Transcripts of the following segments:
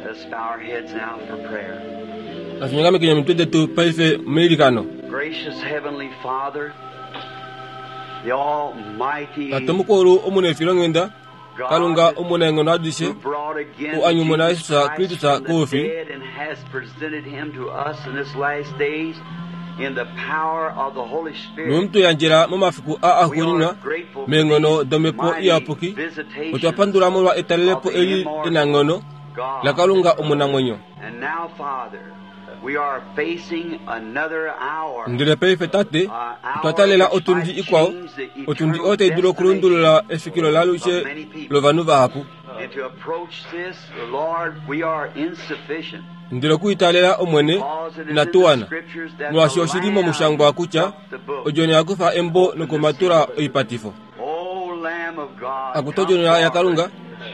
Let's bow our heads now for prayer. Natu omitwe detu paife meilikano. Gracious Heavenly Father, the Almighty Tate mukulu omunefilonghenda, Kalunga God omunaenghono adishe, who brought again u a nyumuna Jesus Jesus Christ Kristus from the koufi, dead and has presented him to us in this last days in the power of the Holy Spirit. nomuntu yandjela momafiku a We axuuninwa are grateful for meenghono these domhepo mighty iyapuki, otwa visitations pandula molwa etalelepo of the eli immortal enanghono God. laKalunga omunamwenyo. And now, Father, we are facing another hour. Ndele paife Tate, otwa talela otundi ikwao, otundi oyo tai dulu okulundulula efikilo lalushe lovanhu vahapu. And to approach this, Lord, we are insufficient. Ndele okuitalela Omwene Because it is in inatu the wana, scriptures that molwaashi the oshili Lamb momushangwa kutya took the book. odjona ya kufa embo nokumatula oipatifo. O Lamb of God, Akutu come odjona forward. yaKalunga,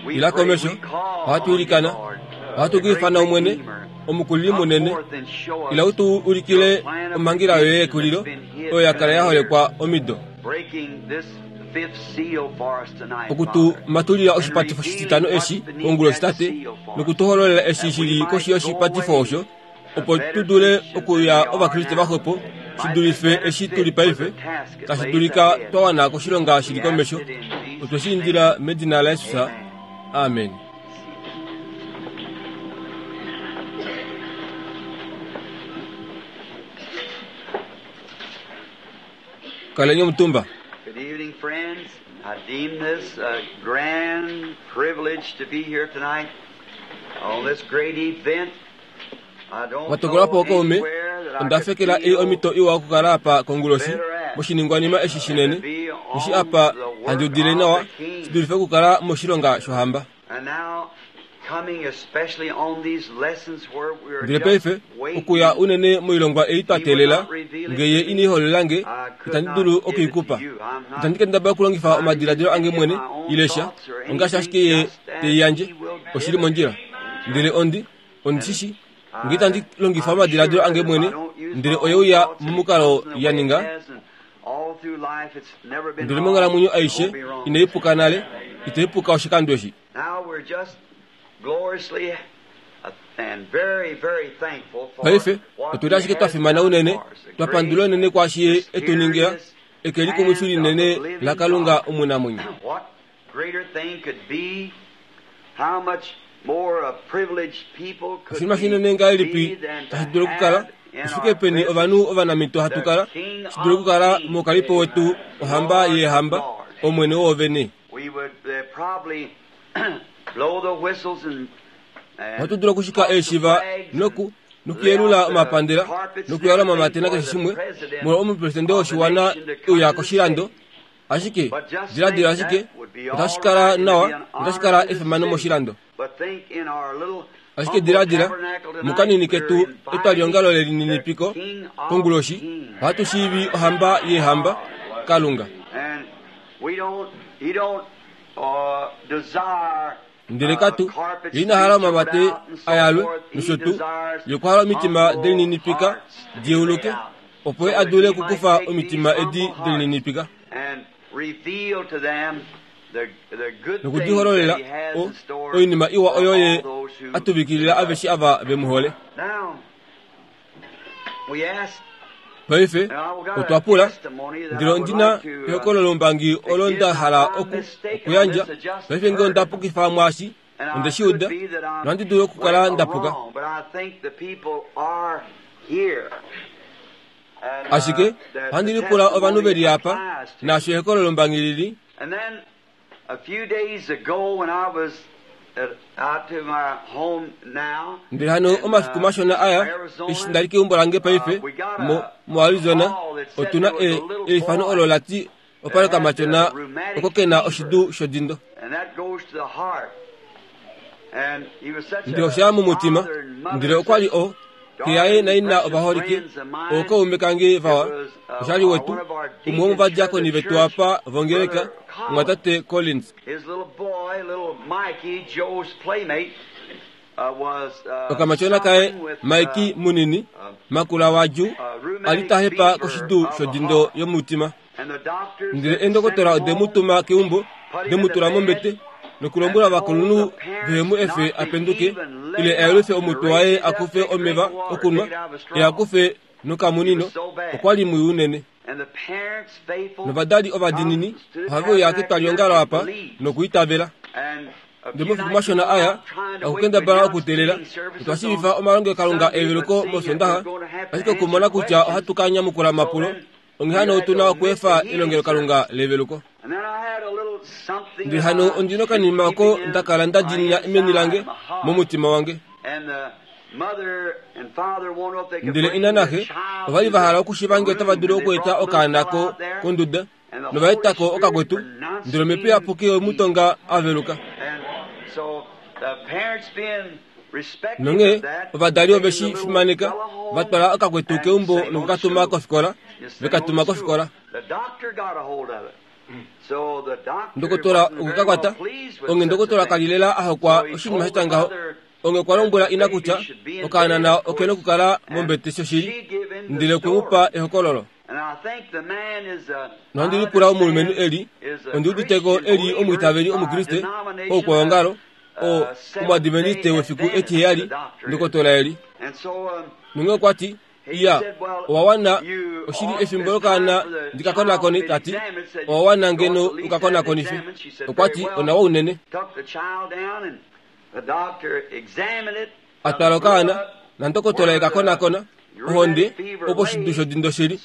We ila pray, komesho, we call ohatu on you, ilikana, Lord, ohatu the great kuifana Omwene, Redeemer. omukulili Come munene, forth and show ila us utu ulikile your plan of omhangela yoye redemption yekulilo that's been hid oyo ya kala ya for holekwa years. omido. Breaking this fifth seal for us tonight, Okutu Father, matulila and oshipatifo revealing shititano what's eshi beneath konguloshi that Tate, seal for us, nokutuhololela eshi that we shili koshi might go yoshipatifo away osho, a opo tu better dule Christian than okuya we are Ovakriste now, vaxwepo, shi might be dulife better eshi tu li fit for paife, the task that tashi lays dulika ahead. twa wana koshilonga shili We ask komesho. it in Otwe Jesus' shi name. indila medina laJesus. Amen. Amen. Kaleni omutumba. Good evening, friends. I deem this a grand privilege to be here tonight on this great event. I don't Watokolapo know okaume, anywhere that I onda could fekela ei feel omhito iwa okukala apa konguloshi better at moshiningwanima eshi than to shinene, be eshi on apa the work handi udile of nawa the shi King. dulife okukala moshilonga shohamba. And now, coming especially on these lessons where we are Ndele just paife okuya waiting, unene moilongwa ei twa He would teelela, not reveal it ngee ye to ina me. iholola nge, I could itandi not dulu give it to okuikupa. you. I'm not Itandi kendabala okulongifa trying to omadiladilo use ange any of mwene my own ile sha, thoughts or ongaashi anything, ashike ye just as tei yandje, He will oshili give it. mondjila. Ndele ondi shishi, ngee I, itandi longifa I'm omadiladilo sure ange that if I mwene, don't use ndele my oye own uya thoughts and it momukalo comes in the ya way it ninga, has, and all through life it's never been ndele wrong, monghalamwenyo it aishe won't be wrong. inai puka nale, itai puka oshikando eshi. Now we're just gloriously and very, very thankful for Paife what otuli He ashike twa has fimana done unene, for us. The twa pandula great, unene kwaashi ye etu ningila, mysterious eke likumwifi hand of the linene living laKalunga God. omunamwenyo. What greater thing could be? How much more a privileged people could Oshinima we shinene ngahelipi be than to tashi dulu okukala, have in oshike our peni presence ovanhu ovanamito hatu the kala, King shi dulu of okukala Kings, mokalipo wetu ohamba Lord of yeehamba, Lords. Omwene woovene. We would probably blow the whistles and Ohatu dulu okushika toss the eeshiva flags and noku lay nokuyelula out the omapandela carpets and nokuyala everything omamatena for keshe the shimwe president molwa omupresidente of the woshiwana nation to come euya to the koshilando. city. Ashike But just diladila think ashike that would be otashi all kala right and it'd nawa be an otashi honor kala to the efimano city. moshilando. But think in our little Ashike humble diladila tabernacle tonight, mukanini we're ketu inviting etwaliongalo the lelininipiko King of konguloshi Kings. ohatu shiivi ohamba yeehamba Kalunga. And we don't, he don't desire Ndele katu carpet ye ina hala streets omamate rolled out and so ayalwe forth. He nosho tuu desires yokuhala omitima humble delininipika hearts to be laid diyeuluke out opo ye so that adule he might okukufa take these omitima edi humble hearts delininipika and reveal to them the, the good things that nokudihololela he has o in store oinima iwa for oyo ye all those who atuvikilila love aveshe him. ava vemuhole. Now, we ask, Paife and I've got otwa a pula testimony that ndele I would ondina like to, ehokololo lombangi to olo give. nda Now, hala if I'm oku mistaken on okuyandja this, I just paife ngee heard onda it. pukifa mwaashi And onde I shi could uda be that I'm nohandi dulu okukala well, nda puka. wrong, but I think the people are here. And Ashike that ohandi the lipula ovanhu testimony veli apa applies to. naasho ehokololo lombangi lili And then a few days ago when I was out to my home now ndele hano in omafiku mashona aya eshi Arizona, ndali keumbo lange paife we got mo a, mo a Arizona call that said otuna there was a little eifano boy olo lati that opali had okamatyona rheumatic oko kena fever. oshidu shodindo. And that goes to the heart. And he was such Ndele a osha mumutima father and mother, ndele okwali such o xe yaye darling, naina precious ovaholike friends of mine. ookaume kange It vawa was oshali wetu one of our umwe deacons here at womuvadiakoni the vetu church, apa vongeleka Brother Collins. mwatate Collins. His little boy, little Mikey, Joe's playmate, was Okamatyona kaye suffering with Mikey munini makula waju ali rheumatic tahepa fever koshidu of the shodindo heart. yomutima. And the doctors Ndele had sent endokotola him ode home, mu tuma keumbo put de him mu in the tula bed, mombete Nokulombwela ovakulunhu vehe mu efe a penduke ile a yelufe omutwe waye a kufe omeva okunwa ye a kufe nokamunino, okwa li mwii unene. Novadali ovadiinini ohave uya ketwalihongalo apa nokuitavela. Ndele momafiku mashona aya, okukendabala okuteelela, otwa shiivifa omalongelokalunga eveluko mOsoondaxa, ashike okumona kutya ohatu ka nyamukula omapulo, onghee hano otu na okweefa elongelokalunga leveluko. Ndele hano ondi nokanima oko nda kala nda diinina meni lange, momutima wange. Ndele ina naxe ova li va hala okushiiva nge otava dulu okweeta okaana ko konduda, nova eta ko okakwetu, ndele omhepo iyapuki oye mu tonga a veluka. Nonghee ovadali ove shi fimaneka, va twala okakwetu keumbo noku ka tuma kofikola, ve ka tuma kofikola. Ndokotola okwe ka kwata, onghee ndokotola ka li lela a hokwa oshinima sha tya ngaho. Onghee okwa lombwela ina kutya okaana oke nokukala mombete shoshili, ndele okwe mu pa ehokololo. Nohandi lipula omulumenhu eli, ondi udite ko e li omwiitaveli Omukriste, oukwaongalo, o, Omuadventiste wefiku etiheyali, ndokotola eli. Nonghee okwa ti, Iya, owa wana, oshi li efimbo lokaana ndi ka konakone, ta ti, owa wana ngeno u ka konakonife. Okwa ti, Onawa unene. A twala okaana, nandokotola e ka konakona, ohonde, opo oshidu shodindo shi li.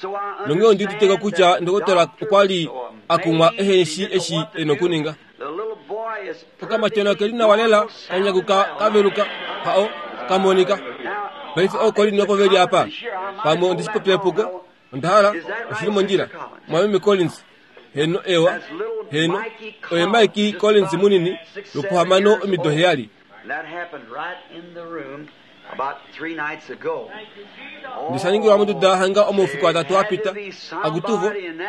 Nonghee ondi udite ko kutya ndokotola okwa li a kumwa ehe shii eshi e nokuninga. Okamatyona oke li nawa lela, ka nyakuka, ka veluka, hao, ka monika. Paife ooKolin opo ve li apa. Pamwe ondi shi popya epuko. Onda hala, oshi li mondjila. Mwameme Collins. Heeno, ewa. Heeno. Oye Mikey Collins munini, lwopohamano omido heyali. Ndisha ningilwa monduda hanga omaufiku atatu a pita. Akutuvo,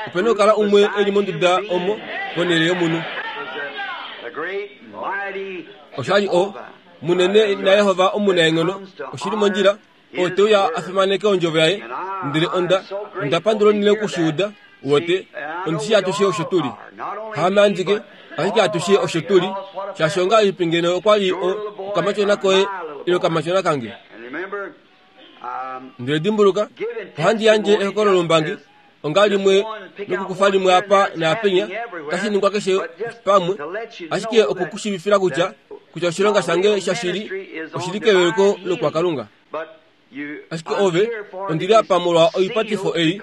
ope na okukala umwe e li monduda omo, ponhele yomunhu. Osha li o, munene naYehova omunaenghono, oshi li mondjila, oo te uya a fimaneke ondjovo yaye. Ndele onda, onda pandula unene oku shi uda. Uwete, ondi shii atushe osho tu li. Haame andike, ashike atushe osho tu li. Shaashi ongahelipi ngeno okwa li o, okamatyona koye ile okamatyona kange? Ndele dimbuluka, ohandi yandje ehokololombangi onga limwe nokukufa limwe apa naapenya, otashi ningwa keshe pamwe, ashike oku ku shiivifila kutya, kutya oshilonga shange shashili oshi li keveluko lokwaKalunga. Ashike ove, ondi li apa molwa oipatifo ei,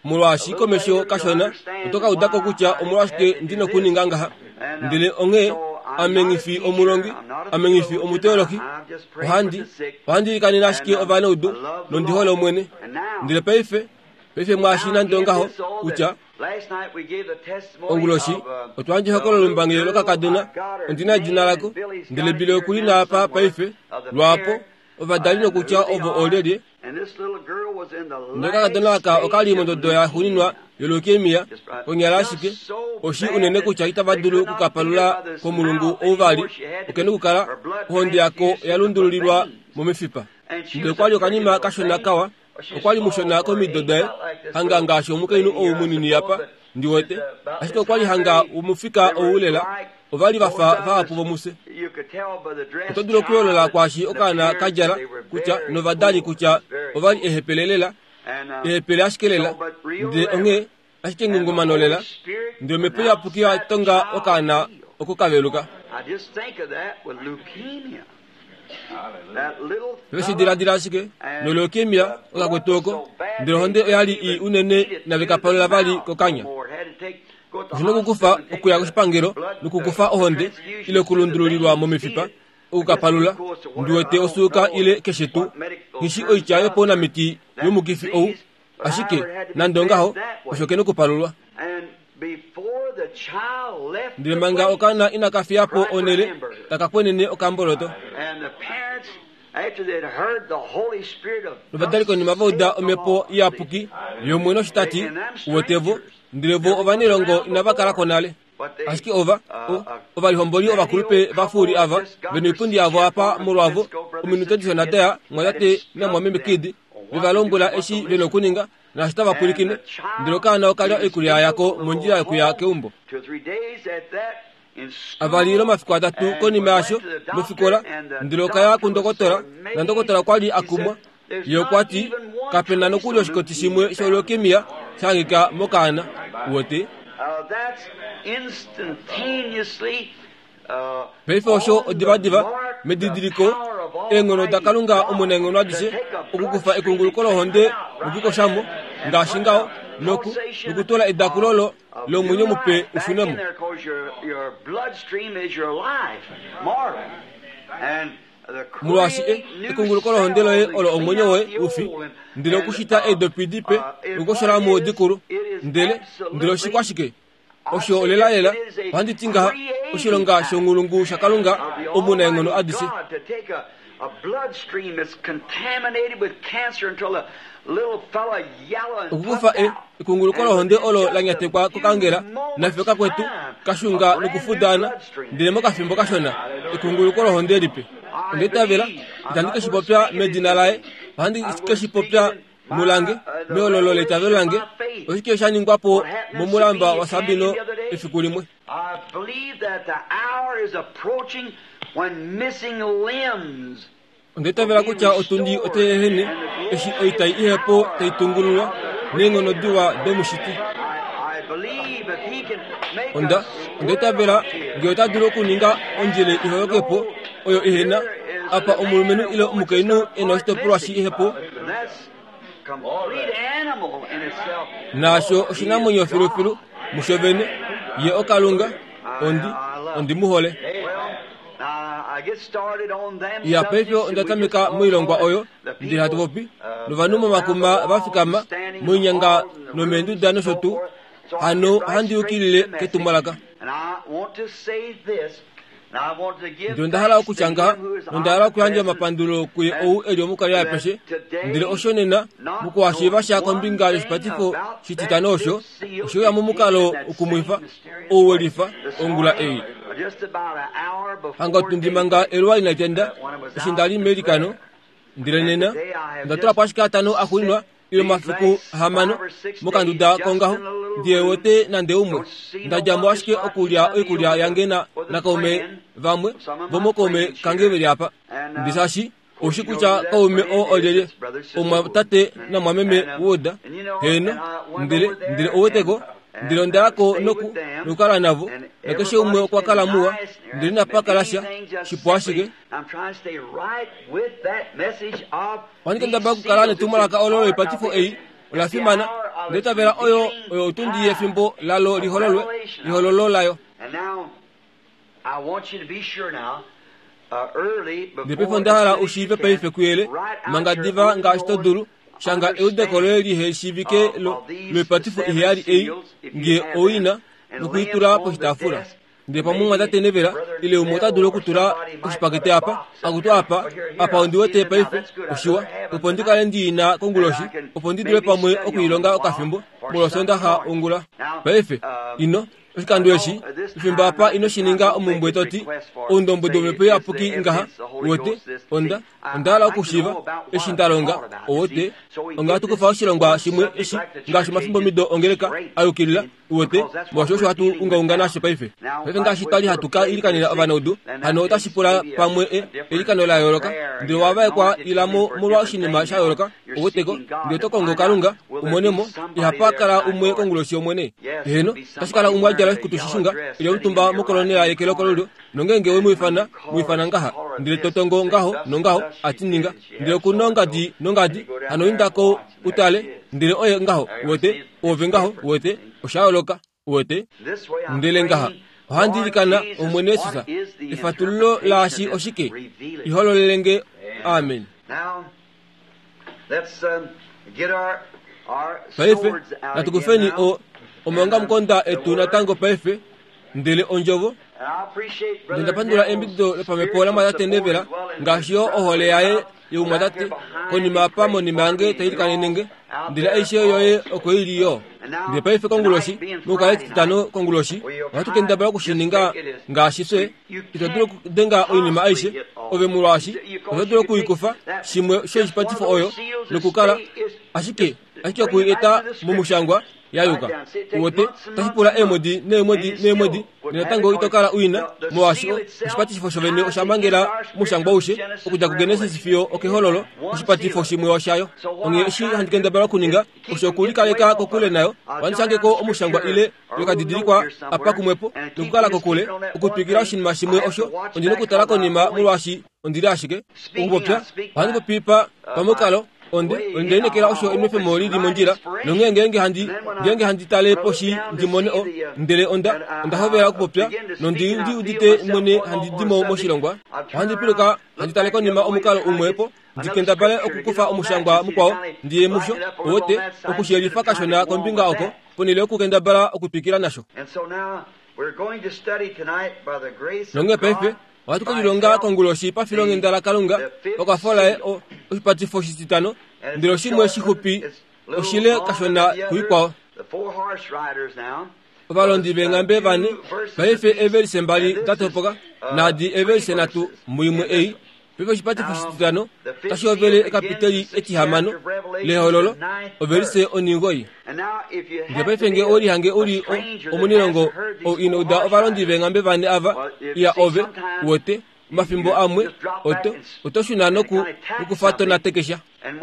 molwaashi komesho kashona oto ka uda ko kutya omolwashike ndi nokuninga ngaha. Ndele onghee, ame nghi fi omulongi, ame nghi fi omuteolohi, ohandi, ohandi ilikanene ashike ovanaudu, nondi hole Omwene. Ndele paife, paife mwaashi nande ongaho, kutya, Onguloshi, otwa yandja ehokololo lombangi lokakadona, ondi na edina lako, ndele Billy oku li na apa paife, lwaapo, ovadali nokutya ovo oolyelye. Ndele okakadona aka oka li mondodo ya xuuninwa yoleukemia, konyala ashike oshi unene kutya itava dulu oku ka palula komulungu ou vali, oke nokukala ohonde yako oya lundululilwa momifipa. Ndele okwa li okanima kashona kawa, okwa li mushona komido daye, hanga ngaashi omukainhu ou munini apa, ndi wete, ashike okwa li hanga womufika ou lela, ova li va fa vahapu vomufye. Oto dulu okuyoolola kwaashi okaana ka djala kutya novadali kutya ova li ehepele lela, ehepele ashike lela, ndele onghee ashike ngungumano lela, ndele omhepo iyapuki ya tonga okaana oko ka veluka. Ve shi diladila ashike, noleukemia okakwetu oko, ndele ohonde oya li ii unene inave ka palula vali kokanya. Oshi nokukufa okuya koshipangelo nokukufa ohonde ile okulundululilwa momifipa oku ka palula, ndi wete osuuka ile keshe tuu. Nghi shi oitya yopaunamiti yomukifi ou, Ashike, nande ongaho, osho ke nokupalulwa. Ndele manga okaana inaka fiya po onhele, taka kwenene okamboloto. Novadali konima va uda Omhepo Iyapuki yOmwene osho ta ti, Uwete vo, ndele vo ovanailongo inava kala ko nale. Ashike ova, o, ovalihomboli ovakulupe vafuuli ava, ve noipundi yavo apa molwavo, ominute dishona daya, mwatate namwameme Kidd, ve va lombwela eshi ve nokuninga, naashi tava pwilikine. Ndele okaana oka lya oikulya yako mondjila yokuya keumbo. Avali ile omafiku atatu konima yasho, mofikola, ndele okaya kundokotola, nandokotola okwa li a kumwa. Ye okwa ti, Kape na nokuli oshikoti shimwe sholeukemia sha hangika mokaana. Uwete? Paife osho odivadiva, medidiliko, eenghono daKalunga omunaenghono adishe, okukufa ekunguluko lohonde nokukosha mo, ngaashi ngaho, noku, nokutula edakulo lo, lomwenyo mupe u shune mo. Molwaashi e, ekunguluko lohonde loye olo omwenyo woye u fi, ndele okushita eedopi dipe nokukoshola mo dikulu, ndele, ndele oshikwashike? Osho lelalela, ohandi ti ngaha, oshilonga shonghulungu shaKalunga omunaenghono adishe. Okukufa e, ekunguluko lohonde olo la nyatekwa kokangela, nafye kakwetu, kashunga nokufudaana, ndele mokafimbo kashona, ekunguluko lohonde lipe. Onda itavela, itandi ke shi popya medina laye, ohandi ke shi popya mulange meololo leitavelo lange oshike sha ningwa po momulamba waSabino efiku limwe. Onda itavela kutya otundi otai ehene eshi oitai ihepo tai tungululwa neenghono diwa domushiti. Onda onda itavela ngee ota dulu okuninga ondjele iholoke po oyo ihena apa omulumenhu ile omukainhu e na oshitopolwa shi ihepo Naasho oshinamwenyo filufilu musho vene, ye oKalunga, ondi, ondi mu hole. Ya paife onda tameka moilongwa oyo, ndele hatu popi novanhu momakuma va fikama, moinyanga nomeenduda nosho tuu, hano ohandi yukilile ketumwalaka. Ndele onda hala okutya ngaha, nonda hala okuyandja omapandulo kuye ou e li omukali apeshe, ndele osho nena, mokuhashiiva sha kombinga yoshipatifo shititano osho, oshe uya momukalo ukumwifa, ou we lifa, ongula ei. Hanga otundi manga eluwa inali tenda, eshi nda li meilikano, Ndele nena onda tula po ashike atano axuuninwa ile omafiku ahamano mokanduda kongaho ndihe wete nande umwe. Nda dja mo ashike okulya oikulya yange na nakaume vamwe vomokaume kange ve li apa. Ndi shaashi ou shi kutya kaume oo olyelye, omumwatate namumwameme Wood. Heeno, ndele, ndele ou weteko, Ndele onda ya ko noku, nokukala navo, nakeshe umwe okwa kala muwa, ndele inapa kala sha, shipu ashike. Ohandi kendabala okukala netumwalaka olo loipatifo ei ola fimana, ndele tavela oyo oyo otundi yefimbo lalo lihololwe, ehololo layo. Ndele paife onda hala u shiive paife kuyele, manga diva ngaashi to dulu, shanga eudeko loye lihe shiivike lo, loipatifo iheyali ei, nge ou i na, noku i tula poshitaafula. Ndele pamwe omumwatate Neville ile umwe ota dulu okutula oshipakete apa, akutu apa, apa ondi wete paife, oshiwa, opo ndi kale ndi i na konguloshi, opo ndi dule pamwe oku i longa okafimbo, molwOsoondaxa ongula. Paife, ino, oshikando eshi, efimbo apa ino shi ninga omumbwe to ti, Oundombwedi wOmhepo Iyapuki ngaha, uwete, onda, Onda hala okushiiva eshi nda longa, uwete. Onga hatu kufa oshilongwa shimwe eshi, ngaashi omafimbomido ongeleka a yukilila, uwete, molwaashi osho hatu ungaunga nasho paife. Paife ngaashi twa li hatu ka ilikanena ovanaudu, hano otashi pula pamwe e, eilikano la yooloka. Ndele owa vaekwa ila mo molwa oshinima sha yooloka, uweteko, ndele oto kongo Kalunga, u mone mo. Ihapa kala umwe konguloshi yOmwene. Heeno, otashi kala umwe a djala oshikutu shishunga, e li omutumba mokolonela yeke lokolulyo, Nongeenge we mu ifana, mu ifana ngaha, ndele to tongo ngaho nongaho, a ti ninga. Ndele oku nongadi nongadi, hano inda ko u tale, ndele oye ngaho, uwete, oove ngaho, uwete, osha yooloka, uwete. Ndele ngaha, ohandi ilikana, Omwene Jesus, efatululo laashi oshike? Ihololele nge. Amen. Paife, natu kufeni o, omaongamukonda etu natango paife, ndele ondjovo. Ndele nda pandula eyambidido lopamhepo lamwatate Neville, ngaashi yo ohole yaye youmwatate, konima apa monima yange tai ilikanene nge. Ndele aishe yoye oko i li yo. Ndele paife konguloshi, mokukala Etitano konguloshi, ohatu kendabala oku shi ninga ngaashi fye. Ito dulu okudenga oinima aishe, ove molwaashi oto dulu oku i kufa shimwe shoishipatifo oyo nokukala ashike, ashike oku i eta momushangwa. ya yuka. Uwete, otashi pula eemwedi neemwedi neemwedi, natango ito kala u ina, molwaashi oshipatifo shovene osha mangela omushangwa aushe, okudja kuGenesis fiyo okehololo, oshipatifo shimwe oshayo. Onghee eshi handi kendabala okuninga, osho okulikaleka kokule nayo, ohandi shange ko omushangwa ile lokadidilikwa apa kumwepo, nokukala kokule, okutwikila oshinima shimwe osho, ondi nokutala konima molwaashi ondi li ashike okupopya, ohandi popi pa pamukalo onde onde lineekela osho enwefemo li li mondjila nonghee ngeenge handi ngeenge handi tale poshi ndi mone o ndele onda onda hovela okupopya nondi ndi udite mwene handi di mo moshilongwa ohandi piluka handi tale konima omukalo umwepo ndi kendabale okukufa omushangwa mukwao ndi ye musho owote okushiyelifa kashona kombinga oko ponhele yokukendabala okutwikila nasho. Nonghee paife ohatu ke lilonga konguloshi pafilonghenda laKalunga pakwafo laye oshipatifo oshititano, ndele oshimwe shixupi oshile kashona kuikwao. Ovalondi veenghambe vane paife eevelise mbali da topoka naadi eevelise nhatu muimwe ei. Paife oshipatifo oshititano otashi hovele ekapiteli etihamano lehololo ovelise oningoi. Ndele paife nge ou lihange u li omunilongo ou ino uda ovalondi veenghambe vane ava, iya ove, uwete, omafimbo amwe oto, oto shuna noku, nokufa to natekesha.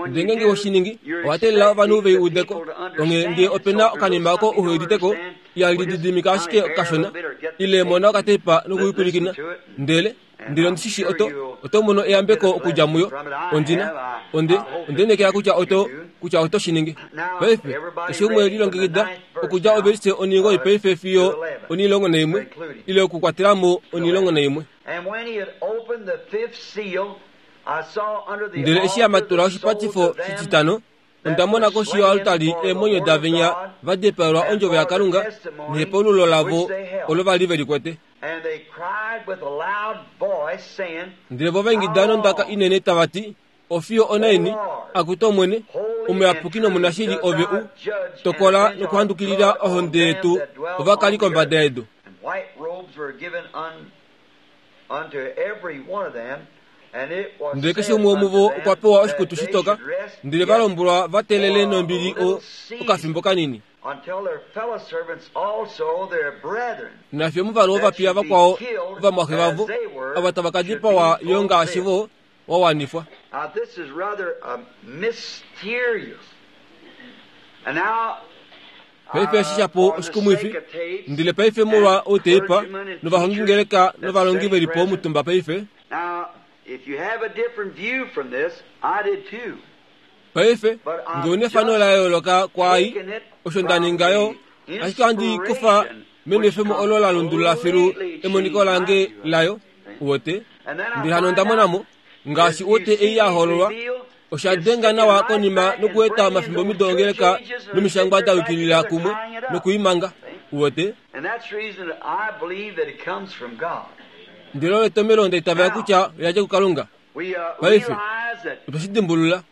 Ndele ngeenge we shi ningi, owa teelela ovanhu ve i ude ko. Onghee nge ope na okanima oko uhe udite ko, iya lididimika ashike kashona, ile mona okateipa nokuyipwilikina. Ndele, ndele ondi shi shii oto, oto mono eyambeko okudja muyo. Ondi na, onde, onde lineekela kutya oto, kutya oto shi ningi. Paife, keshe umwe lilongekida okudja ovelise oningoi paife fiyo onilongo naimwe, ile okukwatela mo onilongo naimwe. Ndele eshi a matula oshipatifo shititano, onda mona koshi yoaltari eemwenyo davenya va dipaelwa ondjovo yaKalunga nehepaululo lavo olo va li ve li kwete. Ndele vo va ingida nondaka inene tava ti, Ofiyo onaini, akutu Omwene, omuyapuki nomunashili ove u tokola nokuhandukilila ohonde yetu ovakali kombada yedu? Ndele keshe umwe womuvo okwa pewa oshikutu shitoka, ndele va lombwelwa va teelele nombili okafimbo kanini. Nafye omuvalu wovapiya vakwao ovamwaxe vavo, ava tava ka dipawa yo ngaashi vo, wa wanifwa. Paife eshi shapo oshikumwifi, ndele paife molwa outeipa novahongingeleka novalongi ve li po omutumba paife. Paife, nge u nefano la yooloka kwaai, osho nda ninga yo, ashike ohandi kufa menwefemo olo la lundulula filu emoniko lange layo, uwete. Ndele hano onda mona mo, ngaashi uwete ei ya hololwa, osha denga nawa konima nokueta omafimbomido ongeleka nomishangwa da yukilila kumwe noku i manga, uwete. Ndele olo etomelo nda itavela kutya oya dja kuKalunga. Paife, otwe shi dimbulula.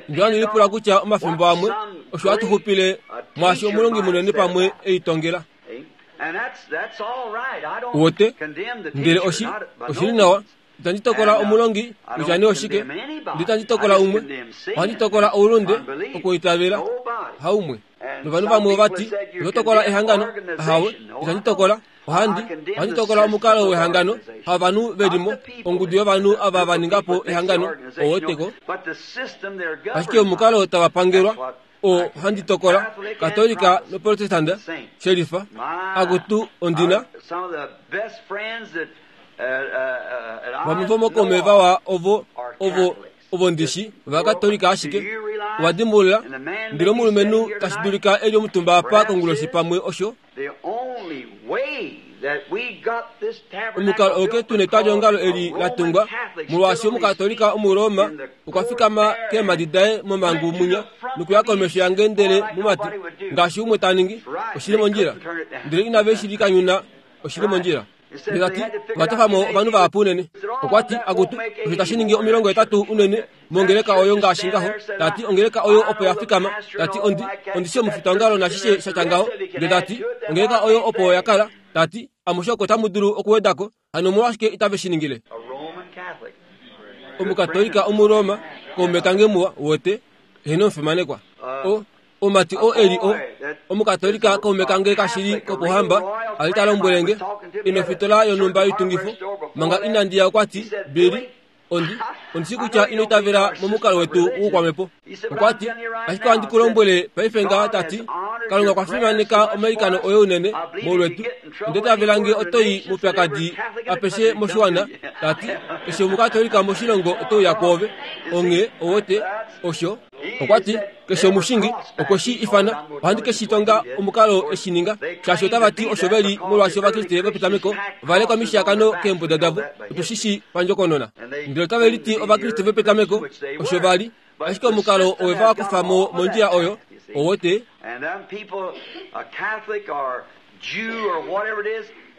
Ndele ohandi lipula kutya omafimbo amwe osho hatu xupile mwaashi omulongi munene pamwe e i tongela. Uwete? Ndele oshi, oshi li nawa. Itandi tokola omulongi kutya nee oshike. Ndele itandi tokola umwe. Ohandi tokola oulunde, okuitavela. Haumwe. Novanhu vamwe ova ti, Oto tokola ehangano? Ahawe, itandi tokola. Ohandi, ohandi tokola omukalo wehangano, havanhu ve li mo, ongudu yovanhu ava va ninga po ehangano, ou weteko. Ashike omukalo tava pangelwa, oo handi tokola, Katolika noProtestanda, shelifa. Akutu, ondi na. Vamwe vomokaume vawa ovo, ovo, ovo ndi shi, Ovakatolika ashike. Owa dimbulula, ndele omulumenhu tashi dulika e li omutumba apa konguloshi pamwe osho. Omukalo oo ketu netwaliongalo eli la tungwa, molwaashi Omukatolika Omuroma okwa fikama keemhadi daye momhangu munya nokuya komesho yange ndele mumati, ngaashi umwe ta ningi, oshi li mondjila. Ndele inave shi likanyuna, oshi li mondjila. Ndele ta ti, Ova tofa mo ovanhu vahapu unene. Okwa ti, Akutu, osho tashi ningi 80 unene mongeleka oyo ngaashi ngaho. Ta ti, Ongeleka oyo opo ya fikama. Ta ti, Ondi, ondi shi omufitaongalo nashishe sha tya ngaho. Ndele ta ti, Ongeleka oyo opo ya kala. Ta ti, Amushe oko tamu dulu okuweda ko. Hano omolwashike itave shi ningile? Omukatolika Omuroma, kaume kange muwa, wote, eheno omufimanekwa. O, omumati oo e li o, Omukatolika kaume kange kashili kopohamba, a li ta lombwele nge, e nofitola yonhumba yoitungifo, manga inandi ya okwa ti, Billy, Ondi, ondi shi kutya ino itavela momukalo wetu woukwamhepo. Okwa ti, Ashike ohandi ku lombwele paife ngaha ta ti, Kalunga okwa fimaneka omailikano oye unene molwetu. Onda itavela nge oto i moupyakadi apeshe moshiwana, ta ti, keshe Omukatolika moshilongo ote uya kwoove. Onghee, owote, osho. Okwa ti, Keshe omushingi okwe shi ifana, ohandi ke shi tonga omukalo e shi ninga, shaashi otava ti osho ve li molwaashi Ovakriste vopetameko ova lekwa mishiyakano keembuda davo. Otu shi shi pandjokonona. Ndele otave liti Ovakriste vopetameko, osho va li, ashike omukalo owe va kufa mo mondjila oyo, owo te.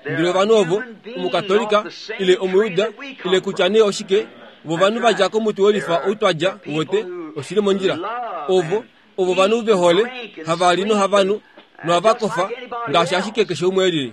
Ndele ovanhu ovo, Omukatolika, ile Omuyuda, ile kutya nee oshike, vo ovanhu va dja komuti wolifa ou twa dja, uwete, oshi li mondjila. Ovo, ovo ovanhu ve hole, hava li nohava nu, nohava kofa, ngaashi ashike keshe umwe e lili.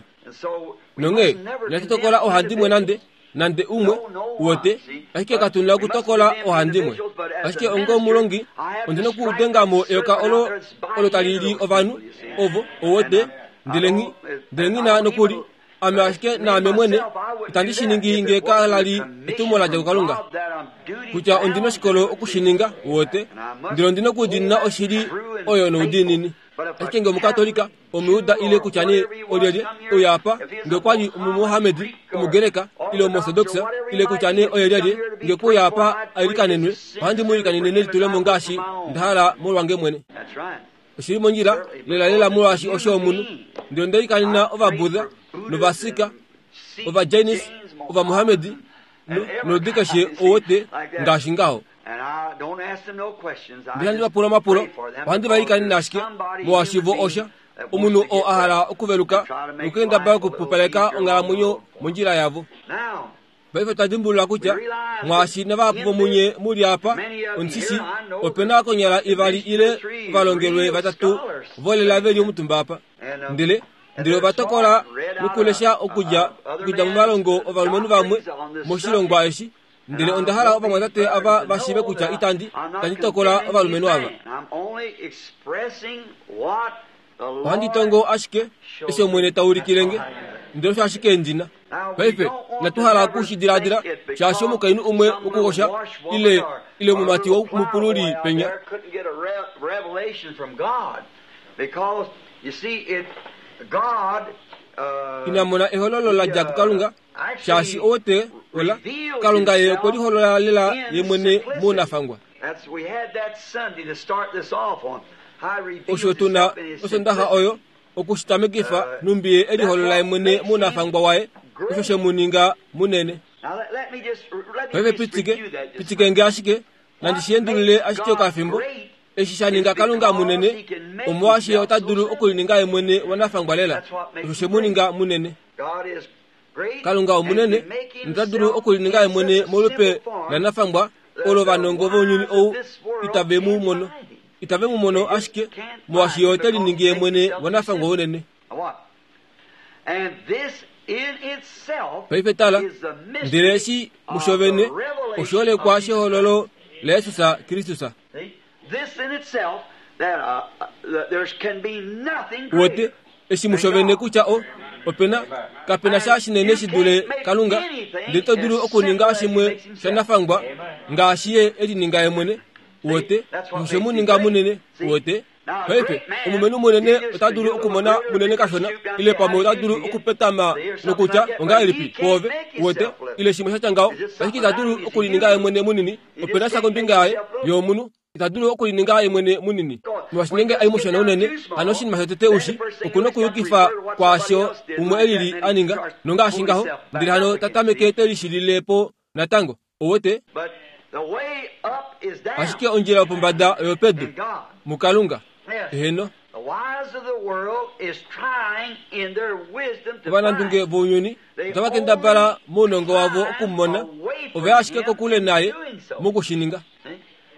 Nonghee, inatu tokola ohandimwe nande, nande umwe, uwete, ashike katu na okutokola ohandimwe. Ashike onga omulongi, ondi na okudenga mo eyoka olo, olo tali li ovanhu, ovo, uwete, ndele nghi, ndele nghi na nokuli, ame ashike naame mwene, itandi shi ningi nge ka la li etumo la dja kuKalunga, kutya ondi na oshikolo oku shi ninga, uwete, ndele ondi na okudiinina oshili oyo noudiinini. Ashike nge Omukatolika, Omuyuda ile kutya nee olyelye, uya apa, nge okwa li Omumuhamedi, Omugreka, ile Omuortodoksa, ile kutya nee oye lyelye, nge okwe uya apa a ilikanenwe, ohandi mu ilikanene nelitulemo ngaashi nda hala molwange mwene. Oshi li mondjila lelalela molwaashi osho omunhu. Ndele onda ilikanena Ovabudha, nOvasika, Ovajainis, Ovamuhamedi, no, noludi keshe owote, ngaashi ngaho. Ndele handi va pula omapulo, ohandi va ilikanene ashike, molwaashi vo osha, omunhu oo a hala okuveluka nokukendabala okupupaleka onghalamwenyo mondjila yavo. Paife otwa dimbulula kutya mwaashi navahapu vomunye mu li apa, omusisi, ope na konyala ivali ile ovalongelwe vatatu volela ve li omutumba apa. Ndele ndele ova tokola nokulesha okudja okudja momalongo ovalumenhu vamwe moshilongwa eshi. Ndele onda hala ovamwatate ava va shiive kutya itandi itandi tokola ovalumenhu ava. Ohandi tongo ashike eshi Omwene ta ulikile nge, ndele osho ashike ndi na. Paife, inatu hala oku shi diladila, shaashi omukainhu umwe wokukosha, ile, ile omumati womupululi penya, ina mona ehololo la dja kuKalunga, shaashi owe ola, Kalunga ye okwe liholola lela ye mwene mounafangwa. Osho tu na Osondaxa oyo oku shi tamekifa nhumbi ye e liholola ye mwene mounafangwa waye, osho she mu ninga munene. Paife pitike, pitike nge ashike, nandi shi endulule ashike okafimbo. Eshi sha ninga Kalunga munene, omolwaashi ye ota dulu okulininga ye mwene wanafangwa lela. Osho she mu ninga munene. Kalunga omunene nota dulu okulininga ye mwene molupe lanafangwa olo ovanongo vounyuni ou itave mu mono. Itave mu mono ashike molwaashi ye ote liningi ye mwene wanafangwa unene. Paife tala, ndele eshi musho vene oshoolekwa shehololo laJesus Kristus. Uwete, eshi musho vene kutya o, ope na, kape na sha shinene shi dule Kalunga, ndele ito dulu okuninga shimwe shanafangwa ngaashi ye e lininga ye mwene. Uwete, osho she mu ninga munene. Uwete? Paife, omulumenhu munene ota dulu okumona munene kashona, ile pamwe ota dulu okupetama nokutya, Ongahelipi kwoove? Uwete? Ile shimwe sha tya ngaho. Ashike ita dulu okulininga ye mwene munini. Ope na sha kombinga yaye, ye omunhu. Ita dulu okulininga ye mwene munini. Molwaashi ngeenge a i mushona unene, hano oshinima shotete u shi, oku na okuyukifa kwaasho umwe e lili a ninga, nongaashi ngaho, ndele hano ta tameke te lishilile po natango. Uwete? Ashike ondjila yopombada oyopedu, muKalunga. Eheno. Ovanandunge vounyuni otava kendabala mounongo wavo okumumona, ove ya ashike kokule naye moku shi ninga.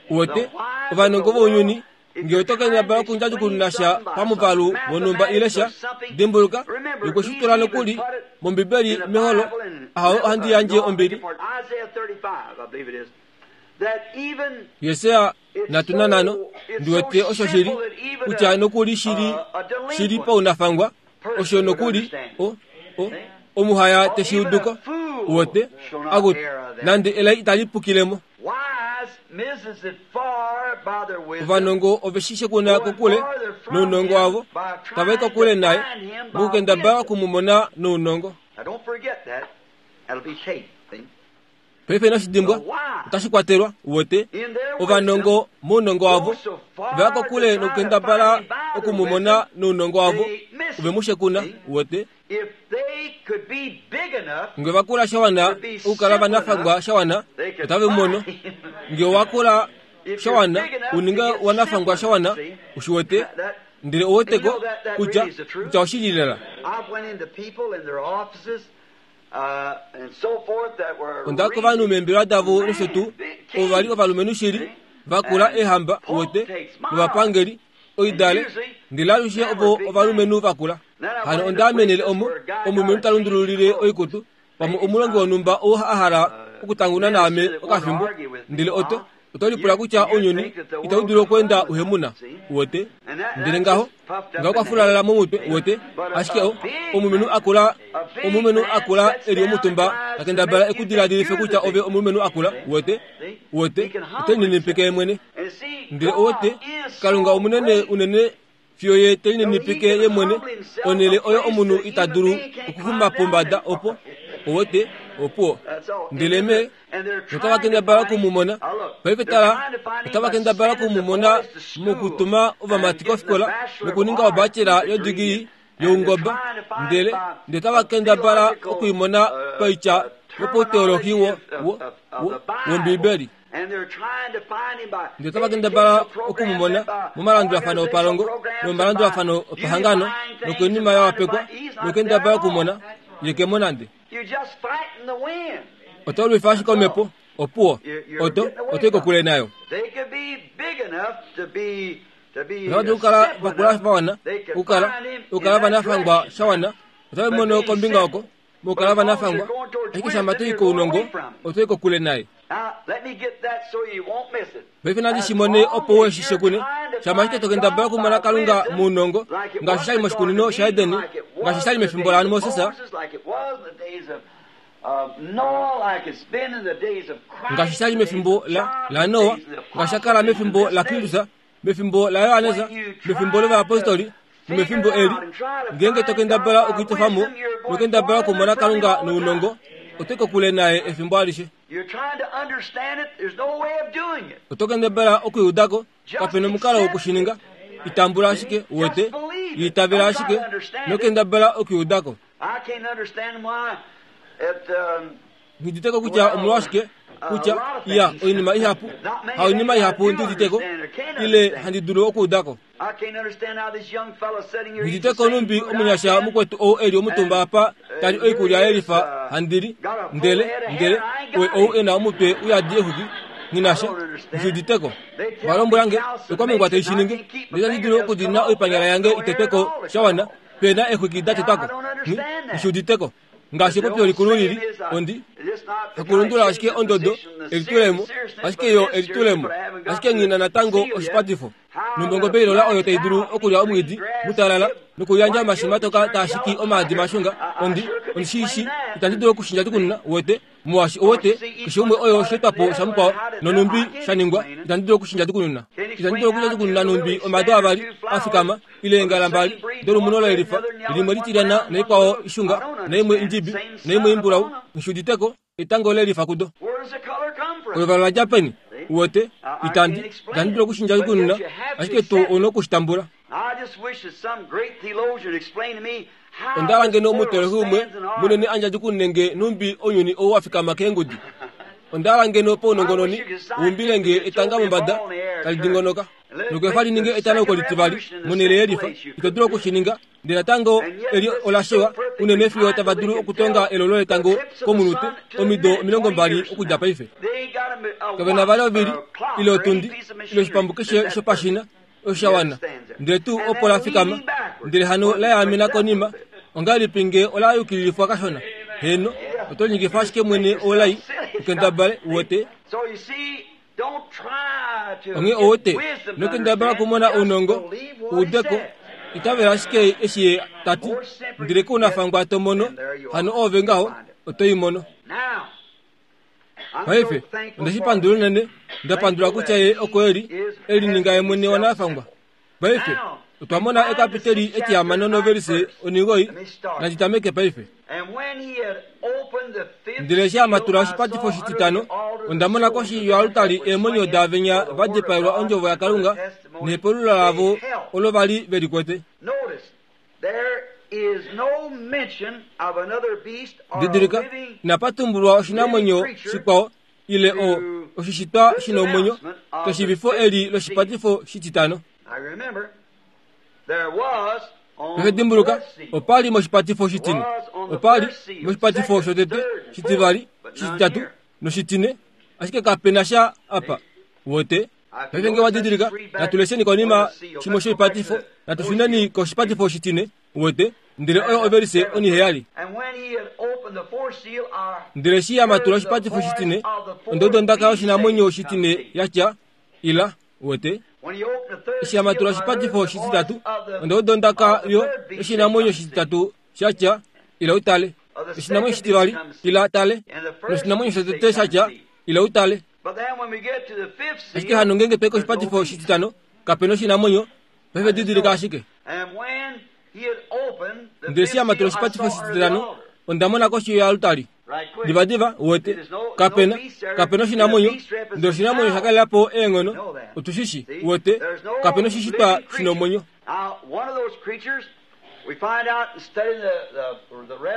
Uwete? Ovanongo vounyuni Nge oto kendabala okundjadjukununa sha pamuvalu wonhumba ile sha, dimbuluka, okwe shi tula nokuli mOmbibeli meholo, Ahawe ohandi yandje ombili. Jesaja na ndi wete osho shili kutya nokuli shili paunafangwa osho nokuli omuhaya teshiuduko uwete akuti nande elai itali pukilemo. Ovanongo ove kuna kokule nounongo wavo tava kokule naye mokukendabala okumumona nounongo. Paife inoshi dimbwa otashi kwatelwa uwete ovanongo mounongo wavo vaya kokule nokukendabala okumumona nounongo wavo ove mu shekuna uwete. Nge vakula shawana okukala vanafangwa shawana otave mumono. Nge wakula shawana uninge wanafangwa shawana ushiwete ndele oweteko kutya oshili lela. Onda kovanhu meembelewa davo nosho tuu ovo vali ovalumenhu shili vakula eehamba uwete novapangeli oidale ndele alushe ovo ovalumenhu vakula. Hano onda amenele omo omulumenhu ta lundululile oikutu pamwe omulongi wonhumba oo a hala okutanguna naame okafimbo ndele oto lipula kutya ounyuni itau dulu okweenda uhemuna uwete ndele ngaho kwafulala momutwe uwete ashike omulumenhu akula eli omutumba takendabala ekudiladilife kutya ove omulumenhu akula uwete ote ninipike mwene ndele owete Kalunga omunene unene fiyo ye telinenepeke ye mwene onele oyo omunhu ita dulu okuxuma pombada opo owete opuwo ndele me otava kendabala okumumona paife tala otava kendabala okumumona mokutuma ovamati kofikola nokuninga obachelor yodigiri youngoba ndele otava kendabala okuimona paitya yopoteolohi wOmbibeli. Ndele otava kendabala okumumona momalandulafano opalongo nomomalandulafano opahangano nokoinima ya wapekwa nokendabala okumona yekemo nande. Oto lwifa ashike omhepo opuwo oto kokule nayo. Otava dulu okukala vakula vawana okukala vanafangwa shawana otava mono kombinga oko mokukala vanafangwa ashike shama toi kounongo otoi kokule naye. Paife nandi shimone opo weshishe kune shama ashike tokendabala okumona Kalunga mounongo ngaashi shali moshikunino shaEden ngaashi shali mefimbo laMoses ngaashi shali mefimbo la Noa ngaashi shakala mefimbo la Kristus mefimbo la Johannes mefimbo lovayapostoli nomefimbo eli ngeenge tokendabala okuitofamo nokendabala okumona Kalunga nounongo oto kokule naye efimbo alishe. Oto kendabala okuiudako kapena omukalo wokushininga itambula ashike uwete itavela ashike nokendabala okuiudako. Ngiditeko kutya omolwashike kutya iya oinima ihapu haoinima ihapu ndiditeko ile handi dulu okuudako. Ngiditeko numbi omunyasha mukwetu ou eli omutumba apa tali oikulya yelifa handili ndele ou ena omutwe uyadi exuki nginasha ngiditeko. Valombwelange okwamengwa taishininge ndele tandi dulu okudina oipanyala yange itetweko shawana pena exuki datetwako ngishuditeko. Ngaashi epopyo likulu lili ondi hakulundula ashike ondodo elitulemo ashike yo elitulemo ashike ngina natango oshipatifo nombongo ilola oyo tai dulu okulya omwiidi mutalala nokuyandja omashima toka taashiki omaadi mashunga ondi ondishiishi itandi dulu okushinja tukununa uwete muwashi owete keshe umwe oyo osheetwapo shamukwao nonumbi shaningwa itandi dulu okushinja tukununa itandi dulu okushinja tukununa numbi omado avali afikama ile eengala mbali dolumuno lelifa limwe litilyana naikwao ishunga naimwe indjibi naimwe imbulau nshuditeko etango lelifa kudo. Oluvala lwa peni uwete itandi dulu okushinja tukununa ashike tu ono okushitambula. Ondala ngeno omutolohi umwe munene andja tukunenge numbi ounyuni ou wafikama keengudi. Ondala ngeno pounongononi umbilenge etanga mombada tali dingonoka nokefa lininge etanauko litivali monhele yelifa ito dulu okushininga ndele natango eli olashewa unene fiyo tava dulu okutonga elolo letango komunute omido 20 okudja paife. Kavena vali ovili ile otundi ile oshipambu keshe shopashina oshawana ndele tuu opo la fikama ndele hano la yaamena konima ongahelipi nge ola yukililifwa kashona heno oto ningifa ashike mwene olai ukendabale uwete. Onghee owote nokendabala okumona ounongo uudeko itavela ashike eshi ye ta ti, ndele kounafangwa to mono, hano oove ngaho oto i mono. Paife, onde shi pandula unene, nda pandula kutya ye oko e li, e lininga ye mwene wanafangwa. Paife, otwa mona ekapiteli etihamano novelise onigoi, nandi tameke paife. Ndele eshi a matula oshipatifo oshititano, onda mona koshi yoalutali eemwenyo daavenya va dipaelwa ondjovo yaKalunga nehepululo lavo olo va li ve li kwete. Didilika, inapa tumbulwa oshinamwenyo shikwao ile o oshishitwa shi na omwenyo keshivifo eli loshipatifo shititano. Paife dimbuluka, opa li moshipatifo shitine, opa li moshipatifo shotete, shitivali, shititatu noshitine, ashike kape na sha apa. Wote? Paife nge wa didilika, natu lesheni konima shimwe shoipatifo, natu shuneni koshipatifo shitine, wete, ndele oyo ovelise oniheyali. Ndele eshi ya matula oshipatifo shitine, onda uda ondaka yoshinamwenyo shitine ya tya, Ila, wete. Eshi ya matula oshipatifo shititatu, onda uda ondaka yo yoshinamwenyo shititatu sha tya, Ila u tale. Oshinamwenyo shitivali, ila tale. Noshinamwenyo shotete sha tya, Ila u tale. Ashike hano ngeenge twai koshipatifo shititano, kape noshinamwenyo, paife didilika ashike. Ndele eshi a matula oshipatifo shititano, onda mona koshi yoaltari. Divadiva, uwete, kape na, kape noshinamwenyo, ndele oshinamwenyo osha kalela po eenghono, otu shi shi, uwete, kape noshishitwa shi nomwenyo.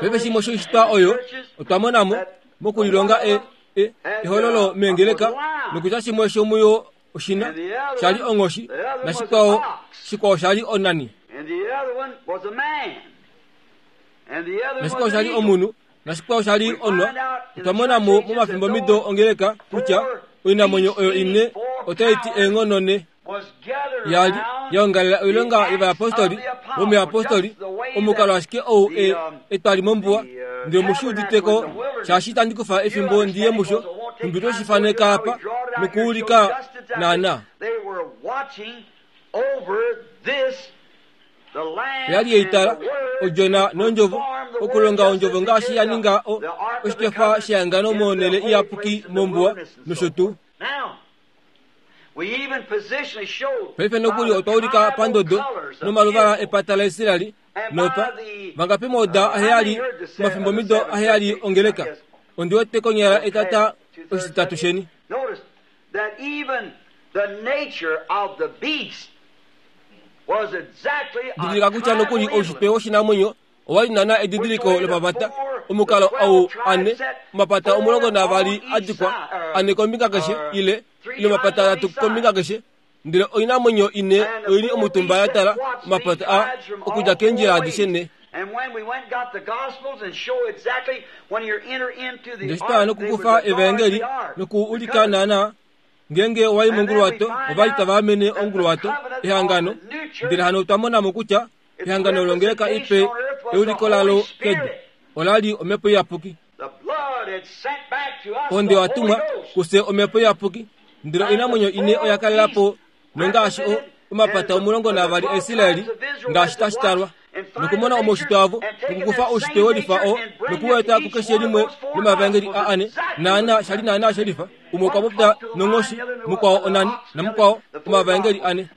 Paife shimwe shoishitwa oyo, otwa mona mo, mokulilonga e, e, ehololo meengeleka, nokutya shimwe shomuyo oshina sha li onghoshi nashikwao shikwao sha li onani. Nashikwao sha li omunhu nashikwao sha li onwa. Otwa mona mo momafimbomido ongeleka kutya oinamwenyo oyo ine otai ti eenghono ne. Ya li ya ongalela oilonga yovayapostoli vomuyapostoli, omukalo ashike ou e, etwali mombuwa. Ndele omu shi udite ko, shaashi itandi kufa efimbo ndi ye musho, nhumbi twe shi faneka apa nokuulika naanaa. Oya li ye i tala, Odjona nOndjovo, okulonga Ondjovo ngaashi ya ninga o, oshikefa shehangano monhele iyapuki mombuwa, nosho tuu. Paife nokuli otwa ulika pandodo nomaluvala epata laIsraeli nopa vangapi mooda aheyali omafimbomido aheyali ongeleka. Ondi wete konyala etata oshititatu sheni. Didilika kutya nokuli oushitwe woshinamwenyo owa li naana edidiliko lopavata, omukalo ou ane, omapata 12 a dikwa, ane kombinga keshe, ile, ile omapata atatu kombinga keshe, ndele oinamwenyo ine oi li omutumba ya tala omapata a okudja keendjila adishe nhe. Ndele eshi twa ya nokukufa Evaengeli noku ulika naana Ngeenge owa i monguluwato, ova li tava amene onguluwato, ehangano. Ndele hano otwa mona mo kutya ehangano longeleka ipe euliko lalo kedu ola li Omhepo Iyapuki. Ohonde oya tumwa kufye Omhepo Iyapuki, ndele oinamwenyo ine oya kalela po nongaashi o, omapata 12 aIsraeli ngaashi tashi talwa. Nokumona omaushitwe avo, nokukufa oushitwe welifa oo, noku u eta kukeshe limwe lomavaengeli a ane, naana sha li naana shelifa, umwe okwa popya nonghoshi, mukwao onani, namukwao omavaengeli ane.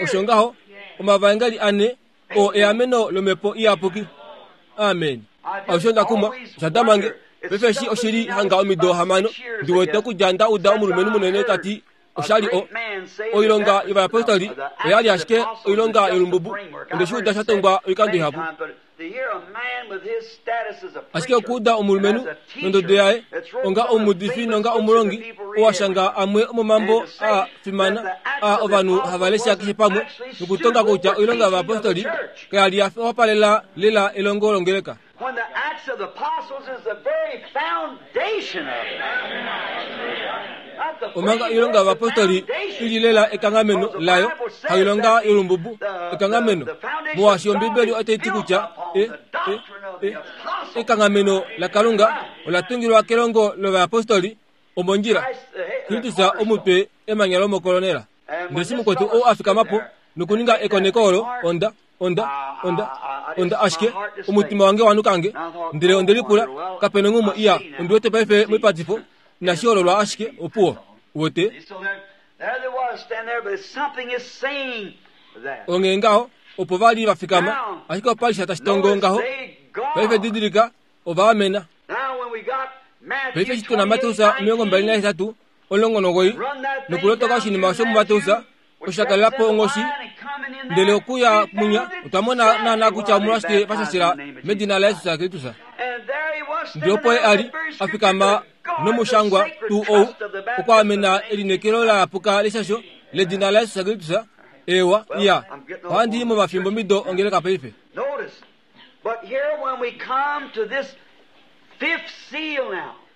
Osho ngaho, omavaengeli ane oo eameno lOmhepo Iyapuki. Amen. Osho nda kumwa, osha dama nge. Paife eshi oshi li hanga omido hamano, ndi wete okudja nda uda omulumenhu munene ta ti osha li o, oilonga yovayapostoli oya li ashike oilonga yolumbubu. Onde shi uda sha tongwa oikando ihapu. Ashike okuuda omulumenhu nondodo yaye onga omuudifi nonga omulongi oo a shanga amwe omomambo a fimana a ovanhu hava lesha keshe pamwe nokutonga kutya oilonga yovayapostoli kaya li ya wapalela lela elongo longeleka. When the Acts of the Apostles is the very foundation of it. Omanga oilonga yovapostoli i li lela ekanghameno layo, hailonga yolumbubu, ekanghameno, molwaashi Ombibeli otai ti kutya e, e, e. Ekanghameno laKalunga ola tungilwa kelongo lovayapostoli omondjila. Kristus omutwe emanya lomokolonela. Ndele eshi mukwetu ou a fikama po nokuninga ekoneko olo, onda, onda, onda, onda ashike omutima wange wa nuka nge. Ndele onde lipula, Kape nonghumwe iya, ondi wete paife moipatifo, inashi hololwa ashike, opuwo. Uwete? Onghee ngaho, opo va li va fikama, ashike opa li sha tashi tongo ngaho. Paife didilika, ova amena. Paife eshi tu na Mateus 28, 19, nokulotoka oshinima osho muMateus, osho sha kalela po onghoshi, ndele okuya munya, otwa mona naanaa kutya omolwashike va shashela medina laJesus Kristus. Ndele opo ye a li, a fikama nomushangwa tuu ou, okwaamena elineekelo la yapuka leshasho ledina laJesus Kristus. Eewa, iya, ohandi i momafimbomido ongeleka paife.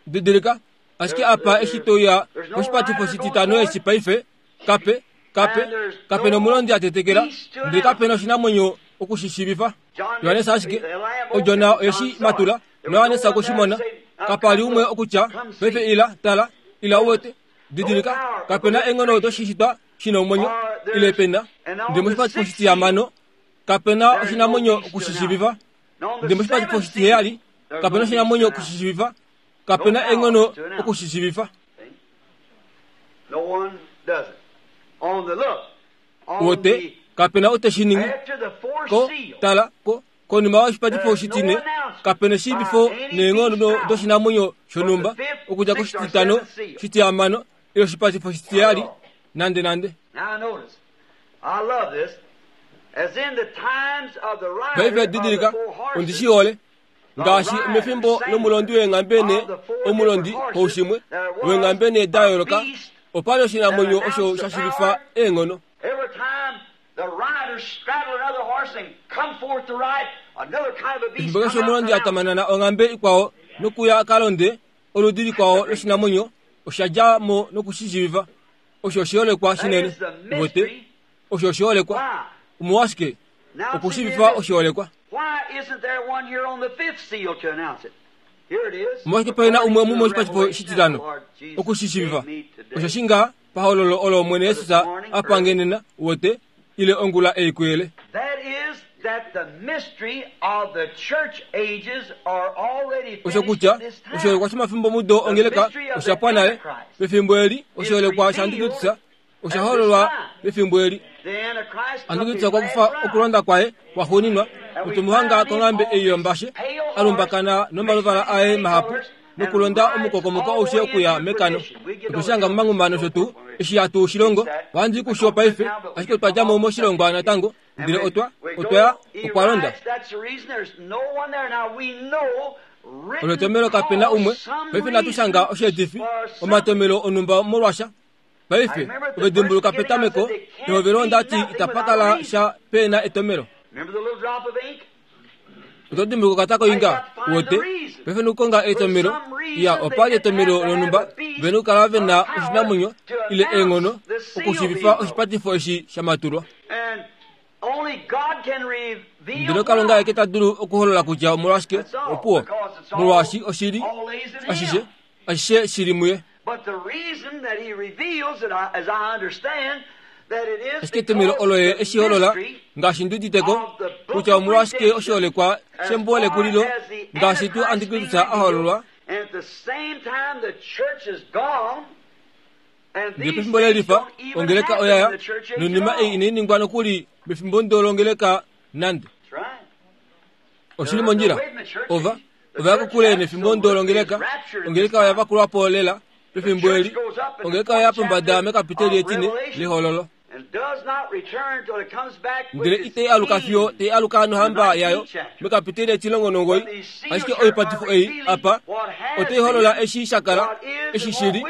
Didilika, ashike apa eshi to uya koshipatifo shititano eshi paife, kape, kape, kape nomulondi a tetekela, ndele kape noshinamwenyo oku shi shiivifa. Johannes ashike, Odjona oye shi matula, naJohannes okwe shi mona. Kapa li umwe okutya, Paife ila, tala, ila u wete. Didilika, kape na eenghono doshishitwa shi na omwenyo, ile pe na. Ndele moshipatifo shitihamano, kape na oshinamwenyo oku shi shiivifa. Ndele moshipatifo shitiheyali, kape na oshinamwenyo oku shi shiivifa. Kape na eenghono oku shi shiivifa. Wote, kape na ou te shi ningi. Ko, tala, ko, konima yoshipatifo shitine, kape na eshiivifo neenghono doshinamwenyo shonhumba, okudja koshititano, shitihamano, ile oshipatifo shitiheyali, nande nande. Paife didilika, ondi shi hole. Ngaashi mefimbo lomulondi weenghambe ne omulondi koushimwe weenghambe ne da yooloka, opa li oshinamwenyo osho sha shivifa eenghono. Efimbo keshe omulondi a tamanana onghambe ikwao nokuya a ka londe oludi likwao loshinamwenyo, osha dja mo noku shi shivifa. Osho oshiholekwa shinene. Uwete? Osho oshiholekwa. Omolwashike? Okushivifa oshiholekwa. Omolwashike pe na umwe omu moshipashifo shititano? Oku shi shivifa. Osho shi ngaa pahololo olo Omwene Jesus a pa nge nena, uwete, ile ongula ei kuyele. Osho kutya oshiholekwa shomafimbomudo ongeleka osha pwa nale. Pefimbo eli, oshiholekwa shaAntikristus osha hololwa pefimbo eli. Antikristus okwa kufa okulonda kwaye kwaxuuninwa notwe mu hanga konghambe ei yombashe, a lumbakana nomaluvala aye mahapu nokulonda omukokomoko aushe okuya mekano. Otwe shi hanga momanghuma nosho tuu eshi hatu shi longo. Ohandi i kusho paife, ashike otwa dja mo moshilongwa natango, ndele otwa, otwa ya, okwa londa. Olo etomelo kape na umwe. Paife natu shanga osheetifi, omatomelo onhumba molwasha. Paife, ove dimbuluka petameko, pehovelo onda ti itapa kala sha pe na etomelo. Oto dimbuluka okatako inga, uwete, paife nokukonga etomelo, iya, opa li etomelo lonhumba, ve nokukala ve na oshinamwenyo, ile eenghono, okushiivifa oshipatifo eshi sha matulwa. Ndele Kalunga aeke ta dulu okuholola kutya omolwashike, opuwo, molwaashi oshi li ashishe, ashishe shi li muye. Ashike etomhelo olo ye e shi holola, ngaashi ndi udite ko, kutya omolwashike oshiholekwa shembo lekulilo, ngaashi tuu Antikristus a hololwa, Ndele pefimbo lelifa, ongeleka oya ya, noinima ei inai ningwa nokuli mefimbo ndo longeleka nande. Oshi li mondjila. Ova, ova ya kokule nefimbo ndo longeleka. Ongeleka oya vakulwa po lela pefimbo eli. Ongeleka oya ya pombada mekapiteli etine lehololo. Ndele itai aluka fiyo tai aluka nohamba yayo mekapiteli etilongo nongoi. Ashike oipatifo ei apa otai holola eshi sha kala, eshi shi li,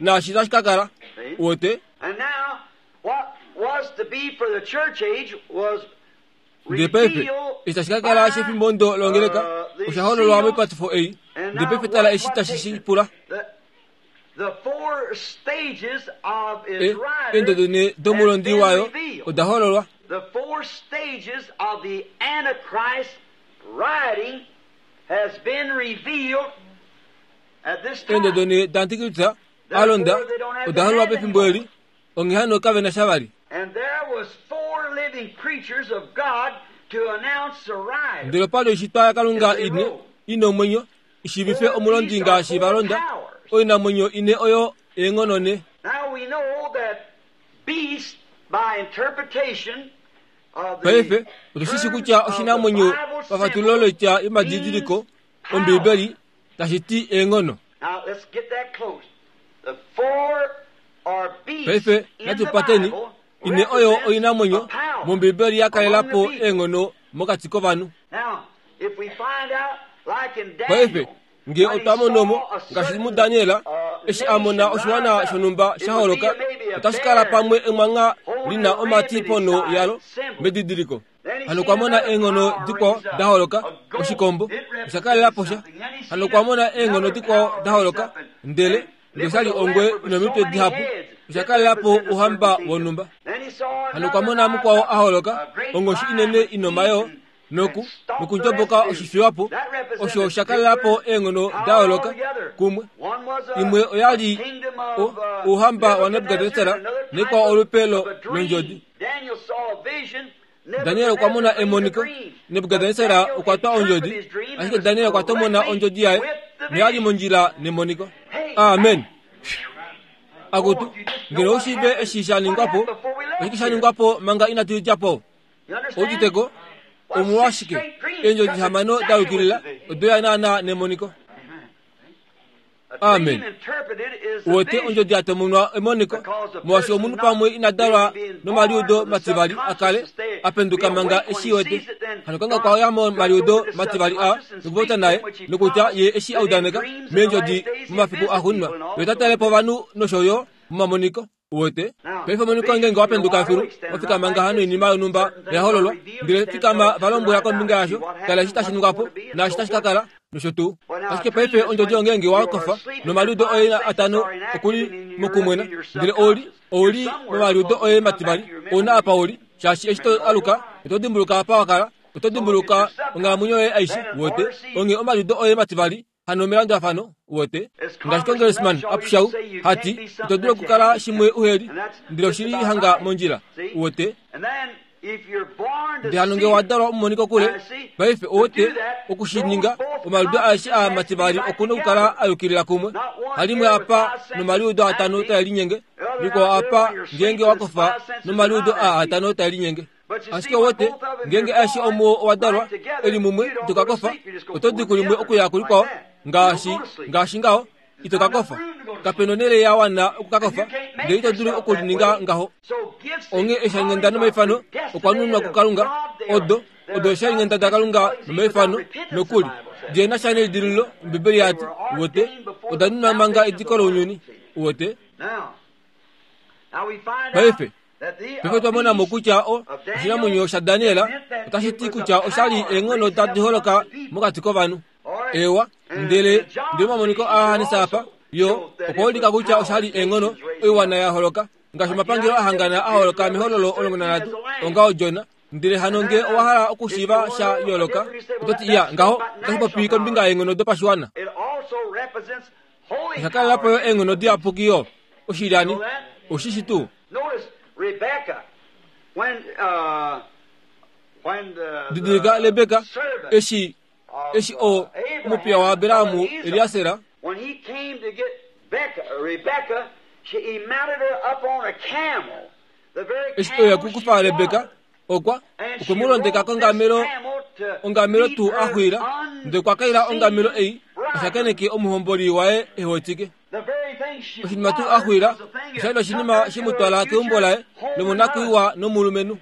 naashi tashi ka kala. Uwete? Ndele paife, eshi tashi ka kala shefimbo ndo longeleka, osha hololwa moipatifo ei. Ndele paife tala eshi tashi shi pula. E, eendodo ne domulondi wayo oda hololwa. Eendodo ne daantikristu a londa oda hololwa pefimbo eli, onghee hano kave na sha vali. Ndele opa li oishitwa yaKalunga ine i nomwenyo i shiivife omulondi ngaashi va londa, oinamwenyo ine oyo eenghono ne. Paife otu shi shi kutya oshinamwenyo pafatululo loitya yomadidiliko Ombiibeli tashi ti eenghono. Paife natu pateni ine oyo oinamwenyo mOmbiibeli ya kalela po eenghono mokati kovanhu. Paife nge otwa mono mo ngaashi muDaniel eshi a mona oshiwana shonhumba sha holoka, otashi kala pamwe emwangha li na omati ponho yalo medidiliko. Hano okwa mona eenghono dikwao da holoka, oshikombo osha kalela po sha. Hano okwa mona eenghono dikwao da holoka, ndele ndele osha li ongwe inomitwe dihapu, osha kalela po ouhamba wonhumba. Hano okwa mona mukwao a holoka, onghoshi inene inomayoo, noku nokundjoboka oshifiwapo, osho osha kalela po eenghono da yooloka kumwe. Imwe oya li ouhamba waNebukadnesar, naikwao olupe londjodi. Daniel okwa mona emoniko. Nebukadnesar okwa twa ondjodi, ashike Daniel okwa tomona ondjodi yaye noya li mondjila nemoniko. Amen. Akutu, ngeno ou shiive eshi sha ningwa po, oshike sha ningwa po manga inatu dja po? Ouditeko, omolwashike eendjodi hamano da yukilila odo ya naana nemoniko? Amen. Uwete ondjodi ya tomonwa emoniko, molwaashi omunhu pamwe ina dalwa nomaliudo mativali a kale a penduka manga eshi wete. Hano Kalunga okwa ya momaliudo mativali a nokupopya naye, nokutya ye eshi a udaneka meendjodi momafiku axuuninwa, ye ota tale po ovanhu nosho yo momamoniko. Uwete? Paife omoniko ngeenge wa penduka filu, wa fikama ngaha noinima yonhumba ya hololwa, ndele fikama va lombwela kombinga yasho, tala eshi tashi ningwa po, naashi tashi ka kala, nosho tuu. Ashike paife ondjodi ongeenge wa kofa, nomaliudo oye atano oku li mokumwena, ndele ou li, ou li momaliudo oye mativali, ou na apa u li, shaashi eshi to aluka, oto dimbuluka apa wa kala, oto dimbuluka onghalamwenyo yoye aishe, uwete, onghee omaliudo oye mativali Hano melandulafano, uwete, ngaashi Congressman Upshaw hati, ito dulu okukala shimwe uheli, ndele oshi li hanga mondjila, uwete. Ndele hano nge owa dalwa omumoni kokule, paife uwete, oku shi ninga, omaliudo aeshe aa mativali oku nokukala a yukilila kumwe. Halimwe apa nomaliudo atano tae linyenge, likwao apa ngeenge wa kofa nomaliudo aa atano tae linyenge. Ashike uwete, ngeenge aeshe omuo owa dalwa e li mumwe, ito ka kofa. Oto di kulimwe okuya kulikwao, ngaashi, ngaashi ngaho. Ito ka kofa. Kape nonhele ya wana oku ka kofa, ndele ito dulu oku lininga ngaho. Onghee eeshalinghenda nomaifano okwa nunwa kuKalunga, odo, odo eeshalinghenda daKalunga nomaifano, nokuli, di na sha nelidilululo, Ombibeli ya ti, uwete, oda nunwa manga ediko lounyuni. Uwete? Paife, Paife otwa mona mo kutya o, oshinamwenyo shaDaniel otashi ti kutya osha li eenghono tadi holoka mokati kovanhu. Ewa, ndele ndele omamoniko aJohannes apa yo okwa ulika kutya osha li eenghono oiwana ya holoka ngaashi omapangelo a hangana a holoka mehololo 13 ongaho Jona. Ndele hano nge owa hala okushiiva sha yooloka, oto ti, Iya, ngaho otashi popi kombinga yeenghono dopashiwana. Osha kalela po yo eenghono diyapuki yo. Oshilyani, oshi shi tuu? Didilika Rebeka, eshi, eshi o, omupiya waAbraham, Eliaser, Eshi e uya okukufa Rebeka, okwa okwe mu londeka kongamelo, ongamelo tuu a xwiila, ndele okwa kaila ongamelo ei a shakeneke omuhomboli waye e wetike. Oshinima tuu a xwiila osha li oshinima she mu twala keumbo laye lomonakwiiwa nomulumenhu.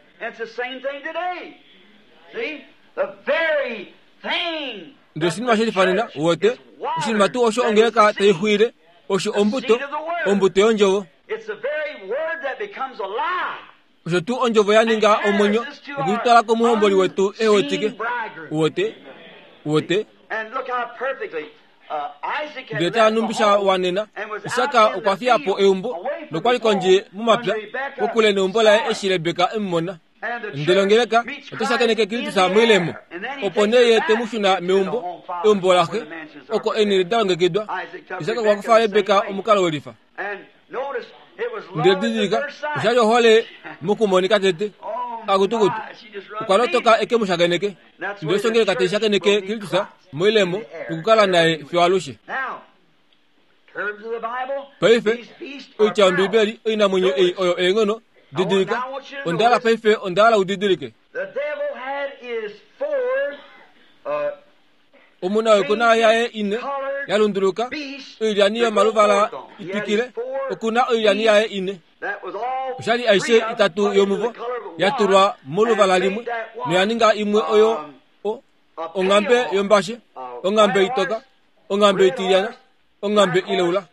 Ndele oshinima she lifanena, uwete, oshinima tuu osho ongeleka tai xwiile, osho ombuto, ombuto yondjovo. Osho tuu ondjovo ya ninga omwenyo nokutwala komuhomboli wetu e wetike. Uwete? Uwete? Ndele tala nhumbi sha wanena, Isak okwa fiya po eumbo nokwa li kondje momapya, kokule neumbo laye eshi Rebeka e mu mona. Ndele ongeleka otai shakeneke Kristus moilemo, opo nee ye te mu shuna meumbo. Eumbo laxe oko eenhele da longekidwa. Isak okwa kufa Rebeka omukalo welifa. Ndele didilika, osha li ohole mokumonika tete. Akutukutu, okwa lotoka eke mu shakeneke. Ndele osho ngeleka tai shakeneke Kristus moilemo nokukala naye fiyo alushe. Paife, oitya yOmbibeli oinamwenyo ei oyo eenghono. Didilika, onda hala paife onda hala u didilike. Omuna oikuna yaye ine ya lunduluka, oilyani yomaluvala itwikile, oku na oilyani yaye ine. Oshali aishe itatu yomuvo ya tulwa moluvala limwe noya ninga imwe oyo o, onghambe yombashe, onghambe itoka, onghambe itilyana, onghambe ileula.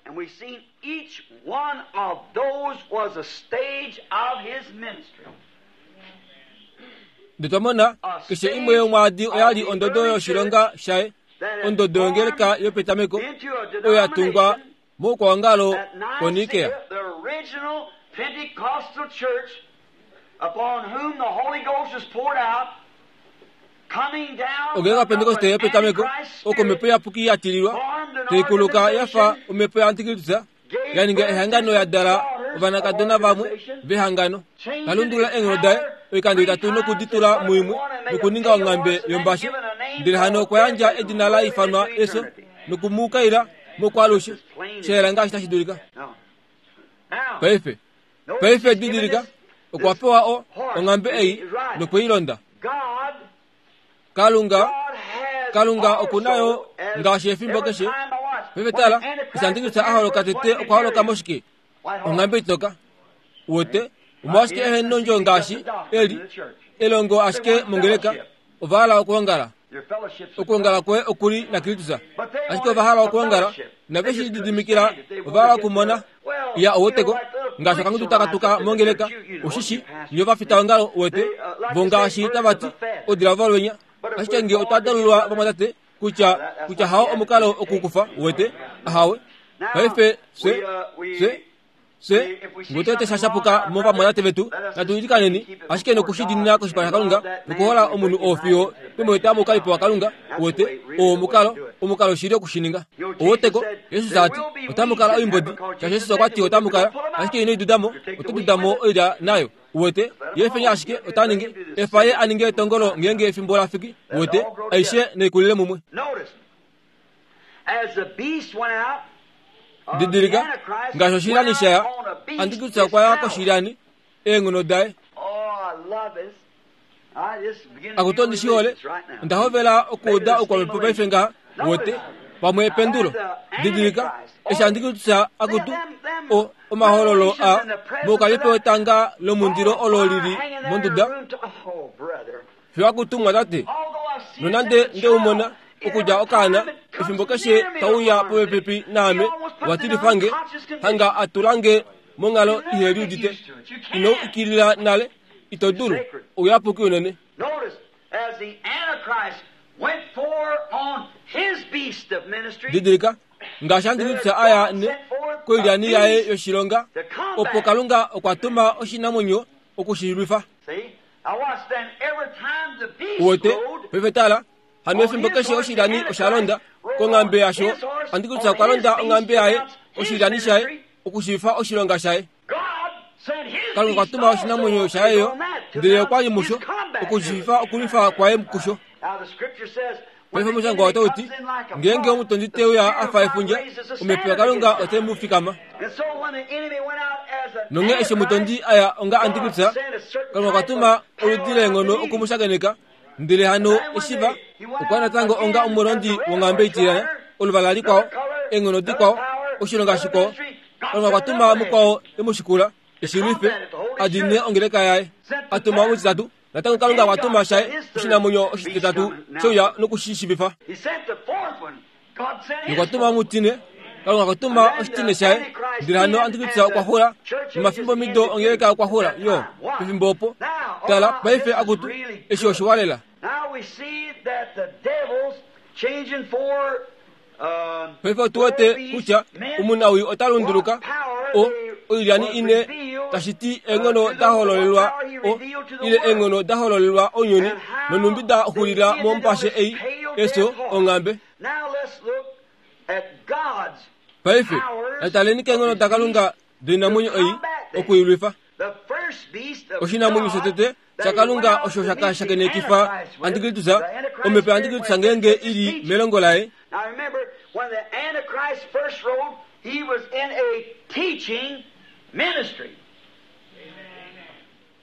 Ndele twa mona keshe imwe yomwaadi oya li ondodo yoshilonga shaye, ondodo yongeleka yopetameko oyo ya tungwa moukwaongalo koNikea. Ongeleka Pentekoste yopetameko oko omhepo iyapuki ya tililwa, tai kuluka ya fa omhepo yaAntikristus, ya ninga ehangano ya dala ovanakadona vamwe vehangano, ta lundulula eenghono daye oikando itatu noku di tula muimwe nokuninga onghambe yombashe, ndele hano okwa yandja edina la ifanwa efyo noku mu kaila mokwaalushe, sha yela ngaashi tashi dulika. Paife, paife didilika, okwa pewa o, onghambe ei nokwe i londa. Kalunga, Kalunga oku na yo ngaashi efimbo keshe. Paife tala, eshi Antikristo a holoka tete okwa holoka moshike? Onghambe itoka. Uwete, omolwashike ehe nondjo ngaashi eli, elongo ashike mongeleka, ova hala okuongala. Okuongala kwoye oku li naKristus. Ashike ova hala okuongala, inave shi lididimikila, ova hala okumona. Ya, uweteko, ngaashi okangudu taka tuka mongeleka, ushishi, nye ovafitaongalo, uwete, vo ngaashi tava ti, odila volwenya. Ashike nge otwa dalulwa vamwatate, kutya, kutya hao omukalo okukufa, uwete, ahawe. Paife, fye, fye, Fye, nge otwa ete sha puka movamwatate vetu, natu ilikaneni, ashike noku shi diinina koshipala shaKalunga, nokuhola omunhu oo fiyo twe mu eta moukalipo waKalunga. Uwete, oo omukalo, omukalo shili oku shi ninga. Ouweteko, Jesus a ti, Otamu kala oimbodi, shaashi Jesus okwa ti otamu kala, ashike ino i duda mo, oto duda mo oilya nayo. Uwete, ye fenya ashike ota ningi, efa ye a ninge etongolo ngeenge efimbo la fiki, uwete, aishe naikulile mumwe. Didilika, ngaashi oshilyani sha ya, Antikristus okwa ya koshilyani, eenghono daye. Akutu ondi shi hole. Onda hovela okuuda oukwamhepo paife ngaha, wote, pamwe ependulo. Didilika, eshi Antikristus akutu, o, omahololo a, moukalipo wetanga lomundilo olo li li monduda, Fiyo akutu mwatate, nonande nde u mona okudja okaana, efimbo keshe tau ya popepi naame, wa tilifa nge, hanga a tula nge monghalo ihe liudite. Ino u ikilila nale, ito dulu. Ouyapuki unene. Didilika, ngaashi Antikristus a ya ne koilyani yaye yoshilonga, opo Kalunga okwa tuma oshinamwenyo oku shi lwifa. Uwete, paife tala, hano efimbo keshe oshilyani osha londa konghambe yasho, Antikristus okwa londa onghambe yaye, oshilyani shaye, okushiifa oshilonga shaye. Kalunga okwa tuma oshinamwenyo shaye yo, ndele okwa li musho, okushiifa okulwifa kwaye kusho. Paife omushangwa otau ti, ngeenge omutondi te uya a fa efundja, omhepo yaKalunga otai mu fikama. Nonghee eshi omutondi a ya onga Antikristus, Kalunga okwa tuma oludi leenghono oku mu shakeneka, ndele hano eshi va, okwa natango onga omulondi wonghambe itilyana, oluvala likwao, eenghono dikwao, oshilonga shikwao. Kalunga okwa tuma mukwao e mu shikula, e shi lwife, a diinine ongeleka yaye. A tuma omutitatu, Natango Kalunga okwa tuma shaye oshinamwenyo oshititatu sheuya noku shi shivifa. Nokwa tuma omutine, Kalunga okwa tuma oshitine shaye, ndele hano Antikristus okwa xula, nomafimbo mido ongeleka okwa xula yo pefimbo opo. Tala, paife akutu, eshi oshiwa lela. Paife otu wete kutya omunawii ota lunduluka o oilyani ine, tashi ti eenghono da hololelwa o ile eenghono da hololelwa ounyuni nonhumbi da xulila mombashe ei. Eso, onghambe. Paife, nataleni keenghono daKalunga doinamwenyo ei okuilwifa. Oshinamwenyo shotete shaKalunga osho shaka shakenekifa Antikristus, omhepo yaAntikristus ngeenge i li melongo laye.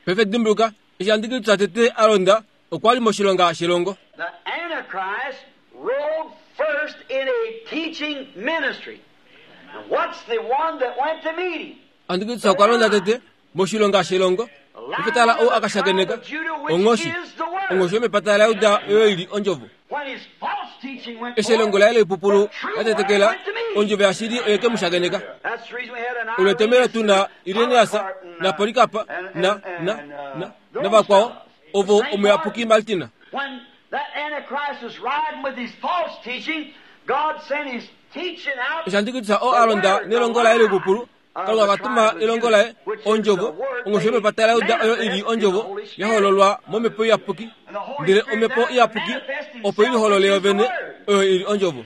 Paife dimbuluka, eshi Antikristus tete a londa, okwa li moshilonga shelongo. Antikristus okwa londa tete moshilonga shelongo. Paife tala ou a ka shakeneka, onghoshi, onghoshi yomepata laJuda oyo i li ondjovo. Eshi elongo laye loipupulu la tetekela, ondjovo yashili oye ke mu shakeneka. Olo etomhelo tu na Irenaeus naPolycarp na, na, na, navakwao, ovo omuyapuki Martin. Eshi Antikristus oo a londa nelongo laye loipupulu, Kalunga okwa tuma elongo laye, Ondjovo, ongushu yomepata laJuda oyo i li Ondjovo ya hololwa mOmhepo Iyapuki. Ndele Omhepo Iyapuki opo i liholole yovene, oyo i li Ondjovo.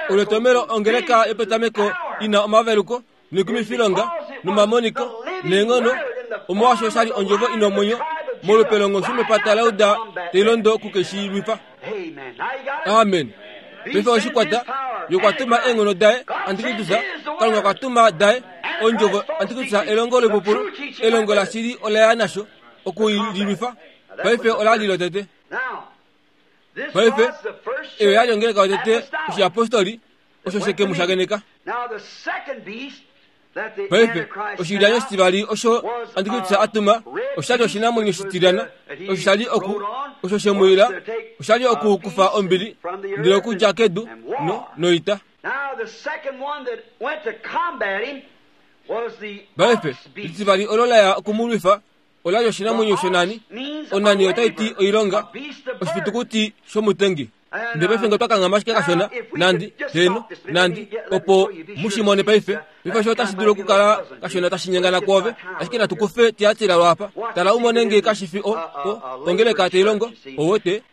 Olo ongeleka yopetameko i na omaveluko noikumifilonga nomamoniko neenghono, omolwaashi osha li Ondjovo i na omwenyo molupe longushu mepata laJuda tai londo kukeshilwifa. Amen. Paife oshikwata ye okwa tuma eenghono daye Antikristus, Kalunga okwa tuma daye ondjovo Antikristus elongo loipupulu, elongo lashili ola ya nasho oku li lwifa. Paife ola li lotete. Paife eyo ya li ongeleka yotete oshiyapostoli osho sheke mu shakeneka. Paife, oshilyani oshitivali osho Antikristus a tuma osha li oshinamwenyo shitilyana osho sha li oku osho she mu ila osha li oku kufa ombili ndele okudja kedu no, noita. Paife, litivali olo la ya oku mu lwifa ola li oshinamwenyo shonani. Onani otai ti oilonga, oshifitukuti shomutengi. Ndele paife nge otwa kanghama ashike kashona, nandi, heeno, nandi, opo mu shi mone paife. Paife osho otashi dulu okukala kashona tashi nyengana kwoove, ashike natu kufe Tiatira lwaapa. Tala u mone nge kashi fi o, o, ongeleka tai longo, ou wete.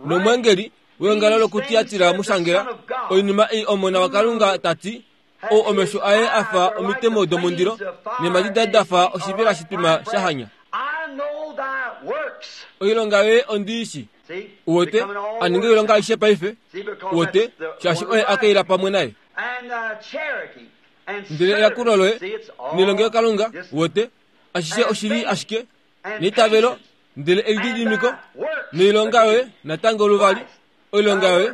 Nomweengeli weongalo lokuTiatira mu shangela, oinima ei Omona waKalunga ta ti, ou omesho aye a fa omitemo domundilo neemhadi daye da fa oshivela shitwima sha hanya. Oilonga yoye ondi i shii. U wete, a ninga oilonga aishe paife, u wete, shaashi oye a kaila pamwe naye. Ndele eyakulo loye nelongelokalunga, u wete, ashishe oshi li ashike neitavelo, ndele elididimiko noilonga yoye natango luvali, oilonga yoye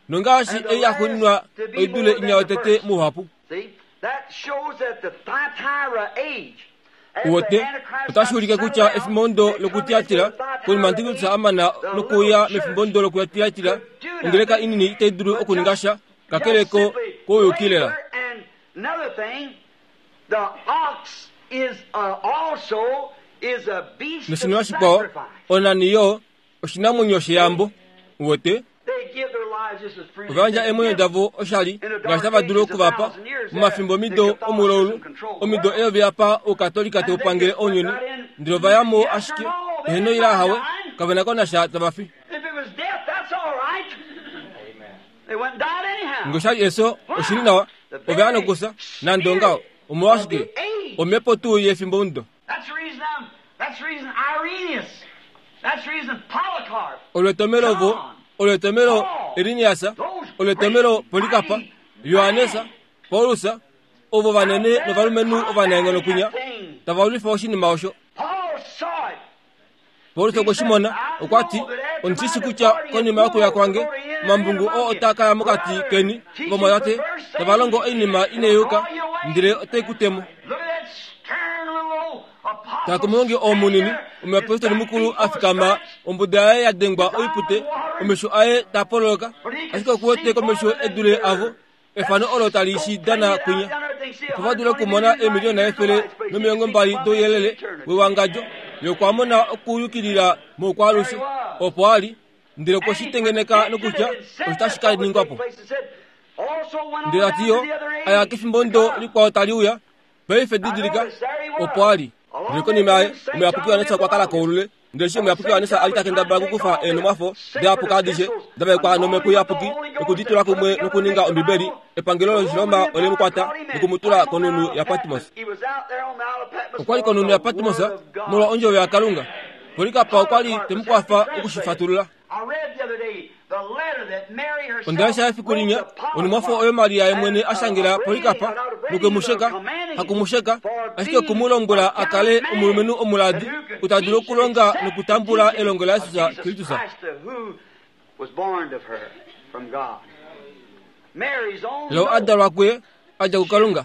nongaashi ei ya xuuninwa oi dule inya yotete mouhapu. Uwete, otashi ulike kutya efimbondo lokuTiatira, konima Antikristus a mana nokuuya mefimbondo lokuTiatira, ongeleka inini itai dulu okuninga sha kakele ko kouyuki lela. Noshinima shikwao, onani yo oshinamwenyo sheyambo. Uwete? Ova yandja eemwenyo davo oshali ngaashi tava dulu oku va pa. Momafimbo omido omulaulu, omido eyovi apa Oukatolika tau pangele ounyuni, ndele ova ya mo ashike, eheno ile ahawe, kave na ko nasha tava fi. Nge osha li eso, oshi li nawa, ova ya nokufya, nande ongaho. Omolwashike? Omhepo tuu yefimbomudo. Olo etomelo vo, olo etomelo Irinias, olo etomelo Polikapa, Johannes, Paulus, ovo vanene novalumenhu ovanaenghono kwinya, tava lwifa oshinima osho. Paulus okwe shi mona, okwa ti, Ondi shi shi kutya konima yokuya kwange, omambungu oo otaa ka ya mokati keni, ovamwatate, tava longo oinima inai yuka, ndele otai ku te mo. Tala komulongi oo munini, omuyapostoli mukulu a fikama, ombuda yaye ya dengwa oipute, omesho aye taa pololoka, ashike oku wete komesho e dule avo. Efano olo tali shi dana kwinya, opo va dule okumona eemiliyona 120 douyelele wewangadjo, ye okwa mona okuyukilila moukwaalushe opo a li, ndele okwe shi tengeneka nokutya osho tashi ka ningwa po. Ndele ta ti yo, a ya kefimbo ndo likwao tali uya, paife didilika, opo a li. Ndele konima yaye, omuyapuki Johannes okwa kala koulule. Ndele eshi omuyapuki Johannes a li ta kendabala okukufa eenhumwafo dayapuka adishe da vaekwa nomhepo iyapuki noku di tula kumwe nokuninga Ombibeli, epangelo lOshiroma ole mu kwata noku mu tula konhunhu yaPatmos. Okwa li konhunhu yaPatmos molwa ondjovo yaKalunga. Polikapa okwa li te mu kwafa oku shi fatulula. Onda lesha efiku linya onhumwafo oyo Maria ye mwene a shangela Polikapa nokwe mu sheka, haku mu sheka, ashike oku mu lombwela a kale omulumenhu omuladi ou ta dulu okulonga nokutambula elongo laJesus Kristus. Lo a dalwa kuye a dja kuKalunga.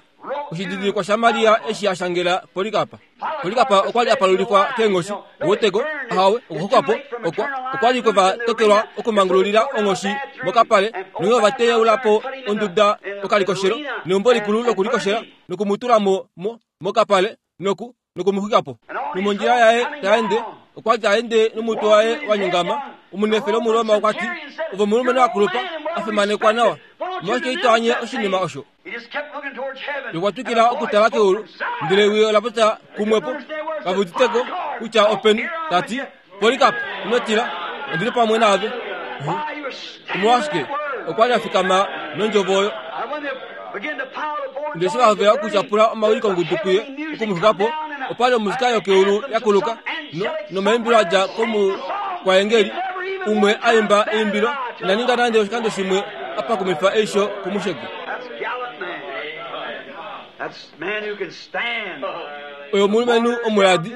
Oshididilikwa shaMaria eshi a shangela Polikapa. Polikapa okwa li a palulifwa keenghoshi. Ouweteko? Ahawe, okuxuka po okwa, okwa li kwe va tokelwa okumangululila onghoshi mokapale, nonghee ova teyaula po onduda okalikoshelo, neumbo likulu lokulikoshela, noku mu tula mo, mo, mokapale, noku, noku mu xwika po. Nomondjila yaye ta ende, okwa li ta ende nomutwe waye wa nyongama. Omunefele Omuroma okwa ti, Ove omulumenhu a kulupa, a fimanekwa nawa. Omolwashike ito anye oshinima osho? Okwa twikila okutala keulu, ndele ewi ola popya kumwepo, kave uditeko kutya openi, ta ti, Polikap, ino tila, ondi li pamwe naave. Omolwashike? Okwa li a fikama nondjovo oyo. Ndele eshi va hovela okutyapula omawilikongudu kuye oku mu xwika po, opa li omusika yokeulu ya kuluka, no, nomaimbilo a dja komukwaengeli umwe a imba eimbilo, ina ninga nande oshikando shimwe a pakumifa eisho kumusheki. Oye omulumenhu omuladi,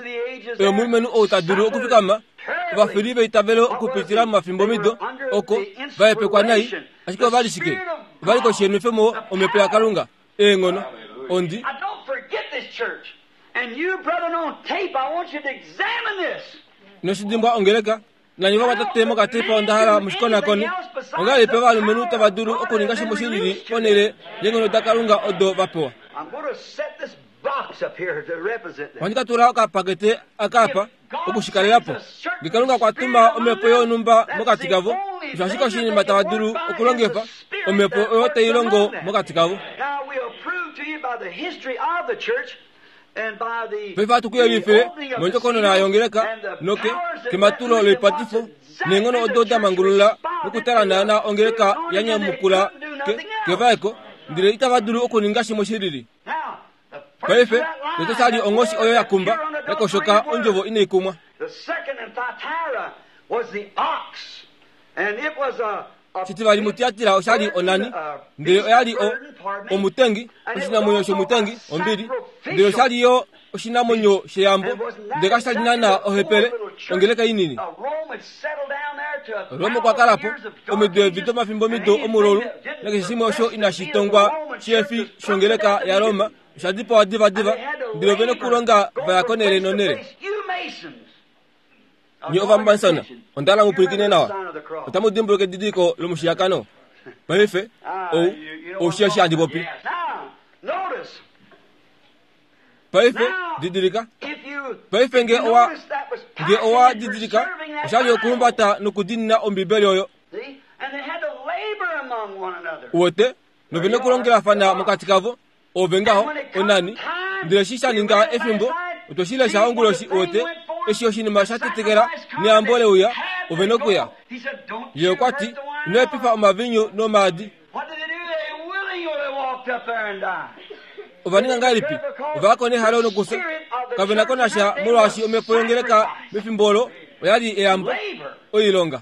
oye omulumenhu ou ta dulu okufikama ovafili veitavelo okupitila momafimbomido oko va hepekwa nai, ashike ova li shike? Ova li koshi yenwefemo omhepo yaKalunga, eenghono. Ondi. Ino ongeleka, nanye vamwatate mokatepa onda hala mu shi konakone. Ongahelipi ovalumenhu tava dulu okuninga shimwe shi lili ponhele yeenghono daKalunga odo va pewa? Ohandi ka tula okapakete aka apa oku shi kalela po. Nge Kalunga okwa tuma omhepo yonhumba mokati kavo, osho ashike oshinima tava dulu okulongifa, omhepo oyo tai longo mokati kavo. Paife ohatu ku yelifile mondjokonona yongeleka noke kematulo loipatifo neenghono odo da mangulula nokutala naana ongeleka ya nyamukula ke, kevaeko, ndele itava dulu okuninga shimwe shi lili. Paife, tete sha li onghoshi oyo ya kumba, ya koshoka ondjovo inai kumwa. Shitivali muTiatira osha li onani, ndele oya li o, omutengi, oshinamwenyo shomutengi, ombili, ndele osha li yo oshinamwenyo sheyambo, ndele kasha li naanaa ohepele, ongeleka inini. Roma okwa kala po omido evi domafimbomido omululu, nakeshe shimwe osho inashi tongwa shihefi shongeleka yaRoma osha dipawa divadiva, ndele ove nokulonga va ya konhele nonhele. Nye Ovamansona, onda hala mu pwilikine nawa. Otamu dimbuluka edidiliko lomushiyakano? Paife, ou, ou shii eshi handi popi. Paife, didilika. Paife nge owa, nge owa didilika, osha li okuhumbata nokudiinina Ombibeli oyo. Uwete, nove nokulongelafana mokati kavo. Ove ngaho, onani. Ndele eshi sha ninga efimbo, otwe shi lesha onguloshi, uwete, eshi oshinima sha tetekela neyambo le uya, ove nokuya. Ye okwa ti, Ino epifa omavinyu nomaadi. Ova ninga ngahelipi? Ova ya ko nehalo nokufya. Kave na ko nasha molwaashi omhepo yongeleka mefimbo olo oya li eyambo, oilonga.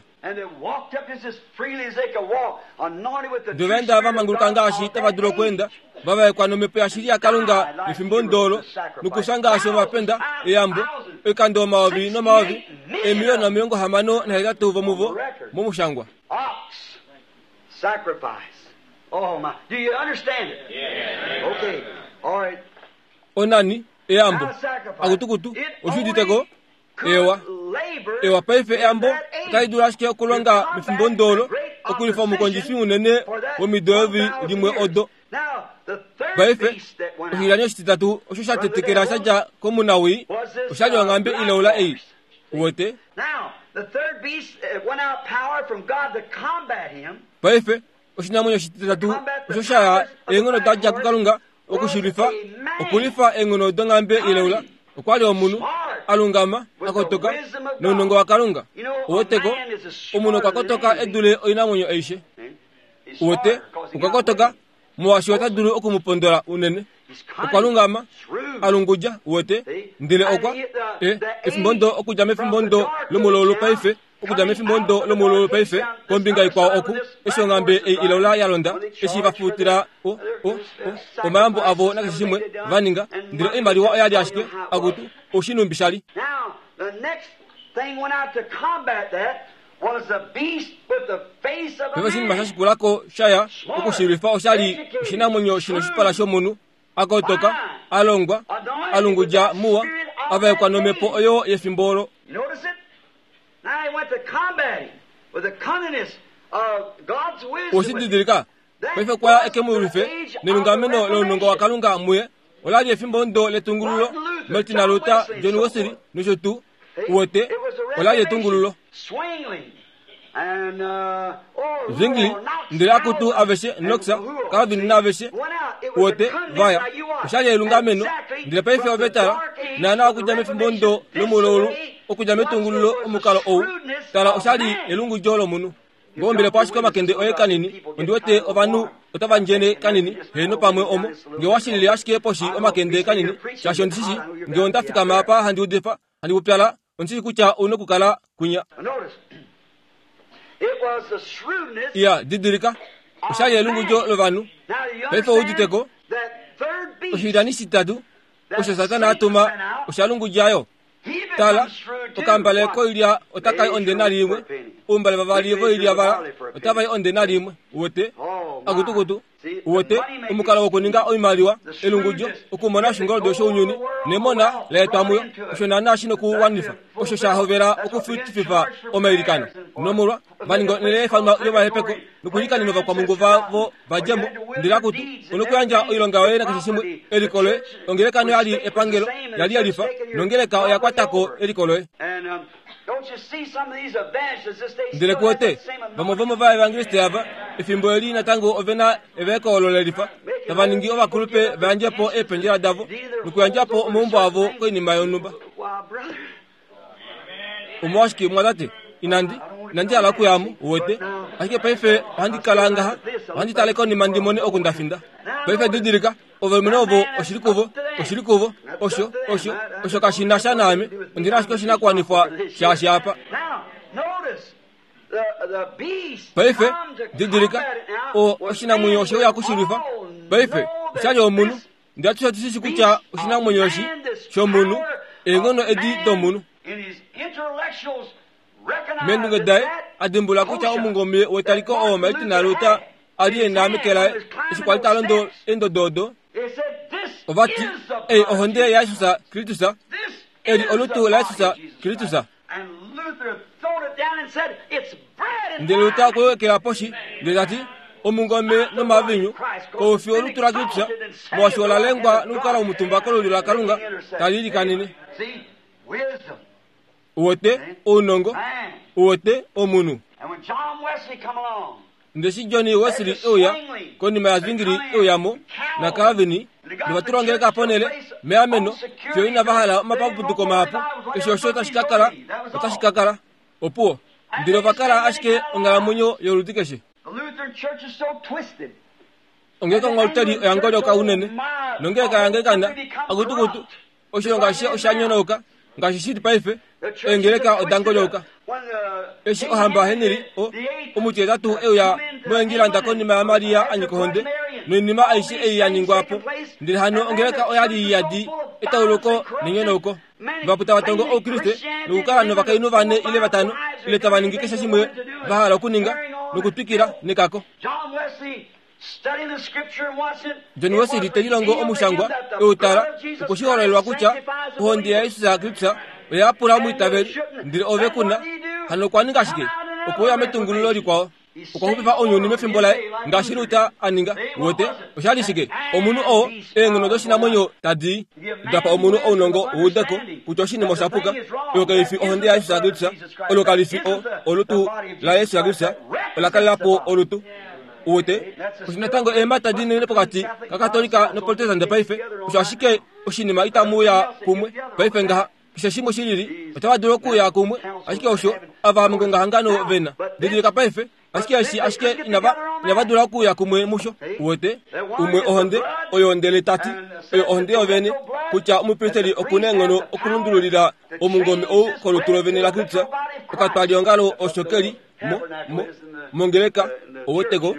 Ndele ova enda va manguluka ngaashi tava dulu okweenda, va vaekwa nomhepo yashili yaKalunga mefimbo ndoolo, nokufya ngaashi ovapenda, eyambo, oikando omayovi nomayovi, eemiliyona 68 vomuvo momushangwa. Onani, eyambo. Akutukutu, oshi udite ko? Ewa. Ewa, paife eyambo otali dulu ashike okulonga mefimbo ndoolo okulifa omukondjifi unene womido eyovi limwe odo. Paife, oshilyani oshititatu osho sha tetekela sha dja komunawii osha li onghambe ilaula ei. Uwete? Paife, oshinamwenyo oshititatu osho sha ya eenghono da dja kuKalunga oku shi lwifa, okulwifa eenghono donghambe ilaula. Okwa li omunhu a lungama, a kotoka, nounongo waKalunga. Uweteko, omunhu okwa kotoka e dule oinamwenyo aishe. Uwete, okwa kotoka, molwaashi ota dulu oku mu pondola unene. Okwa lungama, a lungudja, uwete, ndele okwa, e, efimbo ndo okudja mefimbo ndo lomulaulu paife, okudja mefimbo ndo lomulaulu paife, kombinga ikwao oku, eshi onghambe ei ilaula ya londa, eshi va futila o, o, o, omayambo avo nakeshe shimwe va ninga, ndele oimaliwa oya li ashike, akutu, oshinumbi sha li. Now, the next thing went out to combat that was the beast with the face of a Paife oshinima sha man. shikulako sha ya okushilwifa osha li oshinamwenyo shino oshipala shomunhu, a kotoka, a longwa, a lungudja muwa, a vaekwa nomhepo oyo yefimbo olo. You notice it? Now he went to combat him with the cunningness of God's wisdom. Oshi didilika? Paife okwa ya eke mu lwife nelungameno lounongo waKalunga muye. Ola li efimbo ndo letungululo, Martin Luther, John Wesley nosho tuu. Uwete, ola li etungululo. Zwingli, ndele akutu aveshe, Knox, Calvin naaveshe, uwete, va ya. Osha li elungameno. Ndele paife ove tala, naana okudja mefimbo ndo lomulaulu, okudja metungululo omukalo ou, tala osha li elungudjo lomunhu. Ngoombile po ashike omakende oye kanini, ondi wete ovanhu otava ndjene kanini, heeno pamwe omo. Nge owa shilile ashike poshi omakende kanini, shaashi ondi shi shii, nge onda fikama apa handi udifa, handi pupyala, ondi shi shii kutya ou nokukala kwinya. Iya, didilika, osha li elungudjo lovanhu. Paife ou udite ko? Oshilyani shitatu osho Satana a tuma osha lungudja yo. Tala, okambale koilya otaka i ondenari imwe, oumbale vavali voilya vala otava i ondenari imwe. Uwete? Akutukutu. Uwete? Omukalo wokuninga oimaliwa, elungudjo, okumona oshingoldo shounyuni, nemona la etwa muyo, osho naanaa shi nokuwanifa osho sha hovela okufutififa omailikano. Nomolwa, va ninga onhele ya ifanwa yomahepeko nokuilikanena ovakwamhungu vavo va dje mo. Ndele akutu, onokuyandja oilonga yoye nakeshe shimwe, eliko loye. Ongeleka noya li epangelo, ya li ya lifa, nongeleka oya kwata ko eliko loye. Ndele ku wete, vamwe vomovaevangeliste ava, efimbo eli natango ove na evaeko olo le lifa, tava ningi ovakulupe va yandje po eependjela davo nokuyandja po omaumbo avo koinima yonhumba. Omolwashike, mumwatate, inandi, inandi hala okuya mo, uwete. Ashike paife ohandi kala ngaha, ohandi tale konima ndi mone oku nda finda. Paife didilika, ovalumenhu ovo oshili kuvo, oshili kuvo, osho, osho, osho kashi na sha naame, ondi na ashike oshinakuwanifwa shaashi apa. Paife, didilika, o, oshinamwenyo oshe uya kushilwifa. Paife, osha li omunhu. Ndele atushe otu shi shi kutya oshinamwenyo eshi shomunhu, eenghono edi domunhu. Meendunge daye, a dimbulula kutya omungome wetaliko oo Martin Luther a li e na meke laye eshi kwa li ta londo eendodo odo, ova ti, Ei ohonde yaJesus Kristus, eli olutu laJesus Kristus. Ndele Luther okwe wekela poshi ndele ta ti, Omungome nomavinyu kau fi olutu laKristus, molwaashi ola lengwa nokukala omutumba kolulyo laKalunga tali ilikanene. Uwete, ounongo, uwete, omunhu. Ndele eshi Johnny Wesley e uya, konima yaZwingli e uya mo, naCalvin, nova tula ongeleka ponhele, meameno, fiyo inava hala omapapuduko mahapu, eshi osho tashi ka kala, otashi ka kala. Opuwo. Ndele ova kala ashike onghalamwenyo yoludi keshe. Ongeleka onghaluteli oya ngolyoka unene, nongeleka yaAnglikana, akutukutu, Oshilongo ashishe osha nyonauka ngaashi shi li paife. Eengeleka oda ngolyoka. Eshi ohamba Henry o, omutihetatu e uya moEngilanda konima yaMaria a nyika ohonde, noinima aishe ei ya ningwa po, ndele hano ongeleka oya li yadi etauluko nenyonauko. Vahapu tava tongo Oukriste nokukala novakainhu vane ile vatano, ile tava ningi keshe shimwe va hala okuninga, nokutwikila nekako. John Wesley te lilongo omushangwa e u tala, okwe shi hololelwa kutya ohonde yaJesus Kristus oya yapula omwiitaveli, ndele ove ku na. Hano okwa ninga shike? Okwe uya metungululo likwao. Okwa xupifa ounyuni mefimbo laye, ngaashi Luther a ninga. Uwete? Osha li shike? Omunhu oo, eenghono doshinamwenyo tadi da pa omunhu ounongo u ude ko kutya oshinima osha puka. Oyo kai fi ohonde yaJesus Kristus, olo kali fi o, olutu laJesus Kristus, ola kalela po olutu. Uwete? Osho natango eemhata dinene pokati kaKatolika noProtestante paife. Osho ashike oshinima itamu uya kumwe paife ngaha. Keshe shimwe shilili, otava dulu okuuya kumwe, ashike osho ava mongongahangano ve na. Didilika paife, ashike eshi ashike inava, inava dula okuuya kumwe musho. Uwete? Umwe ohonde, oyo ndele ta ti, oyo ohonde yovene, kutya omupristeli oku na eenghono okulundululila omungome ou kolutu lovene laKristus, okatwaliongalo osho ke li mo, mo, mongeleka, uweteko.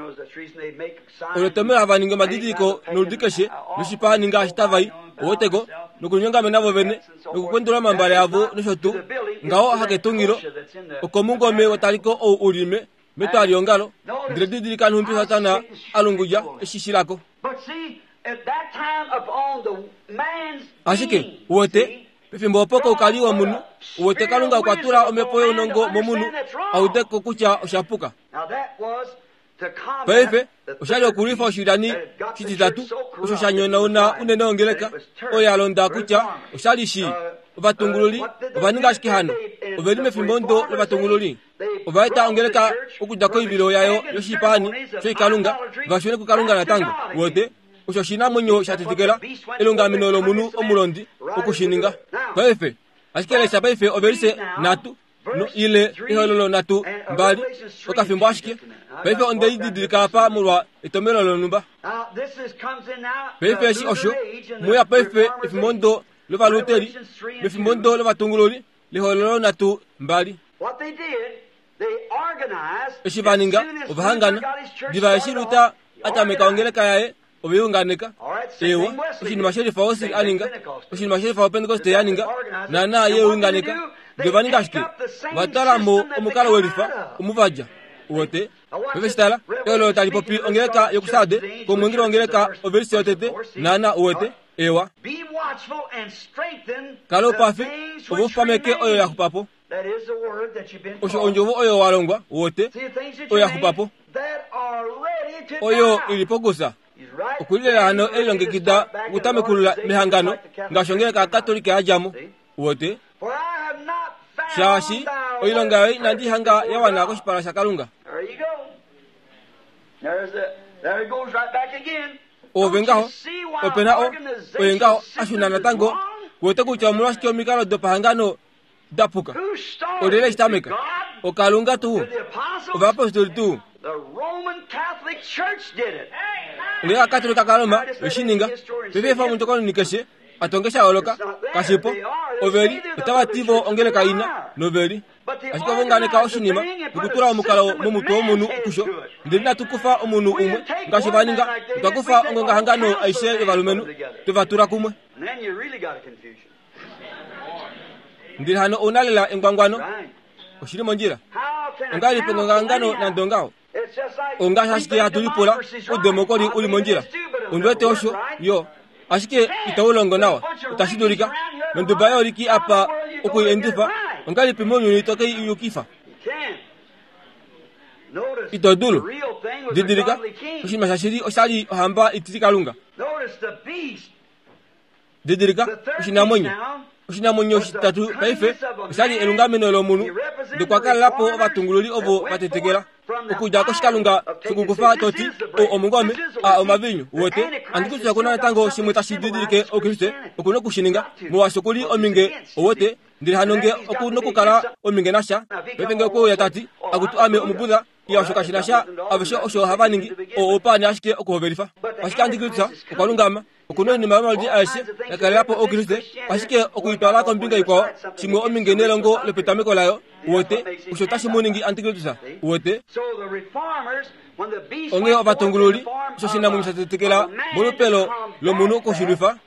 Olo tomelo hava ningi omadidiliko noludi keshe noshipaani ngaashi tava i, uweteko, nokulinyongamena vovene, nokukwendula omambale avo nosho tuu. Ngaho haketungilo, okomungome wetaliko ou u li me, metwaliongalo. Ndele didilika nhumbi Satana a lungudja eshi shilako. Ashike, uwete, pefimbo opo koukali womunhu, uwete Kalunga okwa tula omhepo younongo momunhu a ude ko kutya osha puka. Paife, osha li okulwifa oshilyani shititatu osho sha nyonauna unene ongeleka oyo ya londa kutya osha li shii. Ovatungululi ova ninga ashike hano. Ove li mefimbo ndo lovatungululi. Ova eta ongeleka okudja koivilo yayo yoshipaani shoikalunga va shune kuKalunga natango. Uwete? Osho oshinamwenyo sha tetekela elungameno lomunhu omulondi oku shi ninga. Paife, ashike lesha paife ovelise nhatu no ile ehololo nhatu mbali okafimbo ashike. Paife onde i didilika apa molwa etomelo lonhumba. Paife eshi osho muya paife efimbo ndo lovaluteli mefimbo ndo lovatungululi lehololo nhatu mbali. Eshi va ninga, ova hangana. Diva eshi Luther a tameka ongeleka yaye, ove i unganeka. Eewa, oshinima shelifa Wesley a ninga, oshinima shelifa Opentekoste ya ninga, naanaa ye unganeka. Ndele ova ninga shike? Ova twala mo omukalo welifa, omuvadja. Uwete? Paife shi tala, ehololo tali popi ongeleka yokuSarde, komwengeli wongeleka ovelise yotete, naanaa, uwete. Eewa. Kala oupafi, ove u pameke oyo ya xupa po. Osho ondjovo oyo wa longwa, wote, oyo ya xupa po, oyo i li pokusa. Okulilela hano e lilongekida okutamekulula mehangano ngaashi ongeleka yaKatolika ya dja mo, wote. Shaashi oilonga yoye inandi i hanga ya wana koshipala shaKalunga. Ove ngaho, ope na o, oye ngaho a shuna natango, wete kutya omolwashike omikalo dopahangano da puka. Olyelye eshi tameka? OKalunga tuu? Ovayapostoli tuu? Ongeleka Katolika kaRoma oye shi ninga. Paife efa omuntu okanuni keshe a tonge sha yooloka, kashi po. Ove li, otava ti vo ongeleka ina, nove li. Ashike ova unganeka oshinima nokutula omukalo momutwe womunhu kusho. Ndele inatu kufa omunhu umwe ngaashi va ninga, otwa kufa ongongahangano aishe yovalumenhu, twe va tula kumwe. Ndele hano ou na lela engwangwano. Oshi li mondjila. Ongahelipi ongongahangano nande ongaho? Ongaashi ashike hatu lipula oudemokoli u li mondjila. Ondi wete osho, yo. Ashike itau longo nawa. Otashi dulika. Nonduba yooliki apa oku i endifa, ongahelipi mounyuni to ke i yukifa? Ito dulu. Didilika, oshinima shashili osha li ohamba itilikalunga. Didilika, oshinamwenyo. Oshinamwenyo oshititatu paife osha li elungameno lomunhu, nokwa kalela po ovatungululi ovo va tetekela. Okudja koshikalunga shokukufa to ti, O omungome, a omaviinyu, uwete, Antikristus oku na natango shimwe tashi didilike Oukriste, oku noku shi ninga, molwaashi oku li ominge, uwete, ndele hano nge oku nokukala ominge nasha. Paife nge okwe uya ta ti, Akutu ame Omubuddha, Iya, osho kashi na sha, aveshe osho hava ningi, oo oupaani ashike okuhovelifa. Ashike Antikristus okwa lungama. Oku na oinima yomaludi aeshe ya kalela po Oukriste, ashike oku i twala kombinga ikwao, shimwe ominge nelongo lopetameko layo, uwete, osho tashi mu ningi Antikristus. Uwete? Onghee ovatungululi, osho oshinamwenyo sha tetekela molupe lo, lomunhu okushilwifa.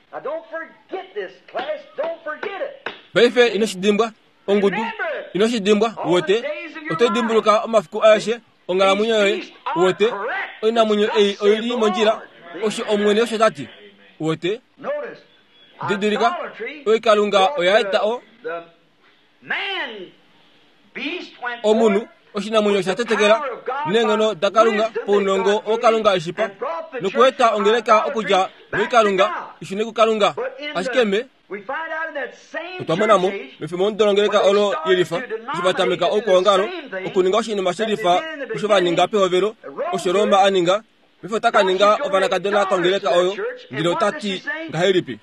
Paife ino shi dimbwa, ongudu. Ino shi dimbwa, uwete. Oto dimbuluka omafiku aeshe onghalamwenyo yoye, uwete. Oinamwenyo ei oi li mondjila, osho Omwene osho ta ti. Uwete? Didilika, oikalunga oya eta o, omunhu, oshinamwenyo sha tetekela, neenghono daKalunga, paunongo oo Kalunga e shi pa, nokueta ongeleka okudja moikalunga i shune kuKalunga. Ashike me. Otwa mona mo mefimbo omudolongeleka olo yelifa eshi va tameka oukwaongalo okuninga oshinima shelifa osho va ninga pehovelo, osho Roma a ninga. Paife ota ka ninga ovanakadona kongeleka oyo, ndele ota ti ngahelipi?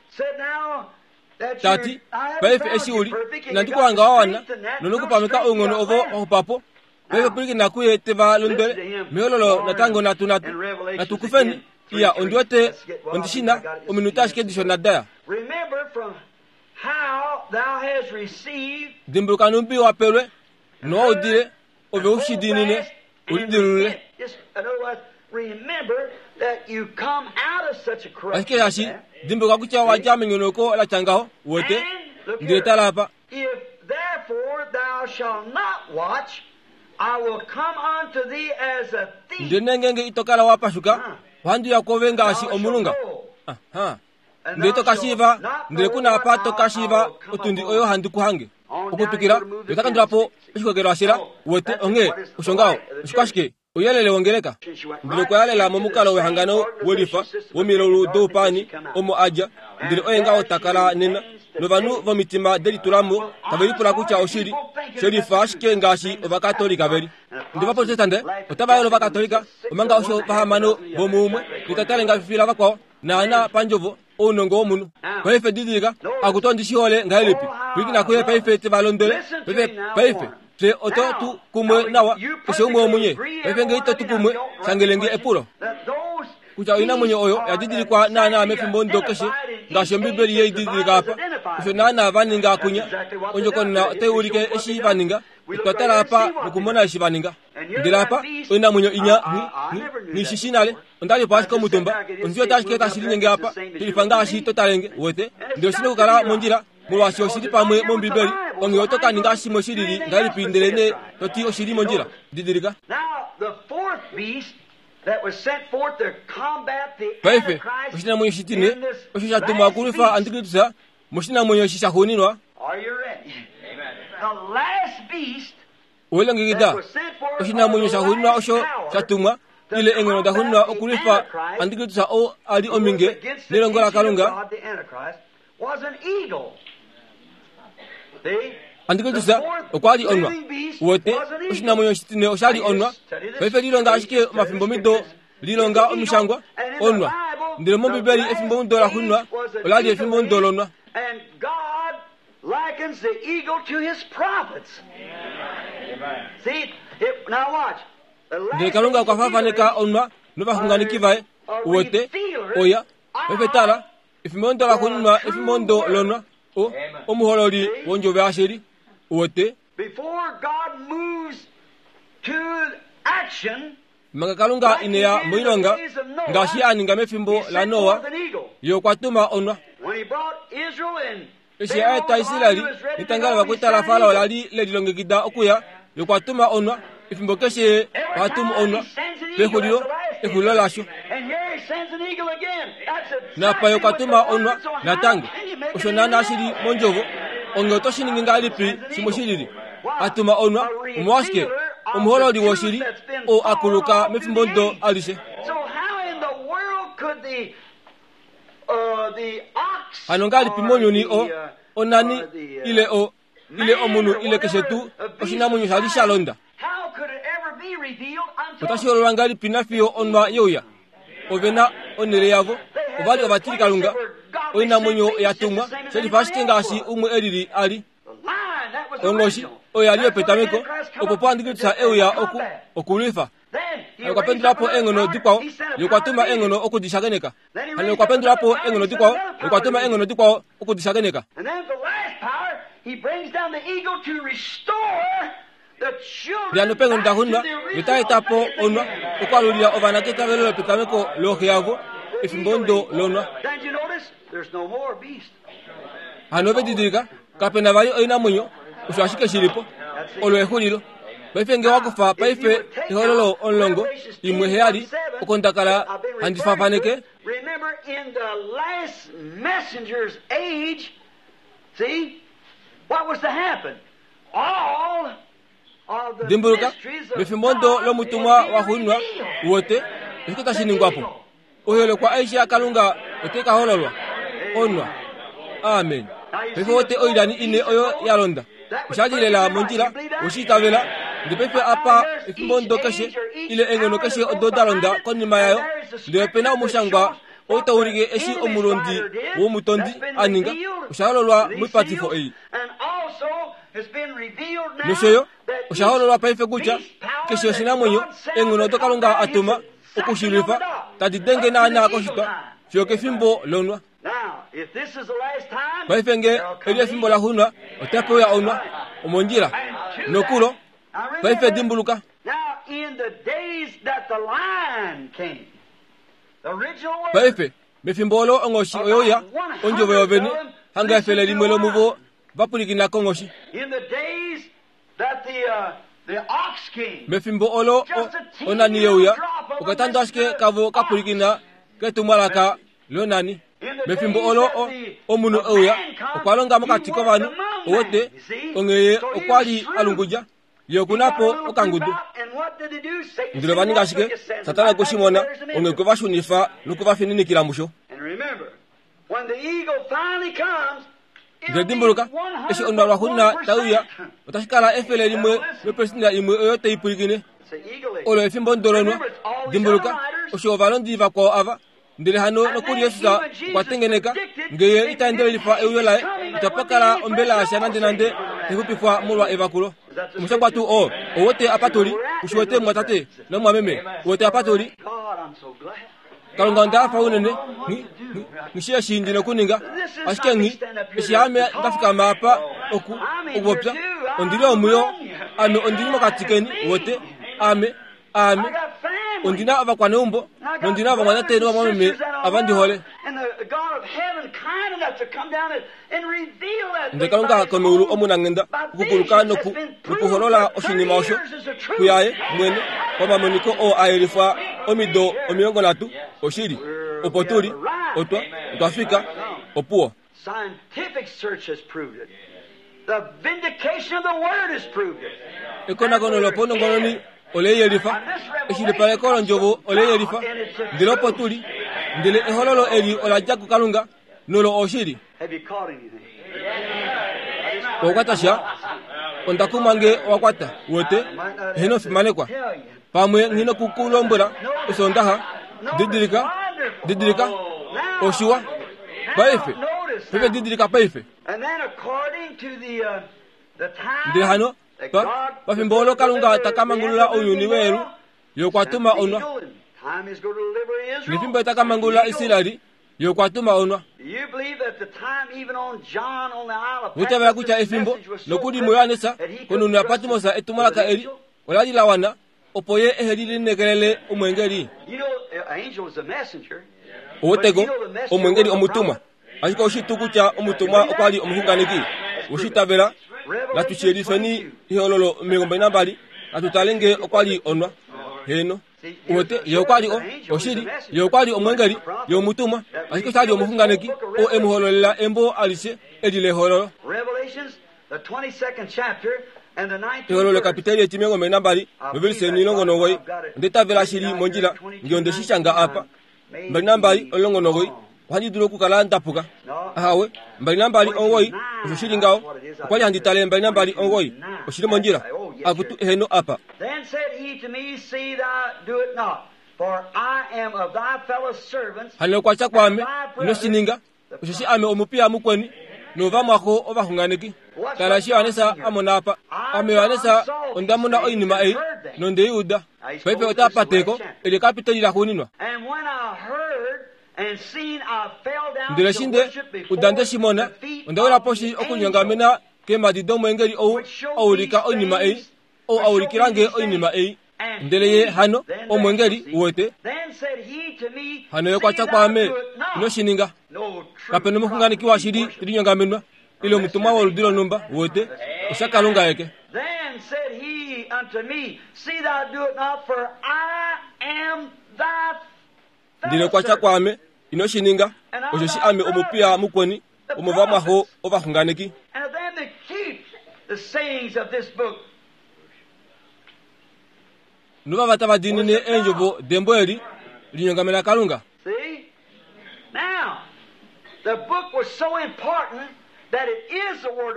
Ta ti, Paife eshi u li, inandi ku hanga wa wana, nonokupameka ounghono ovo wa xupa po. Paife pwilikina kuye te va londwele mehololo natango natu natu natu kufeni. Iya, ondi wete ondi shi na ominute ashike dishona daya. Dimbuluka nhumbi wa pelwe nowa udile, ove u shi diinine, u lidilulule. Ashike hashi dimbuluka kutya wa dja menyonauko la tya ngaho, uwete, ndele tala apa. If therefore thou shalt not watch, I will come unto thee as a thief. Ndele ngeenge ito kala wa pashuka, ohandi uya kwoove ngaashi omulunga. Aha. Ndele ito ka shiiva, ndele ku na apa to ka shiiva otundi oyo handi ku hange. Okutwikila, ye ota kandula po oshikokelo shela, uwete, onghee osho ngaho. Oshikwashike? Ouyelele wongeleka. Ndele okwa ya lela momukalo wehangano welifa womilaulu doupaani omo a dja, ndele oye ngaho ta kala nena. Novanhu vomitima delitula mo tave lipula kutya oshili shelifa ashike ngaashi Ovakatolika ve li. Ndele Ovaprotestante otava yolo Ovakatolika omanga osho vahamano vomuumwe netata lengafifi lavakwao naana pandjovo ounongo womunhu. Paife didilika, akutu ondi shi hole ngahelipi. Pwilikina kuye paife te va londwele. Paife, paife, fye oto tu kumwe nawa, keshe umwe womunye. Paife nge ito tu kumwe, shangele nge epulo. Kutya oinamwenyo oyo ya didilikwa naanaa mefimbo ndo keshe, ngaashi Ombibeli ye i didilika apa, osho naanaa va ninga kunya. Ondjokonona otai ulike eshi va ninga. Otwa tala apa nokumona eshi va ninga. Ndele apa, oinamwenyo inya nghi, nghi, nghi shi shii nale. Onda li po ashike omutumba. Ondi wete ashike tashi linyenge apa, shelifa ngaashi to tale nge, uwete. Ndele oshi na okukala mondjila, molwaashi oshi li pamwe mOmbibeli. Onghee oto ka ninga shimwe shi lili ngahelipi ndele nee to ti oshi li mondjila? Didilika. Paife, oshinamwenyo shitine osho sha tumwa okulwifa Antikristus moshinamwenyo eshi shaxuuninwa. Owe longekida oshinamwenyo shaxuuninwa osho sha tumwa ile eenghono daxuuninwa okulwifa Antikristus oo a li ominge nelongo laKalunga. Antikristus okwa li onwa. Uwete, oshinamwenyo oshitine osha li onwa. Paife lilonga ashike omafimbomido lilonga omishangwa, onwa. Ndele mOmbibeli efimbomudo laxuuninwa ola li efimbomudo lonwa. Likens the eagle to his prophets. See, it, now watch. Ndele Kalunga okwa faafaneka onwa novaxunganeki vaye. Uwete, oya, paife tala, efimbo laxuuninwa efimbo lonwa, o, omuhololi wondjovo yashili. Uwete? Before God moves to action, Manga Kalunga ine ya moilonga, ngaashi a ninga mefimbo laNoa, Ye okwa tuma onwa. Eshi a eta Israel netanga lovakwaita laFarao la li le lilongekida okuya, Ye okwa tuma onwa. Efimbo keshe Ye oha tumu onwa pexulilo, exulilo lasho. Napa Ye okwa tuma onwa natango. Osho naanaa shi li mondjovo. Onghee oto shi ningi ngahelipi shimwe shi lili? A tuma onwa, omolwashike? Omuhololi woshili, oo a kuluka mefimbo ndo alishe. Hano ngahelipi mounyuni o, onani, ile o, ile omunhu ile keshe tuu oshinamwenyo sha li sha londa? Otashi hololwa ngahelipi nafiyo onwa yeuya? Ove na onhele yavo. Ova li ovatilikalunga. Oinamwenyo ya tumwa, shelifa ashike ngaashi umwe e lili a li. Onghoshi oyo ya li yopetameko, opo po Antikristus e uya oku, okulwifa. Hano okwa pendula po eenghono dikwao, ye okwa tuma eenghono oku di shakeneka. Hano okwa pendula po eenghono dikwao, ye okwa tuma eenghono dikwao oku di shakeneka. Ndele peenghono daxuuninwa, ye ota eta po onwa okwaalulila ovana keitavelo lopetameko looxe yavo, efimbo ndo lonwa. Hano ove didilika, kape na vali oinamwenyo, osho ashike shi li po. Olo exulilo. Paife nge wa kufa paife ehololo omulongo, imwe heyali, oko nda kala handi faafaneke. Dimbuluka, mefimbo ndo lomutumwa waxuuninwa, uwete, oshike tashi ningwa po? Oiholekwa aishe yaKalunga otai ka hololwa. Onwa. Amen. Paife wote oilyani ine oyo ya londa. Osha li lela mondjila, oshi itavela. Ndele paife apa efimbo ndo keshe ile eenghono keshe odo da londa konima yayo, ndele ope na omushangwa ou tau ulike eshi omulondi womutondi a ninga, osha hololwa moipatifo ei. Nosho yo osha hololwa paife kutya keshe oshinamwenyo eenghono odo Kalunga a tuma oku shi lwifa tadi denge naanaa koshitwa fiyo kefimbo lonwa. Paife nge eli efimbo la xunwa, otape uya onwa omondjila nokulo. Paife dimbuluka. Paife, mefimbo olo onghoshi oye uya, ondjovo yovene, hanga efele limwe lomuvo va pwilikina konghoshi. Mefimbo olo onani ye uya, okatando ashike kavo ka pwilikina ketumwalaka lonani. Mefimbo olo omunhu e uya, okwa longa mokati kovanhu, owote, onghee ye okwa li a lungudja. Ye oku na po okangudu. Ndele ova ninga ashike, Satana okwe shi mona, onghee okwe va shunifa noku va fininikila musho. Ndele dimbuluka, eshi onwa lwaxuuninwa tai uya, otashi kala efele limwe lopesinda imwe oyo tai pwilikine. Olo efimbo ndolonwa. Dimbuluka, osho ovalondi vakwao ava Ndele hano nokuli Jesus okwa tengeneka, nge ye ita endelelifa euyo laye, itapa kala ombela yasha nandenande tai xupifwa molwa evakulo. Omushangwa tuu oo, ou wete apa tu li, u shi wete mumwatate nomumwameme, u wete apa tu li? Kalunga onda hafa unene, nghi, nghi, nghi shii eshi ndi nokuninga, ashike nghi, eshi ame nda fikama apa oku, okupopya, ondi li omuyo, ame ondi li mokati keni, wete, ame, Aame, ondi na ovakwaneumbo nondi na ovamwatate novamwameme ava ndi hole. Ndele Kalunga komeulu omunanghenda okukuluka noku nokuholola oshinima osho kuyaye mwene pamamoniko oo a yelifwa omido 30. Oshili, opo tu li, otwa, otwa fika. Opuwo. Scientific search has proved it. The vindication of the Word has proved it. Ekonakono lopaunongononi ole yelifa, eshilipaleko londjovo ole yelifa, ndele opo tu li, ndele ehololo eli ola dja kuKalunga, nolo oshili. Have you caught anything? Owa kwata sha? Onda kumwa nge owa kwata, wete, eheno fimanekwa. Pamwe nghi noku ku lombwela Osoondaxa, didilika, didilika, oshiwa. Paife, paife didilika paife. Ndele hano, pa, pafimbo olo Kalunga ta ka mangulula ounyuni weelu, Ye okwa tuma onwa. Nefimbo ta ka mangulula Israel, Ye okwa tuma onwa. Uitavela kutya efimbo, nokuli muJohannes, konhunhu yaPatmos etumwalaka eli ola li la wana opo ye ehe li lineekelele omweengeli. Oweteko, omweengeli omutumwa. Ashike oshi tuu kutya omutumwa okwa li omuxunganeki? Oshi itavela? Natu shi yelifeni ehololo 22, natu tale nge okwa li onwa. Heeno. Uwete, ye okwa li o, oshili, ye okwa li omwengeli, ye omutumwa, ashike osha li omuxunganeki oo e mu hololela embo alishe eli lehololo. Ehololo kapiteli etimilongo nambali novelise 19. Onda itavela shi li mondjila nge onde shi shanga apa. 22 19 ohandi dulu okukala nda puka. Ahawe, 29 osho shi li ngaho. Okwa li handi tale 29 oshi li mondjila. Akutu eheno apa. Then said he to me, See thou do it not, for I am of thy fellow servants. Hano okwa tya kwaame, Ino shi ninga, osheshi ame omupiya mukweni novamwaxo ovaxunganeki. Tala eshi Johannes a mona apa. Ame Johannes onda mona oinima ei nonde i uda. Paife ota pate ko, eli ekapiteli laxuuninwa. And when I heard and seen, I fell down Ndele to eshi nde worship before uda nde shi mona, the feet onda wila of poshi the okulinyongamena angel keemhadi domweengeli ou which showed a ulika these oinima ei, things, ou a which showed ulikila me nge these oinima things. ei. And Ndele ye he, hano, then the omweengeli, angel, uwete, then said he to me, hano ye okwa See tya thou kwaame, do it not. Ino shi ninga. No true Kape nomuxunganeki prophet washili be te linyongamenwa, ile omutumwa woludi lonhumba, uwete, oshaKalunga aeke. Then said he unto me, See thou do it not, for I am thy Ndele okwa tya kwaame, Ino shi ninga, osheshi ame omupiya mukweni womovamwaxo ovaxunganeki. And of them that keep the sayings of this book. Novava tava diinine eendjovo dembo eli, linyongamena Kalunga. See? Now,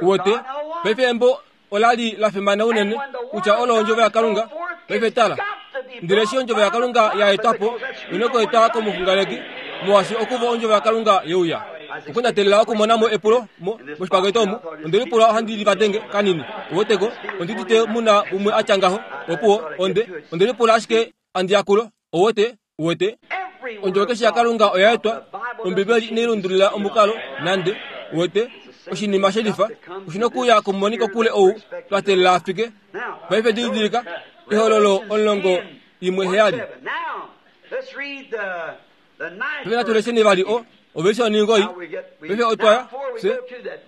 Uwete, paife embo ola li la fimana unene kutya olo ondjovo yaKalunga. Paife tala, ndele eshi ondjovo yaKalunga ya etwa po, ino ku eta komuxunganeki, molwaashi okuvo ondjovo yaKalunga ye uya. Okunatelela okumona mo epulo mo moshipaketo omu, onde lipula ohandi livadenge kanini. Uweteko, ondi udite mu na umwe a tya ngaho. Opuwo, onde, onde lipula ashike handi ya kulo. Uwete, Uwete, ondjovo keshe yaKalunga oya etwa. Ombibeli inai lundulula omukalo nande. Uwete, oshinima shelifa oshi nokuuya komumoniko kule ou twa teelela a fike. Paife didilika, Ehololo 17. Paife natu lesheni vali o, ovelise oningoi. Paife otwa ya, fye.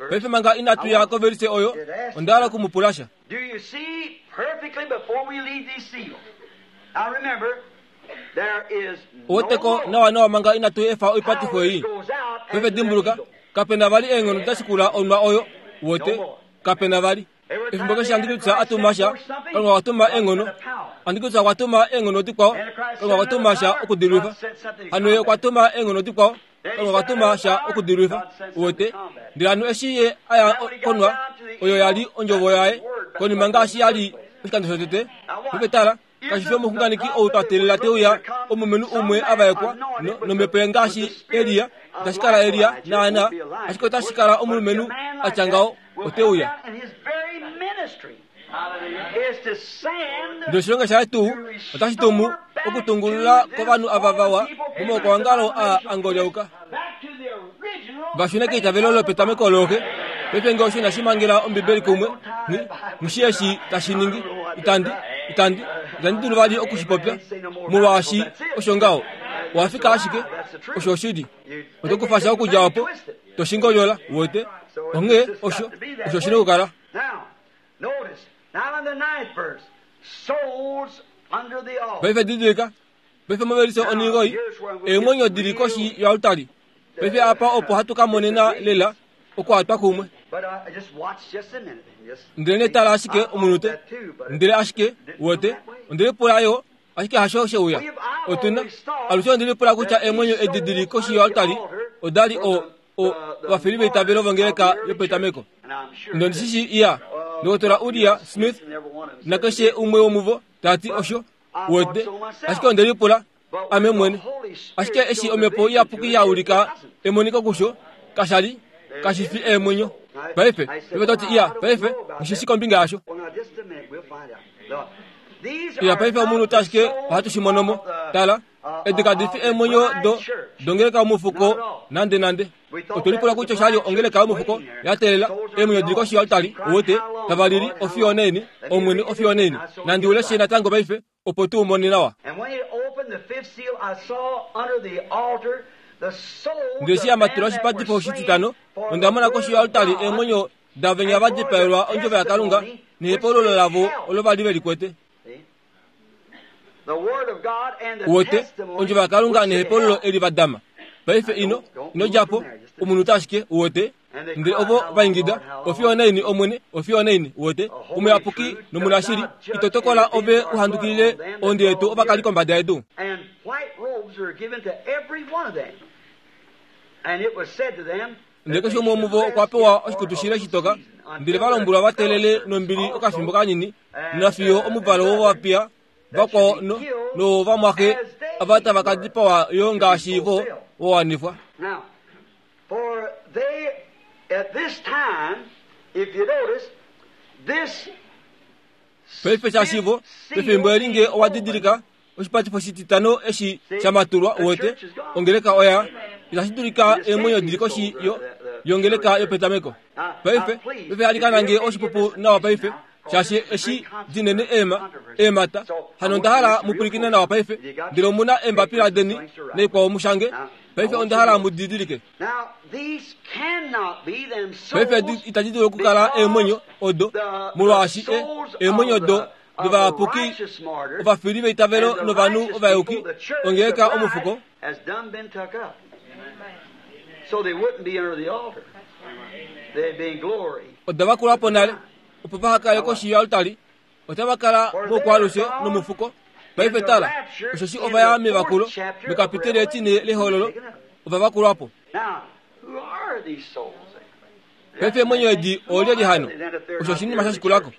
Paife manga inatu ya kovelise oyo, onda hala oku mu pula sha. Do you see perfectly before we leave these seals? Now remember, there is no Oweteko more. nawanawa manga inatu efa oipatifo ei. Power goes out Paife after that dimbuluka, eagle. kape na vali eenghono da shikula onwa oyo. Uwete, kape na vali. Efimbo keshe Antikristo a tuma sha, Kalunga okwa tuma eenghono. Antikristo okwa tuma eenghono dikwao, Kalunga okwa tuma sha okudilwifa. Hano ye okwa tuma eenghono dikwao, Kalunga okwa tuma sha okudilwifa. Uwete? Ndele hano eshi ye a ya konwa, oyo ya li ondjovo yaye, konima ngaashi ya li oshikando shotete. Paife tala, kashi fi omuxunganeki ou twa teelela te uya, omulumenhu umwe a vaekwa no, nomhepo ngaashi Elia. Itashi kala Elia, naana, ashike otashi kala omulumenhu a tya ngaho, ote uya. Ndele oshilonga shaye tuu otashi tumu okutungulula kovanhu ava vawa momaukwaongalo a angolyauka va shune keitavelo lopetameko looxe. Paife nge osho inashi mangela Ombibeli kumwe, nghi, nghi eshi tashi ningi. Itandi, itandi, itandi dulu vali oku shi popya, molwaashi osho ngaho. Owa fika ashike, osho oshili. Oto kufa sha okudja opo, to shi ngolyola, uwete. Onghee osho, osho shi nokukala. Paife didilika, paife movelishe onhingoi, eemwenyo di li koshi yoaltari. Paife apa opo hatu ka monena lela okuhatwa kumwe. Ndele ne tala ashike omunute, ndele ashike, uwete, onde lipula yo, ashike hasho she uya. Otu na, alushe onde lipula kutya eemwenyo edi di li koshi yoaltari oda li o, o, ovafili veitavelo vongeleka yopetameko. Ndondi shi shii iya, Ndokotola Uria Smith nakeshe umwe womuvo ta ti osho, uwete, ashike onde lipula ame mwene. Ashike eshi Omhepo Iyapuki ya ulika emoniko kusho, kasha li, kashi fi eemwenyo. Paife, paife to ti, iya, paife, nghi shi shii kombinga yasho. Iya, paife omunhu ashike ohatu shi mono mo. Tala, edi kadi fi eemwenyo do, dongeleka yomufuko nande nande. Otwe lipula kutya osha li ongeleka yomufuko ya teelela eemwenyo di li koshi yoaltari, uwete, tava lili, Ofiyo onaini, Omwene, ofiyo onaini. Nandi u leshe natango paife, opo tu u mone nawa. Ndele eshi ya matula oshipatifo oshititano, onda mona koshi yoaltari eemwenyo davenya va dipaelwa ondjovo yaKalunga nehepaululo lavo olo va li ve li kwete. Uwete, ondjovo yaKalunga nehepaululo eli va dama. Paife ino, ino dja po, omunute ashike, uwete. Ndele ovo va ingida, Ofiyo onaini, Omwene, ofiyo onaini, uwete, omuyapuki nomunashili, ito tokola ove u handukilile ohonde yetu ovakali kombada yedu. Ndele keshe umwe womuvo okwa pewa oshikutu shile shitoka, ndele va lombwelwa va teelele nombili okafimbo kanini, nafiyo omuvalo wovapiya vakwao no, nowovamwaxe ava tava ka dipawa yo ngaashi vo wa wanifwa. For they, at this time, if you notice, this Paife shaashi vo, pefimbo eli nge owa didilika, oshipatifo shititano eshi sha matulwa, uwete, ongeleka oya, itashi dulika eemwenyo di li koshi yo, yongeleka yopetameko. Paife, paife alikana nge oshipupu nawa paife, shaashi eshi dinene eema, eemata. Hano onda hala mu pwilikine nawa paife, ndele omu na eembapila deni naikwao mu shange. Paife onda hala mu didilike. Paife edi itadi dulu okukala eemwenyo odo, molwaashi e, eemwenyo odo dovayapuki, ovafili veitavelo novanhu ovayuki, ongeleka omufuko. Oda vakulwa po nale, opo vaha kale koshi yoaltari, otava kala moukwaalushe nomufuko. Paife tala, osheshi ova ya mevakulo, mekapiteli etine lehololo, ova vakulwa po. Paife eemwenyo edi oolyelye hano? Osho oshinima sha shikulako.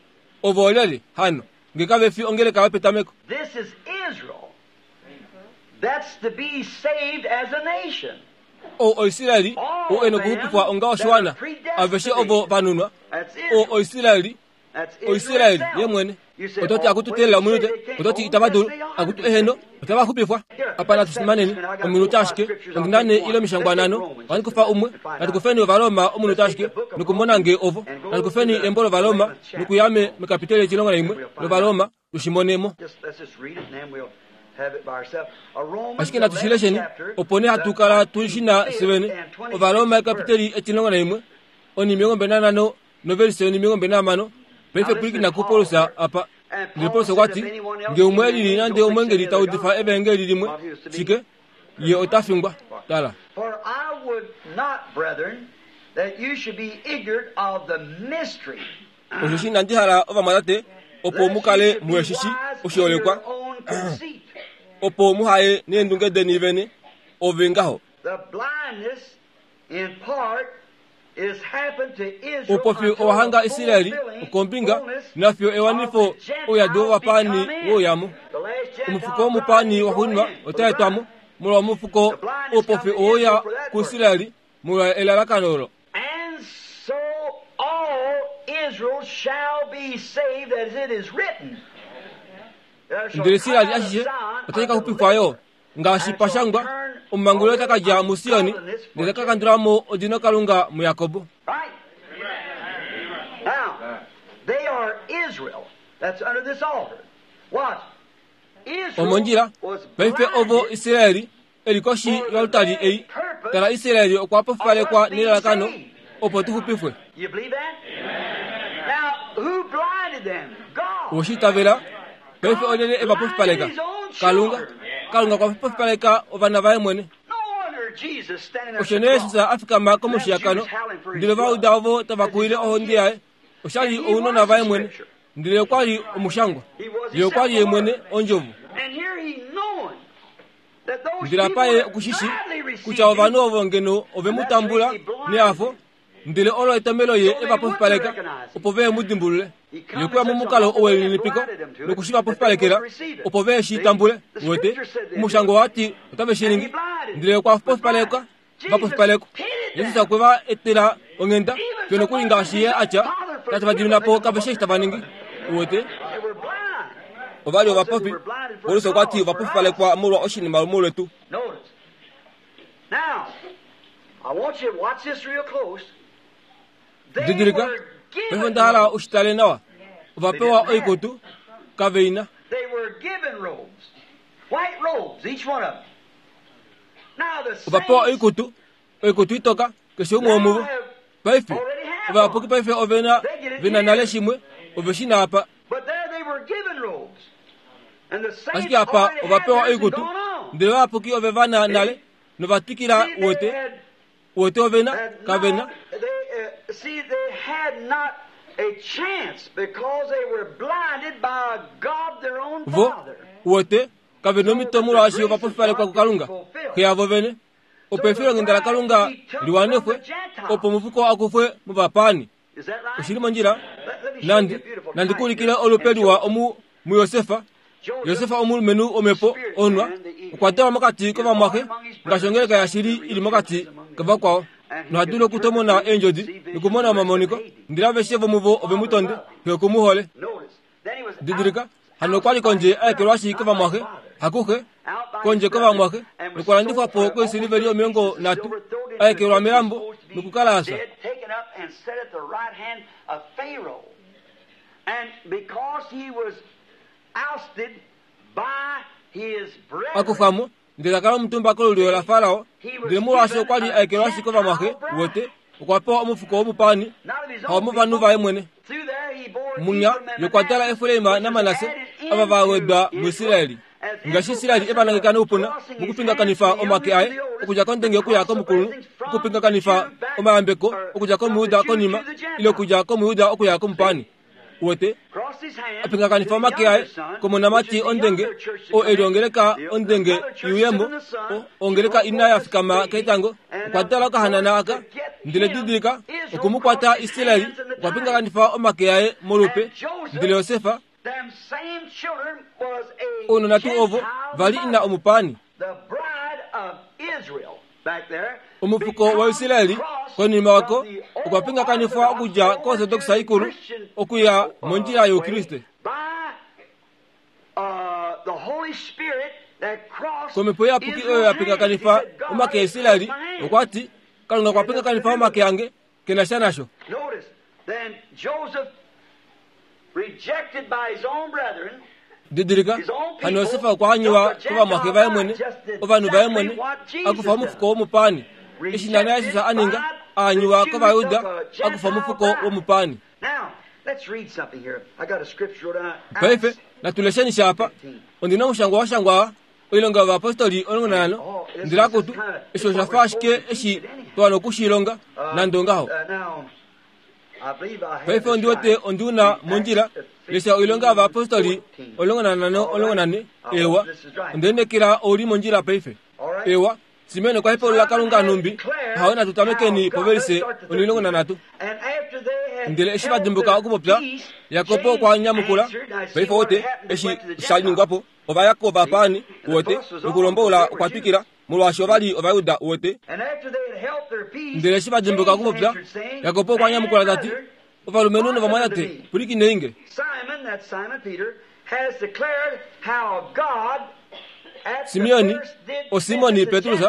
Ovo oolyelye hano, nge kave fi ongeleka yopetameko? Ou oIsraeli, ou e nokuxupifwa onga oshiwana, aveshe ovo va nunwa. Ou oIsraeli, Oisraeli ye mwene. Oto ti akutu teelela ominute, oto ti itava dulu, akutu eheno, otava xupifwa. Apa natu fimaneni ominute ashike, ondi na nee ile omishangwa nhano, ohandi kufa umwe, natu kufeni Ovaroma omunute ashike nokumona nge ovo, natu kufeni embo lOvaroma nokuya me, mekapiteli etilongo naimwe lOvaroma tu shi mone mo. Ashike natu shi lesheni, opo nee hatu kala tu shi na fye vene. Ovaroma ekapiteli etilongo naimwe, onimilongo mbali nanhano novelise yonimilongo mbali nahamano. Paife pwilikina kuPaulus apa. Ndele Paulus okwa ti, Nge umwe e lili nande omweengeli ta udifa evaengeli limwe, shike, ye ota fingwa. Tala. For I would not, brethren, that you should be ignorant of the mystery. Osheshi inandi hala ovamwatate opo mu kale muhe shi shii oshiholekwa, opo muha ye neendunge deni vene, ove ngaho. The blindness in part Oupofi owa hanga Israel okombinga nafiyo ewanifo ouyadi wovapaani we uya mo. Omufuko womupaani waxuuninwa ota etwa mo, molwa omufuko oupofi owe uya kuIsrael molwa elalakano olo. And so all Israel shall be saved as it is written. Ndele Israel ashishe otashi ka xupifwa yo. Ngaashi pa shangwa, Omumanguli ota ka dja muSion, ndele ta ka kandula mo odino Kalunga muJakob. Omondjila, paife ovo Israel e li koshi yoaltari ei. Tala, Israel okwa pofipalekwa nelalakano opo tu xupifwe. Owe shi itavela? Paife olyelye e va pofipaleka? Kalunga. Kalunga okwa pofipaleka ovana vaye mwene. Osho nee Jesus a fikama komushiyakano, ndele va uda ovo tava kuwile ohonde yaye. Osha li ounona vaye mwene, ndele okwa li omushangwa. Ye okwa li ye mwene ondjovo. Ndele apa ye oku shi shii kutya ovanhu ovo ngeno ove mu tambula nehafo, Ndele olo etomhelo ye e va pofipaleka, opo ve mu dimbulule. Ye okwe ya momukalo welininipiko noku shi va pofipalekela, opo ve shi tambule. Uwete, Omushangwa owa ti otave shi ningi. Ndele okwa pofipaleka, va pofipalekwa. Jesus okwe va etela onghenda, fiyo nokuli ngaashi Ye a tya, Tate va dimina po kave shii eshi tava ningi. Uwete? Ova li ovapofi. Paulus okwa ti ova pofipalekwa molwa oshinima molwetu. Didilika, paife onda hala u shi tale nawa. Ova pewa oikutu, kave i na. Ova pewa oikutu, oikutu itoka, keshe umwe womuvo. Paife, ovayapuki paife ove na, ve na nale shimwe, ove shi na apa. Ashike apa ova pewa oikutu, ndele ovayapuki ove va na nale, nova twikila uwete, uwete ove na, kave na. Vo, uwete, kave nomhito molwaashi ova pofipalekwa kuKalunga, Xe yavo vene. Opo efilonghenda laKalunga li wanifwe, opo omufuko a kufwe movapaani. Oshi li mondjila? Nandi, nandi ku ulikile olupe liwa omu muJosefa. Josefa omulumenhu womhepo onwa, okwa dalwa mokati kovamwaxe, ngaashi ongeleka yashili i li mokati kavakwao. Noha dulu okutomona eendjodi nokumona omamoniko, ndele aveshe vomuvo ove mu tonde, xe oku mu hole. Didilika, hano okwa li kondje a ekelwashi kovamwaxe, hakuxe, kondje kovamwaxe, nokwa landifwa po koisiliveli 30, a ekelwa melambo nokukala a fya. A kufwa mo, ndele ta kala omutumba kolulyo laFarao, ndele molwaashi okwa li a ekelwashi kovamwaxe, uwete, okwa pewa omufuko womupaani, hawomovanhu vaye mwene. Munya ye okwa dala Efraim naManasse, ava va wedwa muIsraeli. Ngaashi Israeli e va nangeka noupuna mokupingakanifa omake aye okudja kondenge okuya komukulunhu, okupingakanifa omayambeko okudja kOmujuda konima, ile okudja kOmujuda okuya komupaani. Uwete? A pingakanifa omake aye komonamati ondenge, oo e li ongeleka ondenge iuyemo, o, ongeleka ina ya fikama ketango, okwa dala okahanana aka. Ndele didilika, oku mu kwata Israel, okwa pingakanifa omake aye molupe. Ndele Josefa, ounona tuu ovo, va li ina omupaani. Omufuko waIsraeli konima oko okwa pingakanifwa okudja koOrtodoxa ikulu okuya mondjila yOukriste. Komhepo Iyapuki oyo ya pingakanifa omake aIsraeli, okwa ti, Kalunga okwa pingakanifa omake ange, ke na sha nasho. Didilika, hano Josef okwa anyiwa kovamwaxe vaye mwene, ovanhu vaye mwene, a kufa omufuko womupaani. Eshi naana Jesus a ninga, a anyiwa kOvayuda, a kufa omufuko womupaani. Paife, natu lesheni sha apa. Ondi na omushangwa wa shangwa Oilonga yOvayapostoli 15, Ndele akutu, eshi osha fa ashike eshi twa wana oku shi longa, nande ongaho. Paife ondi wete ondi una mondjila. Lesha Oilonga yOvayapostoli 15, 14. Eewa, onde lineekela ou li mondjila paife. Eewa, Simeon okwa hepaulula Kalunga nhumbi hawe natu tamekeni povelise 13. Ndele eshi va dimbuka okupopya, Jakob okwa nyamukula, Paife wote eshi sha ningwa po, ova ya kovapaani, uwete, nokulomboula okwa twikila, molwaashi ova li Ovajuda, uwete. Ndele eshi va dimbuka okupopya, Jakob okwa nyamukula ta ti, Ovalumenhu novamwatate, pwilikinei nge. Simeoni, oSimoni Petrus,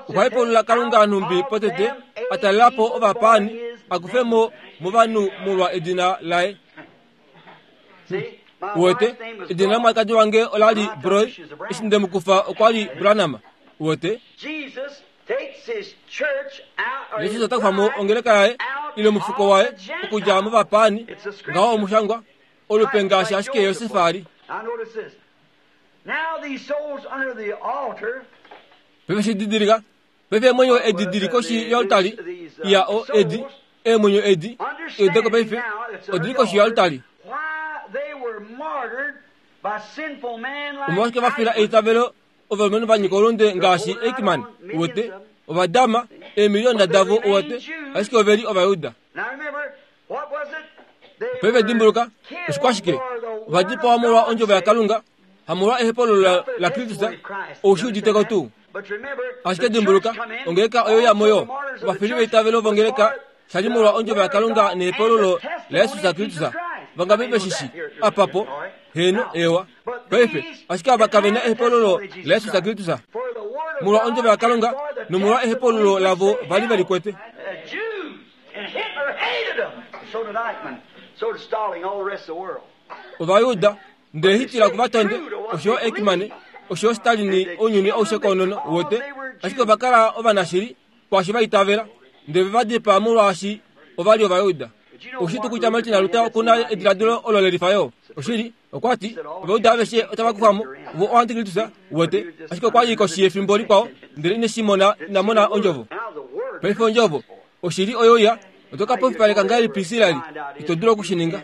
okwa hepaulula Kalunga nhumbi potete a talela po ovapaani a kufe mo movanhu molwa edina laye. Uwete, edina lomwalikadi wange ola li Broy, eshi nde mu kufa okwa li Branham. Uwete? Jesus ota kufa mo ongeleka yaye ile omufuko waye okudja movapaani, ngaho omushangwa, olupe ngaashi ashike Josef a li. Paife shi didilika, paife eemwenyo edi di li koshi yoaltari, iya o edi, eemwenyo edi, eudeko paife, odi li koshi yoaltari. Omolwashike va fila eitavelo ovalumenhu va nyika oulunde ngaashi Eichmann, uwete, ova dama eemiliyona davo, uwete, ashike ove li Ovajuda. Paife dimbuluka, oshikwashike? Ova dipawa molwa ondjovo yaKalunga, hamolwa ehepololo laKristus. Ou shi udite ko tuu? Ashike dimbuluka, ongeleka oyo ya mo yo. Ovafili veitavelo vongeleka sha li molwa ondjovo yaKalunga nehepololo laJesus Kristus. Vangapi ve shi shi? Apa po. Heeno, eewa. Paife, ashike ava kave na ehepololo laJesus Kristus. Molwa ondjovo yaKalunga nomolwa ehepololo lavo va li ve li kwete. Ovayuda, ndele Hitler oku va tonde, osho yo Eichmann, osho yo Stalin, ounyuni aushe koonono, uwete. Ashike ova kala ovanashili kwaashi va itavela, ndele ve va dipaa molwaashi ova li Ovayuda. Oushi tuu kutya Martin Luther oku na ediladilo olo le lifa yo? Oshili, okwa ti, Ovayuda aveshe otava kufa mo, vo oantikristus, uwete. Ashike okwa li koshi yefimbo likwao, ndele ine shi mona, ina mona Ondjovo. Paife Ondjovo, oshili oyo ya, oto ka pofipaleka ngahelipi Israel? Ito dulu oku shi ninga.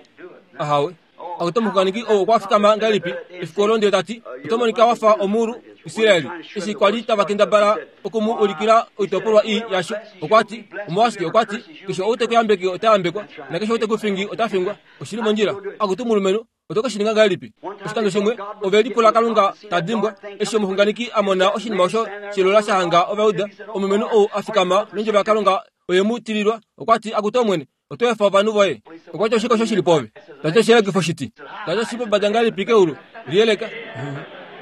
Ahawe. Akutu omuxunganeki ou okwa fikama ngahelipi efiku olo ndele ta ti, Oto monika wa fa omulu, Israel, eshi kwa li tava kendabala oku mu ulikila oitopolwa ii yasho. Okwa ti, Omolwashike, okwa ti, keshe ou te ku yambeke ota yambekwa, nakeshe ou te ku fingi ota fingwa. Oshi li mondjila. Akutu mulumenhu, oto ke shi ninga ngahelipi? Oshikando shimwe, ove lipula Kalunga ta dimbwa, eshi omuxunganeki a mona oshinima osho shelola sha hanga Ovayuda, omulumenhu ou a fikama nondjovo yaKalunga oye mu tililwa, okwa ti, Akutu Omwene, oto efa ovanhu voye. Okwa ti, Oshike osho shi li pwoove? Ta ti, Oshiyelekifo shiti. Ta ti, Oshi li pombada ngahelipi keulu? Liyeleka.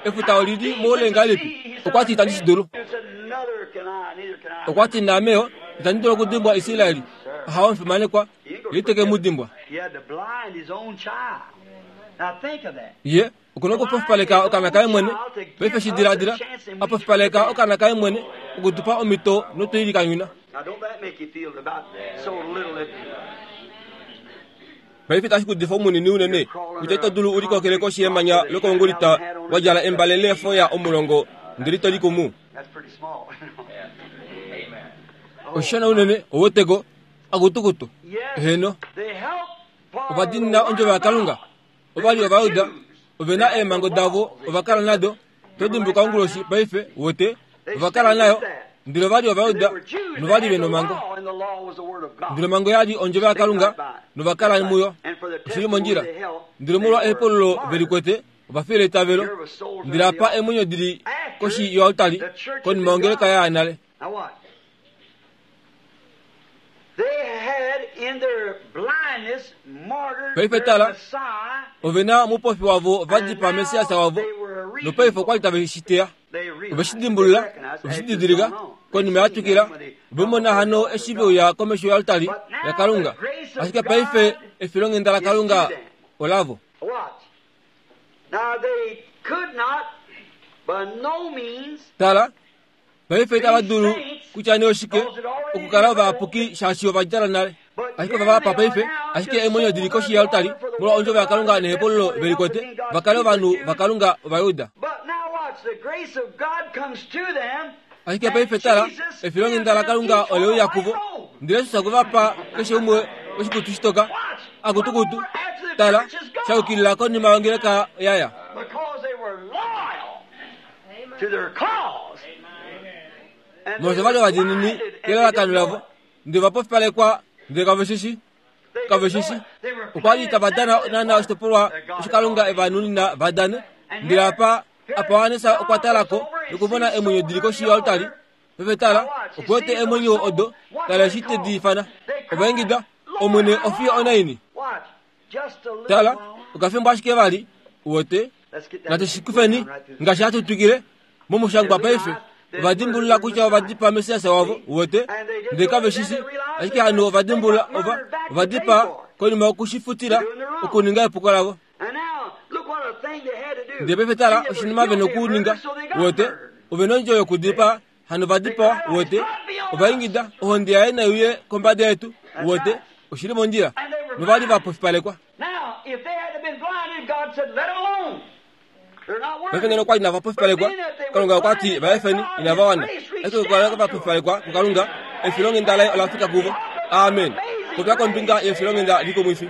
Efuta oli li moule ngahelipi? Okwa ti, Itandi shi dulu. Okwa ti, Naame yo, itandi dulu okudimbwa Israel. Ahawe, omufimanekwa. Ye ite ke mu dimbwa. Ye oku na okupofipaleka okaana kaye mwene. Paife shi diladila, a pofipaleka okaana kaye mwene oku tu pa omhito notu i likanyuna. Paife itashi ku difa omunini unene kutya ito dulu u likokele koshi yemanya lokoungulita wa djala embale leefoya omulongo ndele ito likumu. Oshishona unene, ou weteko, akutukutu. Heeno. Ova diinina ondjovo yaKalunga. Ova li Ovajuda, ove na eemhango davo, ova kala nado. To dimbuka onguloshi paife, wote, ova kala nayo. Ndele ova li Ovajuda, nova li ve nomhango. Ndele omhango ya li ondjovo yaKalunga, nova kala muyo. Oshi li mondjila. Ndele molwa ehepululo ve li kwete, ova fila eitavelo. Ndele apa eemwenyo di li koshi yoaltari, konima ongeleka ya ya nale. Paife tala, ove na omupofi wavo va dipaa Messias wavo, nopaife okwa li tave shi teya. Ove shi dimbulula, ove shi didilika, konima ya twikila, ove mona hano eshi ve uya komesho yoaltari yaKalunga. Ashike paife efilonghenda laKalunga olavo. Tala, Paife itava dulu kutya nee oshike okukala ovayapuki shaashi ova djala nale. Ashike ova va pa paife, ashike eemwenyo di li koshi yealtari molwa ondjovo yaKalunga nehepululo ve likwete, va kale ovanhu vaKalunga Ovajuda. Ashike paife tala, efilonghenda laKalunga ole uya kuvo, ndele Jesus okwe va pa keshe umwe oshikutu shitoka, akutukutu, tala, sha yukilila konima yongeleka ya ya. Molwaashi ova li ovadiinini kelalakano lavo, ndele ova pofipalekwa ndele kave shi shii. Kave shi shii. Okwa li tava dana naanaa oshitopolwa osho Kalunga e va nunina va dane. Ndele apa, apa Johannes okwa tala ko nokumona eemwenyo di li koshi yoaltari. Paife tala, oku wete eemwenyo odo, tala eshi te di ifana. Ova ingida, Omwene, ofiyo onaini? Tala, okafimbo ashike vali, uwete. Natu shi kufeni ngaashi hatu twikile momushangwa paife. Ova dimbulula kutya ova dipaa Messias wavo, uwete, ndele kave shi shi. Ashike hano ova dimbulula ova, ova dipaa konima yoku shi futila okuninga epuko lavo. Ndele paife tala oshinima ve nokuninga, uwete, ove nondjo yokudipaa Hano va dipawa, uwete, ova ingida, Ohonde yaye nai uye kombada yetu, uwete, oshi li mondjila. Nova li va pofipalekwa. Paife ngeno okwa li inava pofipalekwa, Kalunga okwa ti, Va efeni, inava wana. Ashike okukala va pofipalekwa kuKalunga, efilonghenda laye ola fika kuvo. Amen. Popya kombinga yefilonghenda likumwifi.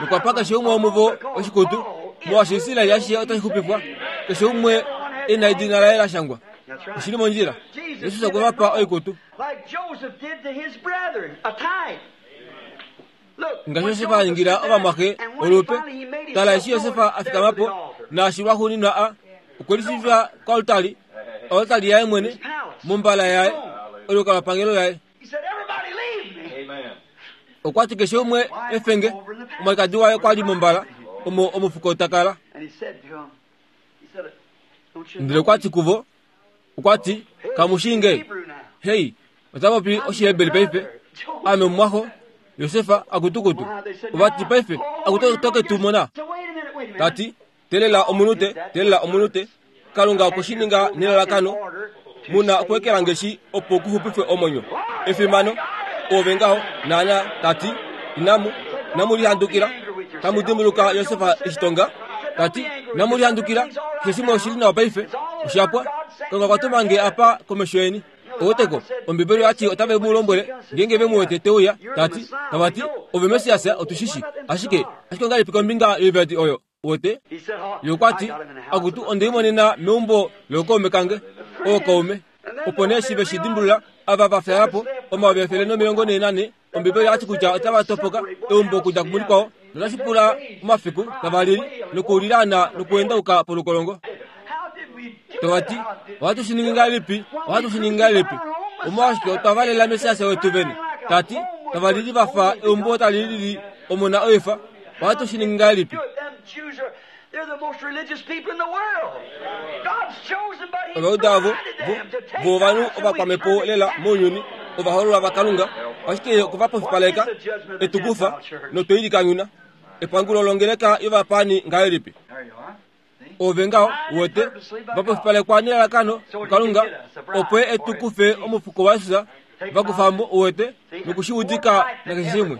Nokwa pa keshe umwe womuvo oshikutu, molwaashi Israel ashishe otashi xupifwa, keshe umwe e na edina laye la shangwa. Oshi li mondjila. Jesus okwe va pa oikutu. Ngaashi Josef a ningila ovamwaxe olupe, tala eshi Josef a fikama po, naashi lwaxuuninwa a okwe lishiivifa koaltari, oaltari yaye mwene, mombala yaye, olukalwapangelo laye. Okwa ti keshe umwe efenge, omwalikadi waye okwa li mombala omo omufuko ta kala. Ndele okwa ti kuvo, okwa ti, Kamu shii nge? Hei, ota popi Oshiheberi paife. Ame omumwaxo, Josef, akutukutu. Ova ti paife, akutu oto ke tu mona. Ta ti, Teelela omunute, teelela omunute. Kalunga okwe shi ninga nelalakano. Mu na okuekela ngeshi opo ku xupifwe omwenyo. Efimano! Oove ngaho, naana, ta ti, Inamu, inamu lihandukila. Tamu dimbuluka Josef eshi tonga? Ta ti, Inamu lihandukila. Keshe shimwe oshi li nawa paife. Osha pwa. Kalunga okwa tuma nge apa komesho yeni. Oweteko, Ombibeli oya ti otave mu lombwele ngeenge ve mu wete te uya, ta ti, tava ti, Ove Messias, otu shi shi. Ashike, ashike ongahelipi kombinga yoivadi oyo? Uwete? Ye okwa ti, Akutu, onde i monena meumbo lookaume kange, ookaume. Opo nee eshi ve shi dimbulula, ava va fyaala po, 144, Ombibeli oya ti kutya otava topoka eumbo okudja kumulikwao, notashi pula omafiku tava lili nokulilaana nokuendauka polukolongo. Tava ti, Ohatu shi ningi ngahelipi? Ohatu shi ningi ngahelipi? Omolwashike otwa valela Messias wetu vene? Ta ti, tava lili va fa eumbo tali lili omona oifa. Ohatu shi ningi ngahelipi? Ovajuda ovo vo, vo ovanhu ovakwamhepo lela mounyuni, ovahoololwa vaKalunga, ashike ye okwe va pofipaleka, e tu kufa, notwe i likanyuna. Epangulo longeleka yovapaani ngahelipi? Ove ngaho, uwete, va pofipalekwa nelalakano kuKalunga, opo ye e tu kufe omufuko waJesus, va kufa mo, uwete, noku shi udika nakeshe shimwe.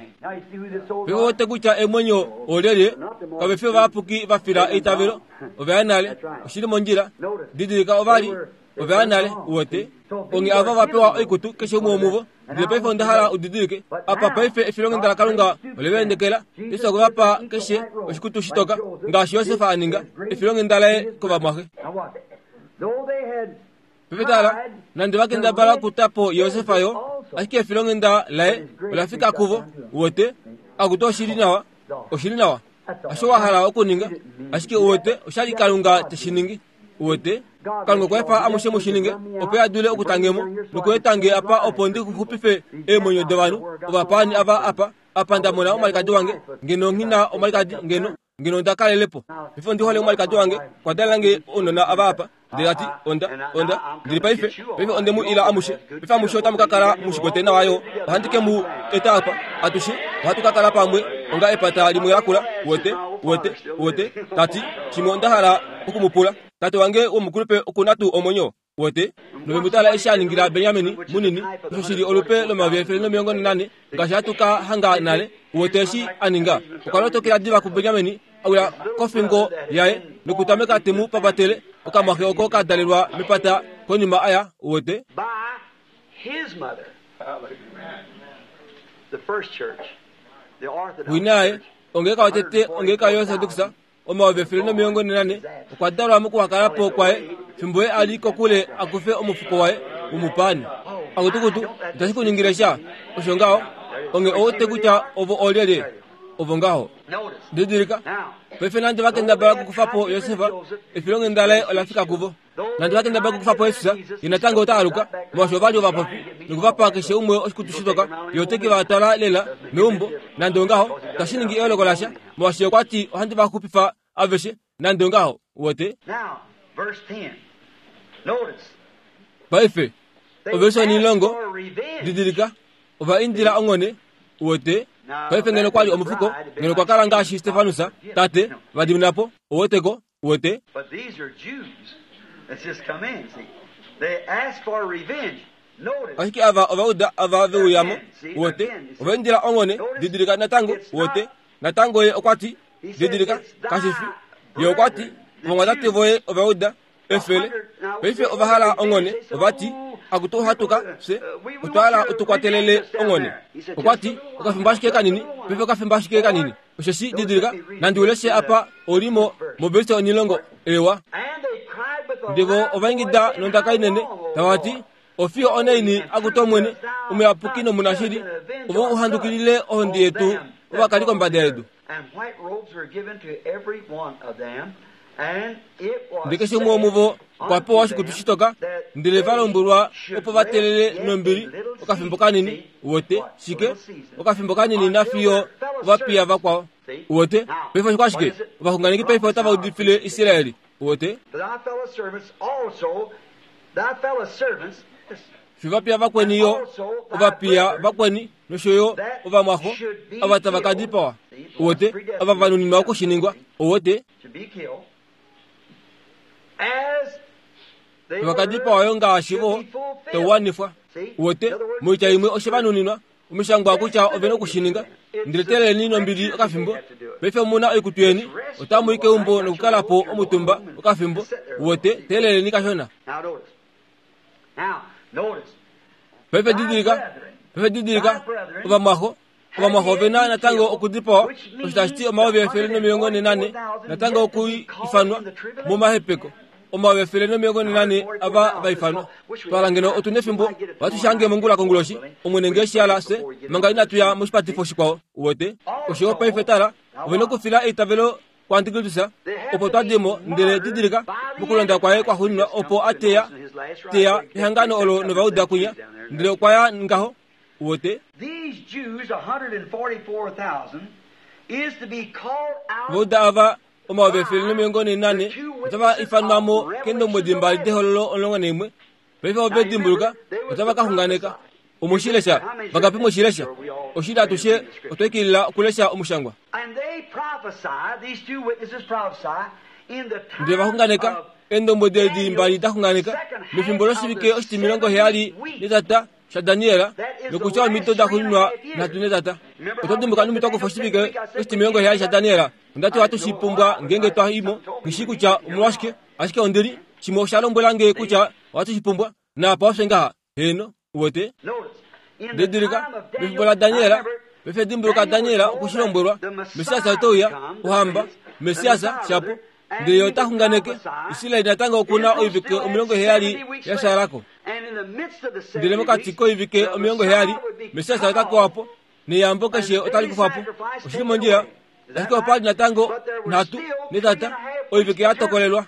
Ve wete kutya emwenyo olyelye, kave fi ovayapuki va fila eitavelo, ove ya nale, oshi li mondjila. Didilika ova li, ove ya nale, uwete. Onghee ava va pewa oikutu, keshe umwe womuvo. Ndele paife onda hala udidilike apa paife efilonghenda laKalunga ole va endekela. Jesus okwe va pa keshe oshikutu shitoka ngaashi Josef a ninga efilonghenda laye kovamwaxe. Paife tala, nande va kendabala okuta po Josef yo, ashike efilonghenda laye ola fika kuvo. Uwete? Akutu oshi li nawa, oshi li nawa. Osho wa hala okuninga, ashike uwete, osha li Kalunga te shi ningi. Uwete? Kalunga okwa efa amushe mu shi ninge, opo a dule okutange mo nokueta nge apa opo ndi xupife eemwenyo dovanhu ovapaani ava apa, apa nda mona omwalikadi wange. Ngeno nghi na omwalikadi, ngeno, ngeno onda kalele po. Paife ondi hole omwalikadi wange, okwa dalela nge ounona ava apa. Ndele ta ti, Onda, onda, ndili paife, paife onde mu ila amushe. Paife amushe otamu ka kala mu shi kwete nawa yo. Ohandi ke mu eta apa. Atushe ohatu ka kala pamwe onga epata limwe lakula. Uwete? Uwete? Uwete? Ta ti, Shimwe onda hala oku mu pula. Tate wange womukulupe oku na tuu omwenyo? Uwete? Nove mu tala eshi a ningila Benjamini munini, osho shi li olupe lomayovi 144, ngaashi hatu ka hanga nale. Uwete eshi a ninga? Okwa lotokela diva kuBenjamini, a wila kofingo yaye nokutameka te mu papatele, okamwaxe oko ka dalelwa mepata konima a ya. Uwete? By his mother. The first church. The Orthodox Wina yaye, Church. ongeleka yotete, ongeleka yoOrthodox, 144,000 okwa dalwa mokuhakala po kwaye fimbo ye a li kokule a kufe omufuko waye womupaani. Akutukutu, itashi ku ningile sha. Osho ngaho, onge ou wete kutya ovo oolyelye? Ovo ngaho. Notice. Didilika, Now, paife nande va kendabala okukufa po Josef, efilonghenda laye ola fika kuvo. Nande va kendabala okukufa po Jesus, ye natango ota aluka, molwaashi ova li ovapofi, noku va pa keshe umwe oshikutu shitoka, ye ote ke va twala lela meumbo. Nande ongaho, itashi ningi eyooloko lasha, molwaashi ye okwa ti, Ohandi va xupifa aveshe, nande ongaho. Uwete? now, verse 10. Notice. Paife, They oversha asked onilongo, for revenge. didilika, ova indila onghone, uwete. Paife ngeno kwa li omufuko, ngeno kwa kala ngaashi Stefanus, tate, va dimina po, uweteko, uwete. But these are Jews that's just come in, see. They asked for revenge. Notice. Ashike ava ova uda ava ve uya mo, uwete, ova indila onghone, didilika natango, uwete. Natango ye okwa ti, didilika, kashi fi. Ye okwa ti, ovamwatate voye ova uda, efele. Paife ova hala onghone, ova ti, akutu ohatu ka, fye, otwa hala u tu kwatelele onghone. Okwa ti, okafimbo ashike kanini, paife okafimbo ashike kanini. Osheshi, didilika, nandi u leshe apa, oli mo, moverse onilongo, ewa. And they cried with a Ndele vo loud ova ingida voice, nondaka How inene, long, O tava ti, Lord? Ofiyo onaini akutu Omwene, omuyapuki nomunashili, ovo u handukilile ohonde yetu ovakali kombada yedu. And white robes were given to every one of them, and it was Ndele keshe umwe womuvo okwa pewa oshikutu shitoka, ndele va lombwelwa opo va telele nombili okafimbo kanini, uwete, shike, okafimbo kanini nafiyo ovapiya vakwao. Uwete, paife oshikwashike, ovaxunganeki paife otava udifile Israel, uwete. Thy fellow servants also, thy fellow servants, Fivapiya vakweni yo, ovapiya vakweni nosho yo ovamwaxo, ava tava ka dipawa, uwete, ava va nuninwa okushiningwa, uwete, should be killed, as they tava ka dipawa yo ngaashi vo should be fulfilled. tauwanifwa. Uwete, moitya imwe oshe va nuninwa, omishangwa kutya ove na okushininga, ndele teleleni nombili okafimbo, paife omu na oikutu yeni, otamu i keumbo nokukala po omutumba okafimbo, uwete, teleleni kashona. Now notice. Now notice. Paife didilika, paife didilika, ovamwaxo, ovamwaxo ove na natango okudipawa, osho tashi ti 144,000 natango okuifanwa momahepeko. 144,000 ava va ifanwa. Twala ngeno otu nefimbo, ohatu shange mongula konguloshi, Omwene nge shi hala fye, manga inatu ya moshipatifo shikwao, uwete. Osho yo paife tala, ove na okufila eitavelo kuAntikristus, opo twa dimo, ndele didilika, mokulonda kwaye kwaxuuninwa opo a teya, teya ehangano olo novauda kwinya, ndele okwa ya ngaho, uwete. These Jews, 144,000, is to be called out Ovauda ava 144,000 otava ifanwa mo keendombwedi mbali dehololo 11. Paife ove dimbuluka, otava ka xunganeka. Omu shi lesha? Vangapi mwe shi lesha? Oshili atushe otwa ikilila okulesha omushangwa. And they prophesy, these two witnesses prophesy, in the time Ndele va xunganeka, of eendombwedi edi mbali da xunganeka, mefimbo loshivike oshitimilongo heyali netata shaDaniel, nokutya omido da xuuninwa nhatu netata. Oto dimbuka numbi twa kufa oshivike oshitimilongo heyali shaDaniel? Onda ti ohatu shi pumbwa ngeenge twa i mo. Nghi shii kutya omolwashike, ashike ondili, shimwe osha lombwela nge kutya ohatu shi pumbwa, naapa ofye ngaha. Heeno, uwete. Notice, Didilika, mefimbo laDaniel, paife dimbuluka Daniel okwe shi lombwelwa, Messias ote uya, Ohamba, Messias, shapo. Ndele ye ota xunganeke, Israel natango oku na oivike 70 ya shaala ko. Ndele mokati koivike 70, Messias ota kewa po, neyambo keshe otali kufwa po. Oshili mondjila, ashike opa li natango nhatu netata oivike ya tokolelwa.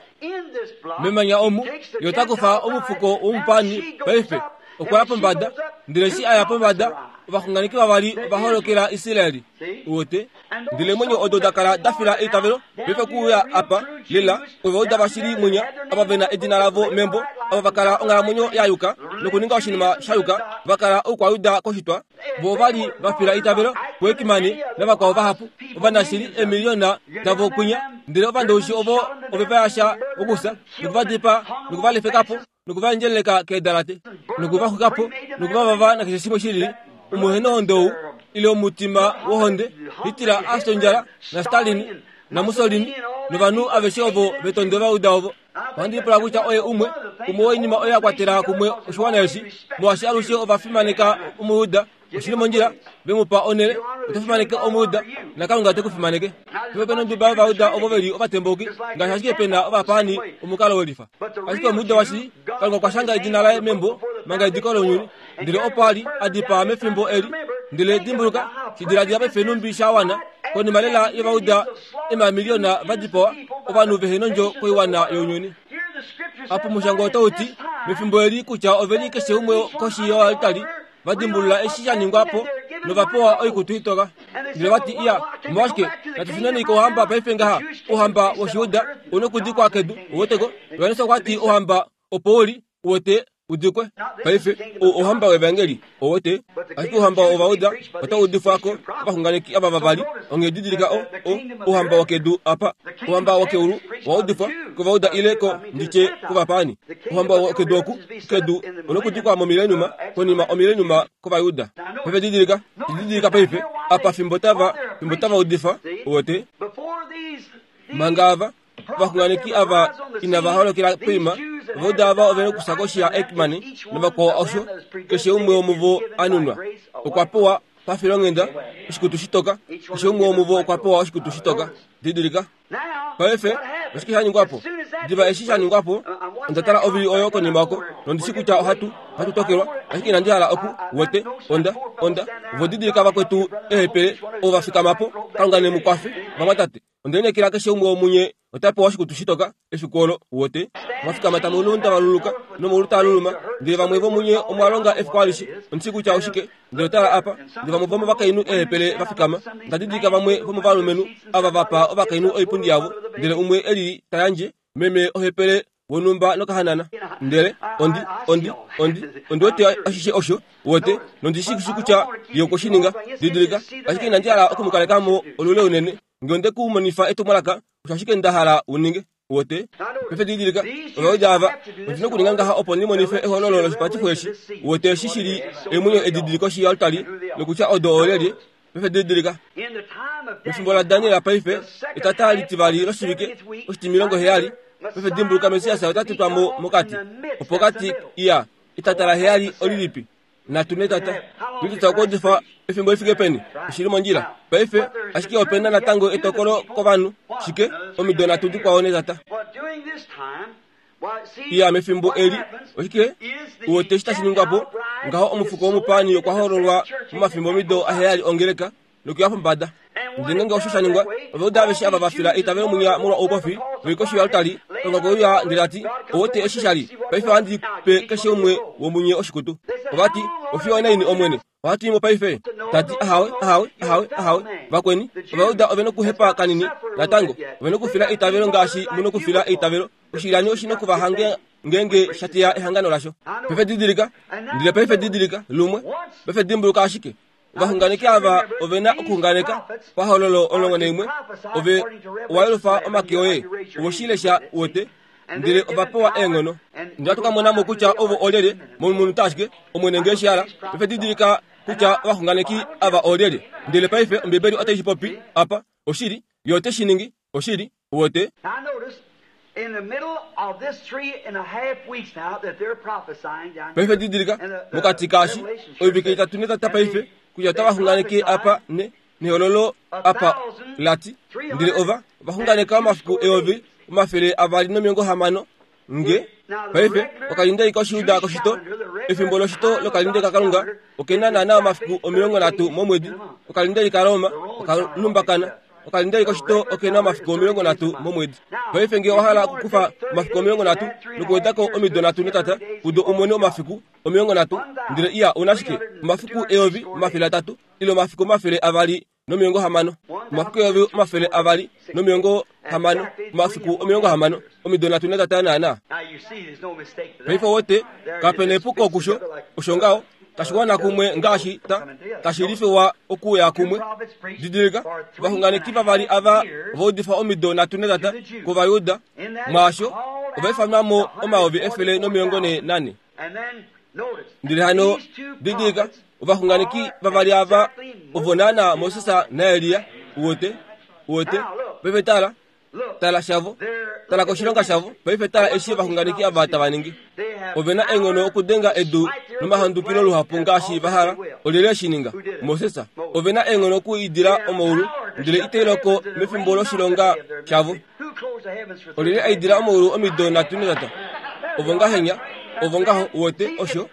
Memanya omu, ye ota kufa omufuko womupani paife. Okwa ya pombada, ndele eshi a ya pombada, ovaxunganeki vavali ova holokela Israel. Uwete? Ndele eemwenyo odo da kala da fila eitavelo, paife okuuya apa, lela, ova uda vashili mwinya, ava ve na edina lavo membo, ava va kala onghalamwenyo ya yuka nokuninga oshinima sha yuka, va kala oukwayuda koshitwa, vo ova li va fila eitavelo kuEkimani navakwao vahapu, ovanashili eemiliyona davo kwinya, ndele ovandowishi ovo ove va yasha okufya, noku va dipaa, noku va lefeka po, noku va endjeleleka keedalate, noku va xwika po, noku va vava nakeshe shimwe shi lili, omuhenohonde ou, ile omutima wohonde, Hitler a fya ondjala, naStalin, naMussolini, novanhu aveshe ovo ve tonde Ovajuda ovo. Ohandi lipula kutya oye umwe, umwe woinima oyo ya kwatela kumwe oshiwana eshi, molwaashi alushe ova fimaneka Omujuda. Oshi li mondjila, ve mu pa onhele, oto fimaneke Omujuda, naKalunga te ku fimaneke. Paife ope na onduba yOvajuda ovo ve li ovatembauki, ngaashi ashike pe na ovapaani omukalo welifa. Ashike Omujuda washili, Kalunga okwa shanga edina laye membo manga ediko lounyuni, ndele opo a li a dipaa mefimbo eli. Ndele dimbuluka, shi diladila paife nhumbi sha wana, konima lela yOvajuda emamiliyona va dipawa, ovanhu vehe nondjo koiwana younyuni. Apa omushangwa otau ti, mefimbo eli kutya ove li keshe umwe koshi yoaltari, va dimbulula eshi sha ningwa po nova pewa oikutu itoka. Ndele va ti, Iya, omolwashike natu shuneni kouhamba paife ngaha, ouhamba wOshijuda u nokudikwa kedu. Uweteko? Johannes okwa ti ouhamba opo u li, uwete, u dikwe. Paife, ou ouhamba wEvangeli, uwete. Ashike ouhamba wOvauda otau udifwa ko kovaxunganeki ava vavali, onghee didilika o, o, ouhamba wokedu apa. Ouhamba wokeulu owa udifwa kovauda ile ko, ndi tye, kovapaani. Ouhamba wokedu oku, kedu, onokudikwa momileniuma, konima omileniuma kOvayuda. Paife didilika, didilika paife, apa fimbo tava, fimbo tava udifa, uwete. Manga ava, ovaxunganeki ava inava holokela poima, Ovayuda ava ove nokufya koshi yaEichmann navakwao osho, keshe umwe womuvo a nunwa. Okwa pewa, pafilonghenda, oshikutu shitoka. Keshe umwe womuvo okwa pewa oshikutu shitoka. Didilika. Paife, oshike sha ningwa po? Diva eshi sha ningwa po, onda tala ovili oyo konima oko, nondi shi kutya ohatu, ohatu tokelwa, ashike inandi hala oku, wete, onda, onda, ovo didilika vakwetu eehepele, ovo va fikama po, Kalunga ne mu kwafe, vamwatate. Onde lineekela keshe umwe womunye ota pewa oshikutu shitoka efiku olo, wote. Mwa fikama tamu lundaluluka nomaulu taa luluma, ndele vamwe vomunye omwa longa efiku alishe. Ondi shii kutya oshike. Ndele tala apa, ndele vamwe vomovakainhu eehepele va fikama. Onda didilika vamwe vomovalumenhu ava va pa ovakainhu oipundi yavo, ndele umwe e lili ta yandje, meme ohepele wonhumba nokahanana. Ndele ondi, ondi, ondi, ondi wete ashishe osho, wote, nondi shi shi kutya ye okwe shi ninga. Didilika, ashike inandi hala oku mu kaleka mo olule unene. Nge onde ku monifa etumwalaka, osho ashike nda hala u ninge. Wote? Paife didilika, Ovajuda ava, ondi nokuninga ngaha opo ndi monife ehololo loshipatifo eshi. Wote eshi shi li eemwenyo edi di li koshi yoaltari, nokutya odo oolyelye. Paife didilika. Mefimbo laDaniel paife, etata litivali loshivike oshitimilongo heyali, paife dimbuluka Messias ota tutwa mo mokati. Opokati, iya, etata laheyali olilipi? Natu netata. Lituta okuudifa efimbo li fike peni? Oshi li mondjila. Paife, ashike ope na natango etokolo kovanhu. Shike? Omido nhatu dikwao netata. Iya, mefimbo eli, oshike u wete eshi tashi ningwa po? Ngaho omufuko womupaani okwa hololwa momafimbomido aheyali ongeleka nokuya pombada. Ndele ngeenge osho sha ningwa, Ovajuda aveshe ava va fila eitavelo munya molwa oupofi, ve li koshi yoaltari, Kalunga okwe uya ndele ta ti, Ou wete eshi sha li? Paife ohandi pe keshe umwe womunye oshikutu. Ova ti, Ofiyo onaini, Omwene? Ohatu i mo paife? Ta ti, Ahawe, ahawe, ahawe, ahawe. Vakweni, Ovajuda ove nokuhepa kanini natango. Ove nokufila eitavelo ngaashi mu nokufila eitavelo. Oshilyani oshi noku va hange ngeenge sha teya ehangano lasho. Paife didilika, ndele paife didilika, lumwe. Paife dimbuluka ashike, Ovaxunganeki ava ove na okuxunganeka pahololo 11, ove owa yelufa omake oye, owe shi lesha, uwete, ndele ova pewa eenghono. Ndele ohatu ka mona mo kutya ovo oolyelye momunute ashike, Omwene nge eshi hala. Paife didilika kutya ovaxunganeki ava oolyelye. Ndele paife Ombibeli otai shi popi apa, oshili, Ye ote shi ningi, oshili, uwete. Paife didilika, mokati kaashi, oivike itatu netata paife, kutya otava xunganeke apa ne nehololo apa lati, ndele ova vaxunganeka omafiku 2260 nge paife okalindeli koshiuda koshito, efimbo loshito lokalindeli kaKalunga okena naana omafiku 30 momwedi, okalindeli kaRoma okalumbakana, okalindeli koshito okena omafiku 30 momwedi. Paife nge owa hala okukufa omafiku 30 nokuwedako omido 33 kudo umone omafiku 30, ndele iya una shike omafiku 1300 ile omafiku 260, omafiku 260, omafiku 60, omido 33 naana. Paife wote kapena epuko kusho, osho ngaho tashiwana kumwe ngaashi tashilifiwa okuya kumwe. Didilika, ovaxunganeki vavali ava vaudifa omido 33 kOvayuda, mwaasho ovaifanwamo 144. Ndele hano didilika, ovaxunganeki vavali ava ovo naana Moses naElia. Uwete, uwete, paife tala, tala shavo, tala koshilonga shavo. Paife tala eshi ovaxunganeki ava tava ningi. Ove na eenghono okudenga edu nomahandukilo luhapu ngaashi va hala. Olyelye eshi ninga? Moses. Ove na eenghono okuidila omaulu, ndele itai loko mefimbo loshilonga shavo. Olyelye a idila omaulu omido 33? Ovo ngahenya, ovo ngaho. Uwete osho?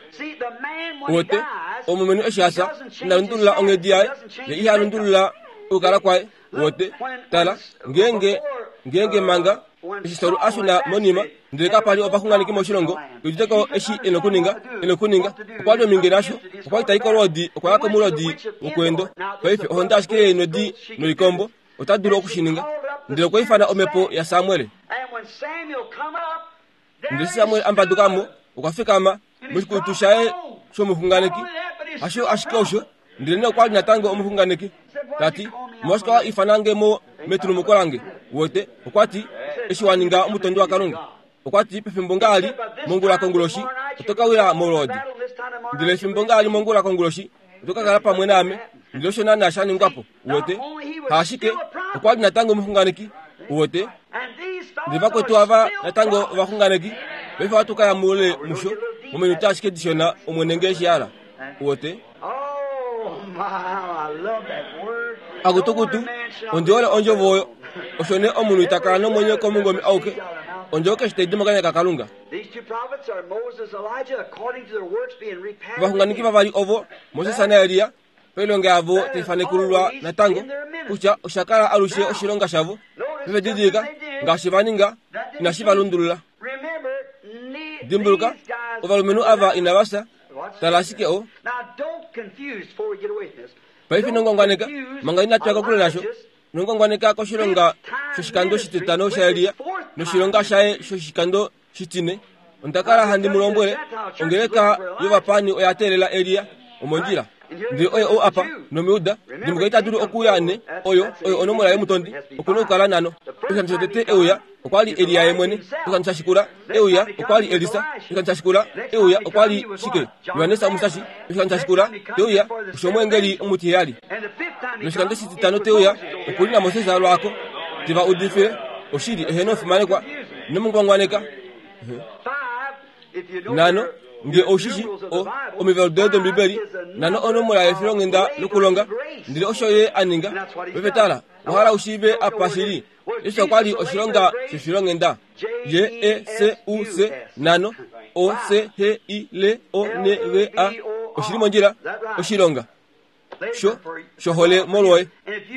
Uwete, omulumenhu eshi a fya, ina lundulula onghedi yaye, ye iha lundulula okukala kwaye. Uwete, tala, ngeenge ngeenge manga eshi Saul a shuna monima, ndele kapa li ovaxunganeki moshilongo, udite ko eshi e nokuninga, e nokuninga. Okwa li ominge nasho, okwa li tai kolwoodi, okwa ya komulodi wokweendo. Paife ohonda ashike yeenodi noikombo, ota dulu okushininga. Ndele okwa ifana omhepo yaSamuel. Ndele Samuel a mbaduka mo, okwa fikama moshikutu shaye shomuxunganeki. Hasho ashike osho, ndele nee okwa li natango omuxunganeki. Tati, omolwashike wa ifana nge mo metulumuko lange? Wote, okwa ti, eshi wa ninga omutondi waKalunga. Okwa ti, pefimbo ngaali mongula konguloshi, oto ka wila molwoodi. Ndele efimbo ngaali mongula konguloshi, oto ka kala pamwe naame. Ndele osho naana sha ningwa po. Uwete, haashike, okwa li natango omuxunganeki. Uwete, ndele vakwetu ava natango ovaxunganeki. Paife ohatu ka ya moule musho mominute ashike dishona, Omwene nge eshi hala. Uwete? Akutukutu, ondi hole ondjovo oyo. Osho nee omunhu ita kala nomwenyo komungome auke, ondjovo keshe tai di mokanya kaKalunga. Ovaxunganeki vavali ovo, Moses naElia, pailonga yavo tai fanekululwa natango kutya osha kala alushe oshilonga shavo. Paife didilika, ngaashi va ninga, inashi va lundulula. Dimbuluka, ovalumenhu ava inava fya. Tala ashike o. Paife ino ngwangwaneka, manga inatu ya kokule nasho. Ino ngwangwaneka koshilonga shoshikando shititano shaElia noshilonga shaye shoshikando shitine. Onda kala handi mu lombwele, ongeleka yovapaani oya teelela Elia omondjila. Ndele oye ou apa, nomujuda, dimbuluka ita dulu okuuya ne, oyo, oyo onomola yomutondi, oku na okukala nano. Oshikando shotete e uya, okwa li Elia ye mwene. Oshikando sha shikula, e uya, okwa li Elisa. Oshikando sha shikula, e uya, okwa li shike? Johannes Omusashi. Oshikando sha shikula, te uya, osho omweengeli omutiheyali. Noshikando shititano te uya, oku li naMoses lwaako, te va udifile oshili, eheno fimanekwa, ino mu ngwangwaneka. Nano, nge ou shi shi o, omivalu doye dOmbibeli, nano onomola yefilonghenda lokulonga, ndele osho ye a ninga. Paife tala, owa hala u shiive apa shi li. Jesus okwa li oshilonga shefilonghenda. J-E-S-U-C, nano, O-C-H-I-L-O-N-G-A. Oshi li mondjila, oshilonga. Sho, shohole molwoye.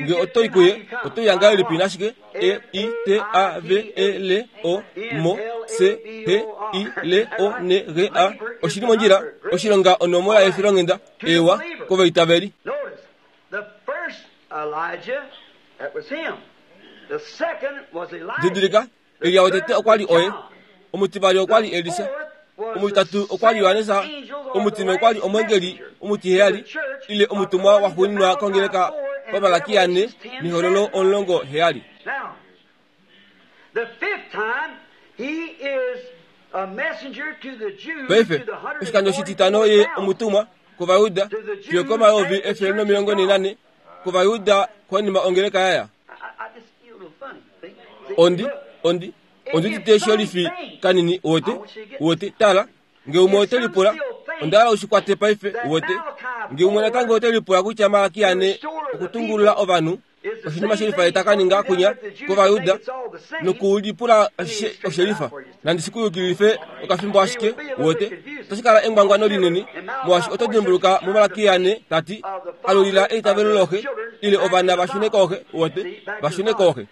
Nge oto i kuye, oto uya ngahelipi nashike? E I T A V E L O M C H I L O N G A. Oshi li mondjila, oshilonga onomola yefilonghenda, ewa, kovaitaveli. Notice, the first Elijah, that was him. The second was Elijah. Didilika, Elia wotete okwa li oye, omutivali okwa li Elisa, omutitatu okwa li Johannes, omutine okwa li omwengeli omutiheyali, ile omutumwa waxuuninwa kongeleka paMalakia 4 nehololo 17. Now, the fifth time, he is a messenger to the Jews, Paife, to the oshikando shititano ye 144,000. omutumwa kOvayuda, fiyo komayovi 144 kOvayuda konima ongeleka yaya. I just feel a little funny. See? See? Ondi, Look. ondi, Ondi udite sholifi kanini, uwete, uwete, tala, nge umwe ote lipula, onda hala u shi kwate paife, uwete. Nge umwe natango ote lipula kutya Malaki ane okutungulula ovanhu, oshinima shelifa ye ta ka ninga kwinya kOvayuda, nokulipula ashishe oshelifa. Nandi shi ku yukililife okafimbo ashike, uwete. Otashi kala engwangwano linene, molwaashi oto dimbuluka muMalaki ane ta ti, Alulila eitavelo looxe, ile ovana va shune kooxe, uwete, va shune kooxe.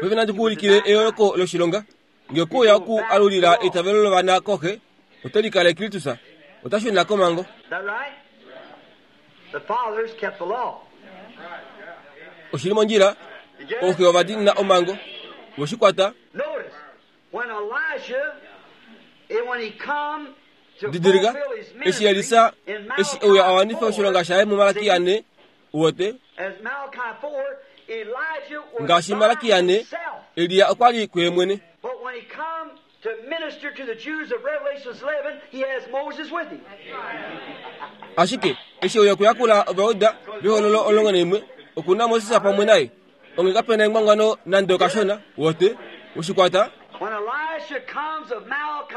Paife nandi ku ulikile eyooloko loshilonga. Nge okwe uya oku alulila eitavelo lovana kooxe, ote likale Kristus, ota shuna komhango. Oshi li mondjila, ooxe ova diinina omhango. We shi kwata? Didilika, eshi Elisa, eshi e uya a wanife oshilonga shaye muMalaki ane, uwete, ngaashi Malaki ane, Elia okwa li kuye mwene. Ashike eshi e uya okuyakula Ovajuda vehololo 11, oku na Moses pamwe naye. Onge kape na engwangwano nande okashona, wote, woshikwata.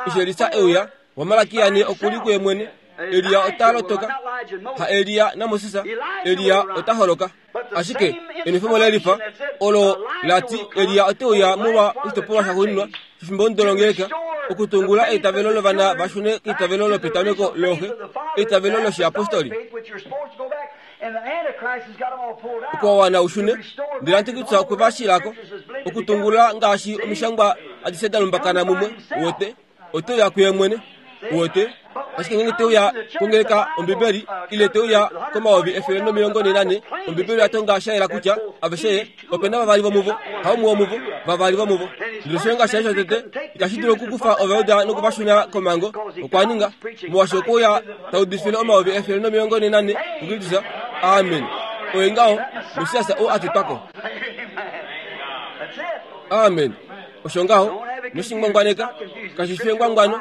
Eshi Elisa e uya, waMalakia ne oku li kuye mwene. Elia ota lotoka. Ha Elia naMoses, Elia ota holoka. Ashike enwefemo lelifa olo la ti Elia ote uya molwa oshitopolwa shaxuuninwa shefimbo longeleka okutungula eitavelo lovana va shune keitavelo lopetameko looxe, eitavelo loshiapostoli. Okwa wana u shune, ndele Antikristus okwe va shila ko, okutungulula ngaashi omishangwa adishe da lumbakana mumwe, uwete, ote uya kuye mwene. Uwete? Ashike ngeenge te uya kongeleka Ombibeli, ile te uya komayovi 144, Ombibeli oya tonga sha yela kutya aveshe ye, ope na vavali vomuvo, haumwe womuvo, vavali vomuvo. Ndele oshilonga shaye shotete itashi dulu okukufa Ovajuda noku va shuna komhango, okwa ninga, molwaashi okwe uya ta udifile 144 kuKristus. Amen. Oye ngaho, Messias ou a tetwa ko. Amen. Osho ngaho, noshingwangwaneka, kashi fi engwangwano,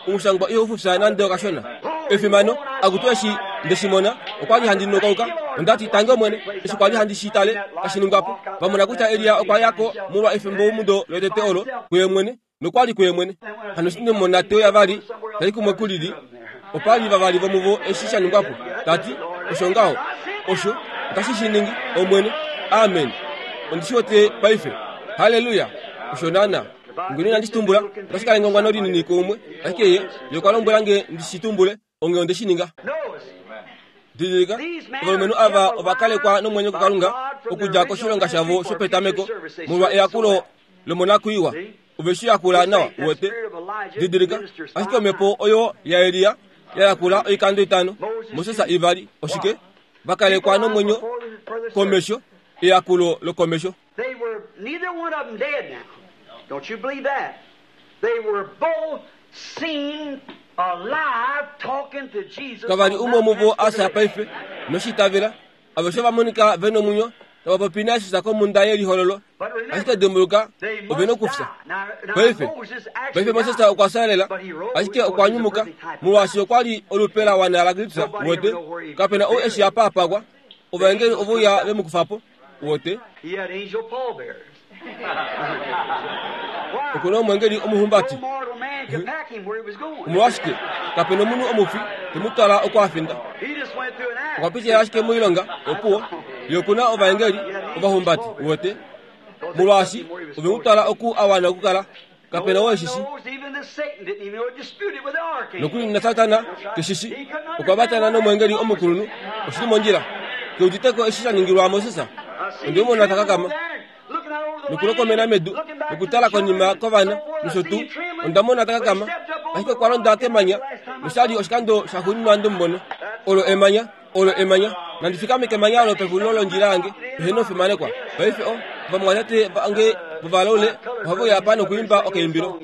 omushangwa ihau fufya nande okashona. Efimano, akutu eshi nde shi mona, okwa li handi nokauka. Onda ti, Tangi Omwene, eshi kwa li handi shi tale tashi ningwa po, va mona kutya Elia okwa ya ko molwa efimbomudo lotete olo, kuye mwene, nokwa li kuye mwene. Hano eshi nde mu mona te uya vali, ta i kumwe kulili, opa li vavali vomuvo eshi sha ningwa po. Ta ti, Osho ngaho. Osho, otashi shi ningi, Omwene. Amen. Ondi shi wete paife. Halleluya! Osho naana. Ngeno inandi shi tumbula, otashi kala engwangwano linini kuumwe. Ashike ye, ye okwa lombwela nge ndi shi tumbule, onghee onde shi ninga. Didilika, ovalumenhu ava ova kalekwa nomwenyo kuKalunga okudja koshilonga shavo shopetameko molwa eyakulo lomonakwiiwa. Ove shi yakula nawa, uwete. Didilika, ashike omhepo oyo yaElia ya yakula oikando itano, Moses ivali, oshike? Va kalekwa nomwenyo komesho, eyakulo lokomesho. They were neither one of them dead now. Don't you believe that? They were both seen alive talking to Jesus. Kava li umwe womuvo a fya paife, noshi itavela. Aveshe ova monika ve nomwenyo, tava popi naJesus komhunda yelihololo. Ashike dimbuluka, ove nokufya. Paife, paife Moses okwa fya lela, ashike okwa nyumuka, molwaashi okwa li olupe la wana laKristus, uwete. Kape na ou e shi apa a pakwa. Ovaengeli ove uya ve mu kufa po. Uwete? Oku na omwengeli omuhumbati. Omolwashike, kape na omunhu omufi te mu twala oko a finda. Okwa pitila ashike moilonga, opuwo. Ye oku na ovaengeli ovahumbati, uwete, molwaashi ove mu twala oku a wana okukala. Kape na oo e shi shi. Nokuli naSatana ke shi shi. Okwa vatana nomweengeli omukulunhu. Oshi li mondjila. Ke udite ko eshi sha ningilwa Moses. Onde mu mona ta kakama nokulokomena medu nokutala konima kovana nosho tuu. Onda mona ta kakama, ashike okwa londa kemanya nosha li oshikando shaxuuninwa nde mu mona. Olo emanya. Olo emanya. Nandi fikame kemanya olo pexulilo londjila yange, peheno fimanekwa. Paife o, ovamwatate vange vovalaule ohave uya apa nokuimba okaimbilo.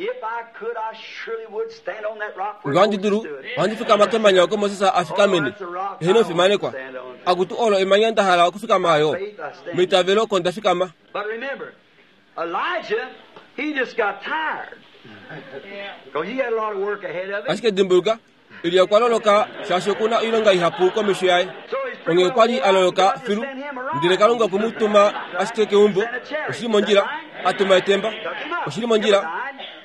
Nge ohandi dulu, ohandi fikama kemanya oko Moses a fikamene. Peheno fimanekwa. Akutu olo emanya nda hala okufikama yo. Meitavelo oko nda fikama. But remember, Elijah, he just got tired. Because he had a lot of work ahead of him. Ashike dimbuluka, Elia okwa loloka shaashi oku na oilonga ihapu komesho yaye. Onghee okwa li a loloka filu, ndele Kalunga okwe mu tuma ashike keumbo. Oshi li mondjila, a tuma etemba. Oshi li mondjila,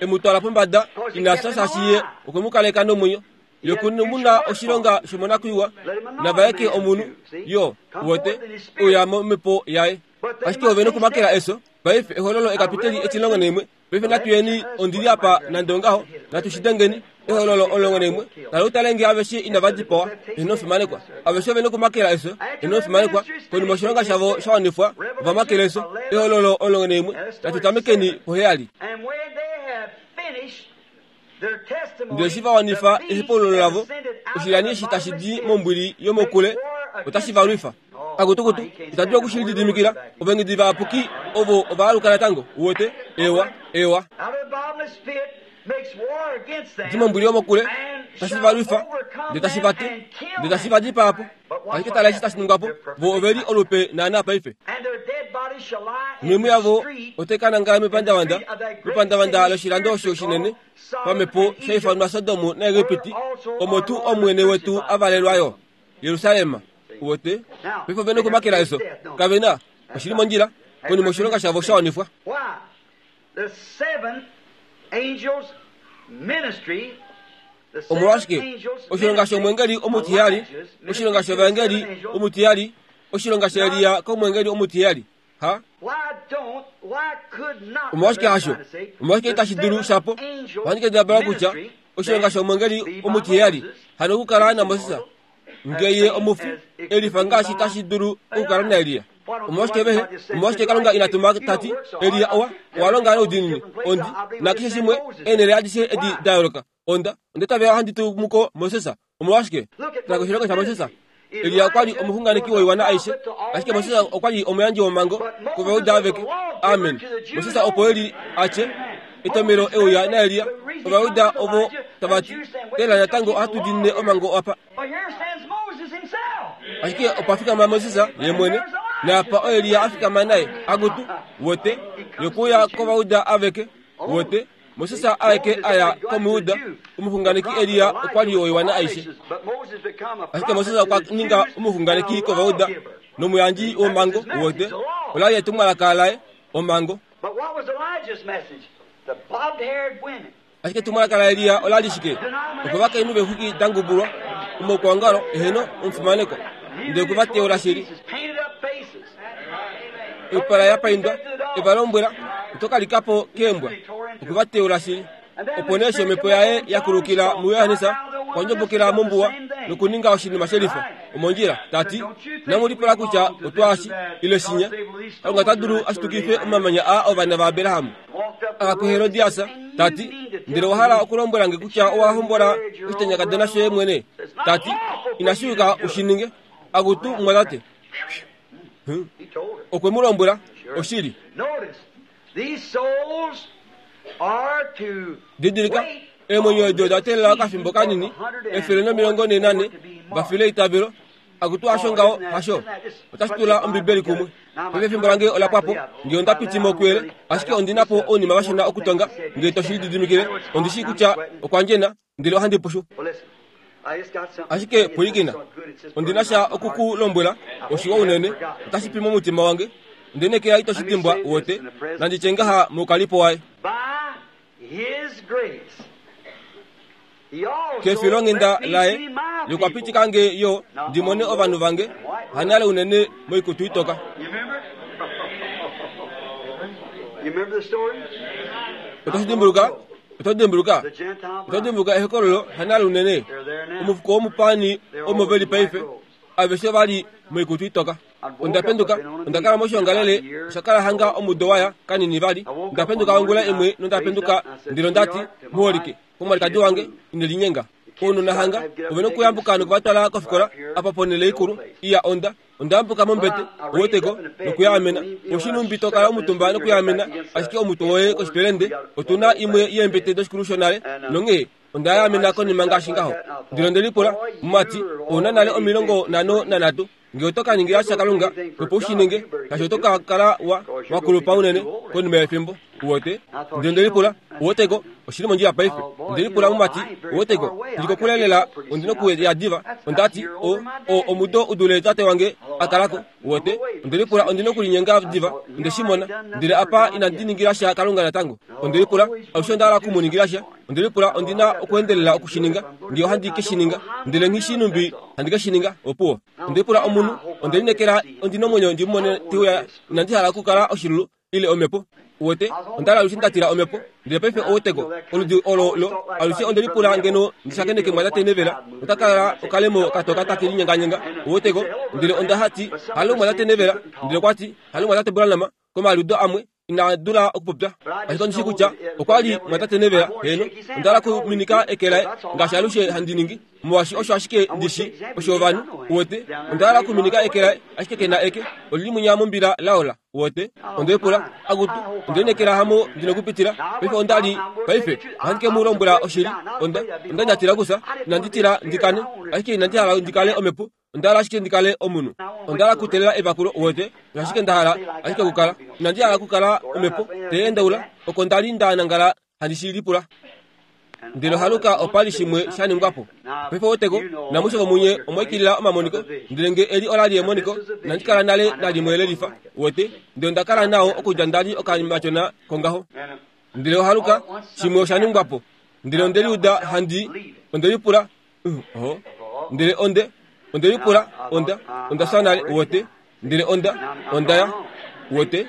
e mu twala pombada, ina fya shaashi Ye okwe mu kaleka nomwenyo. Ye oku mu na oshilonga shomonakwiiwa, na vaeke omunhu, yo, uwete, uya momhepo yaye. Ashike ove nokumakela efyo. Paife, Ehololo ekapiteli 11. Paife natu yeni, ondi li apa nande ongaho, natu shi dengeni. Ehololo 11. Kala u tale nge aveshe inava dipawa, eheno omufimanekwa. Aveshe ove nokumakela efyo, eheno omufimanekwa. Konima oshilonga shavo sha wanifwa, ova makela efyo. Ehololo 11. Natu tamekeni poheyali. Ndele eshi va wanifa ehepaululo lavo, oshilyani eshi tashi di mombwili yomokule otashi va lwifa. Akutukutu, ita dulu oku shi lididimikila. Ovaengedi vayapuki ovo ova aluka natango. Uwete? Ewa, ewa. Di mombwili yomokule, tashi va lwifa, ndele tashi va tu, ndele tashi va dipaa po. Ashike tala eshi tashi ningwa po, vo ove li olupe naanaa paife. Noimhu yavo otai ka nangala mepandavanda, mepandavanda loshilando osho shinene pamhepo sha ifanwa Sodom naEgipiti, omo tuu Omwene wetu a valelwa yo, Jerusalem. Uwete? Paife ove nokumakela efyo. Kave na. Oshi li mondjila, konima oshilonga shavo sha wanifwa. Omolwashike? Oshilonga shomwengeli omutiheyali, oshilonga shovaengeli omutiheyali, oshilonga shaElia komwengeli omutiheyali. Ha? Omolwashike hasho? Omolwashike itashi dulu shapo? Ohandi kendabala kutya oshilonga shomwengeli omutiheyali hano okukala naMoses nge ye omufi elifa ngaashi tashi dulu okukala naElia. Omolwashike vehe? Omolwashike Kalunga ina tuma ta ti, Elia owa, owa longa noudiinini, ondi nakeshe shimwe, eenhele adishe edi da yooloka. Onda, onda itavela ohandi tumu ko Moses. Omolwashike? Tala koshilonga shaMoses. Elia okwa li omuxunganeki woiwana aishe, ashike Moses okwa li omuyandji womhango kOvajuda aveke. Amen. Moses opo e li a tye, Etomelo e uya naElia, Ovajuda ovo tava ti, Tela natango ohatu diinine omhango apa. Ashike opa fikama Moses ye mwene, naapa oElia a fikama naye. Akutu, wote, yokuuya kOvajuda aveke, wote. Moses aeke a ya kOmuyuda, omuxunganeki Elia okwa li woiwana aishe. Ashike Moses okwa ninga omuxunganeki kOvayuda nomuyandji womhango, wote, ola li etumwalaka laye, omhango. Ashike etumwalaka laElia ola li shike? Okovakainhu veexwiki da ngubulwa, omaukwaongalo, eheno, omufimanekwa, ndele okwe va teula shili. Oipala ya paindwa, e va lombwela, Oto ka lika po keembwa. Okwe va teula shili. Opo nee eshi omhepo yaye ya kulukila muJohannes, okwa ndjobokela mombuwa nokuninga oshinima shelifa omondjila, ta ti, Inamu lipula kutya otwaashi, ile shinya. Kalunga ota dulu a shitukife omamanya aa ovana vaAbraham. A kuHerodias, ta ti, Ndele owa hala okulombwela nge kutya owa hombola oshitanyakadona shoye mwene? Ta ti, Inashi yuka u shi ninge. Akutu, mumwatate! Okwe mu lombwela oshili. Didilika, eemwenyo edi oda teelela okafimbo kanini, 144, va file eitavelo. Akutu hasho ngaho, hasho. Otashi tula Ombibeli kumwe. Paife efimbo lange ola pwa po, nge onda piti mo kuyele, ashike ondi na po ounima vashona okutonga, nge to shi lididimikile. Ondi shii kutya okwa ndjena, ndele ohandi pushu. Ashike pwilikina, ondi na sha oku ku lombwela, oshiwa unene, otashi pi momutima wange. Onde nekela ito shi dimbwa, uwete, nandi tye ngaha moukalipo waye. Kefilonghenda laye, ye okwa pitika nge yo ndi mone ovanhu vange, hanale unene moikutu itoka. Oto shi dimbuluka? Oto dimbuluka? Oto dimbuluka ehokololo hanale unene? Omufuko womupaani omo ve li paife, aveshe va li moikutu itoka. Onda penduka, onda kala moshiongalele, osha kala hanga omudo wa ya, kanini vali. Onda penduka ongula imwe nonda penduka, ndele onda ti, Muholike, komwalikadi wange, ine linyenga. Ounona hanga ove nokuyambuka noku va twala kofikola, apa ponhele ikulu. Iya, onda, onda yambuka mombete, uweteko, nokuyaamena. Oshinhumbi to kala omutumba nokuyaamena ashike omutwe woye koshipelende. Otu na imwe yeembete doshikulu shonale, nonghee Onda yaamena konima ngaashi ngaho. Ndele onde lipula, Mumati, ou na nale 53. Nge oto ka ningila sha Kalunga, opo u shi ninge, shaashi oto ka kala wa, wa kulupa unene konima yefimbo. Uwete? Ndele onde lipula, Uweteko, oshi li mondjila paife. Onde lipula, Mumati, uweteko, ndi kokule lela, ondi nokuya diva. Onda ti, O, o, omudo u dule tate wange a kala ko. Uwete? Onde lipula, Ondi nokulinyenga diva. Onde shi mona. Ndele apa inandi ningila sha Kalunga natango. Onde lipula, Alushe onda hala oku mu ningila sha. Onde lipula, Ondi na okuendelela oku shi ninga, nge ohandi ke shi ninga. Ndele nghi shii numbi handi ke shi ninga. Opuwo. Onde lipula omunhu, onde lineekela ondi nomwenyo ndi mu mone te uya. Inandi hala okukala oshilulu ile omhepo. Uwete, onda li alushe nda tila omhepo. Ndele paife ouweteko, oludi olo lo, alushe onde lipula ngeno ndi shakeneke mwatate Neville, nota kala okalemo katoka take linyenganyenga. Uweteko? Ndele onda hati, Halo mwatate Neville. Ndele okwa ti, Halo mwatate Branham. Komaliudo amwe, ina dula okupopya. Ashike ondi shii kutya okwa li mwatate Neville. Heeno, onda hala okuminika eke laye, ngaashi alushe handi ningi. Molwaashi osho ashike ndi shi, osho ovanhu, uwete. Onda hala okuminika eke laye, ashike ke na eke. Oli li mwinya mombila laola, uwete. Onde lipula, Akutu, onde lineekela hamo ndi nokupitila. Paife onda li, paife, ohandi ke mu lombwela oshili. Onda, onda li nda tila okufya. Inandi tila ndi kane, ashike inandi hala ndi kale omhepo. Onda hala ashike ndi kale omunhu. Onda hala okuteelela evakulo, uwete. Osho ashike nda hala ashike okukala. Inandi hala okukala omhepo te endaula oko nda li nda nangala handi shi lipula. Ndele ohaluka opa li shimwe sha ningwa po. Paife weteko, namushe vomunye omwa ikilila omamoniko, ndele nge eli ola li emoniko, inandi kala nale nalimwe le lifa, uwete, ndele onda kala nao okudja nda li okamatyona kongaho. Ndele ohaluka, shimwe osha ningwa po. Ndele onde liuda handi, onde lipula, Uh, ndele onde, onde lipula, onda, onda fya nale, uwete. Ndele onda, onda ya, uwete.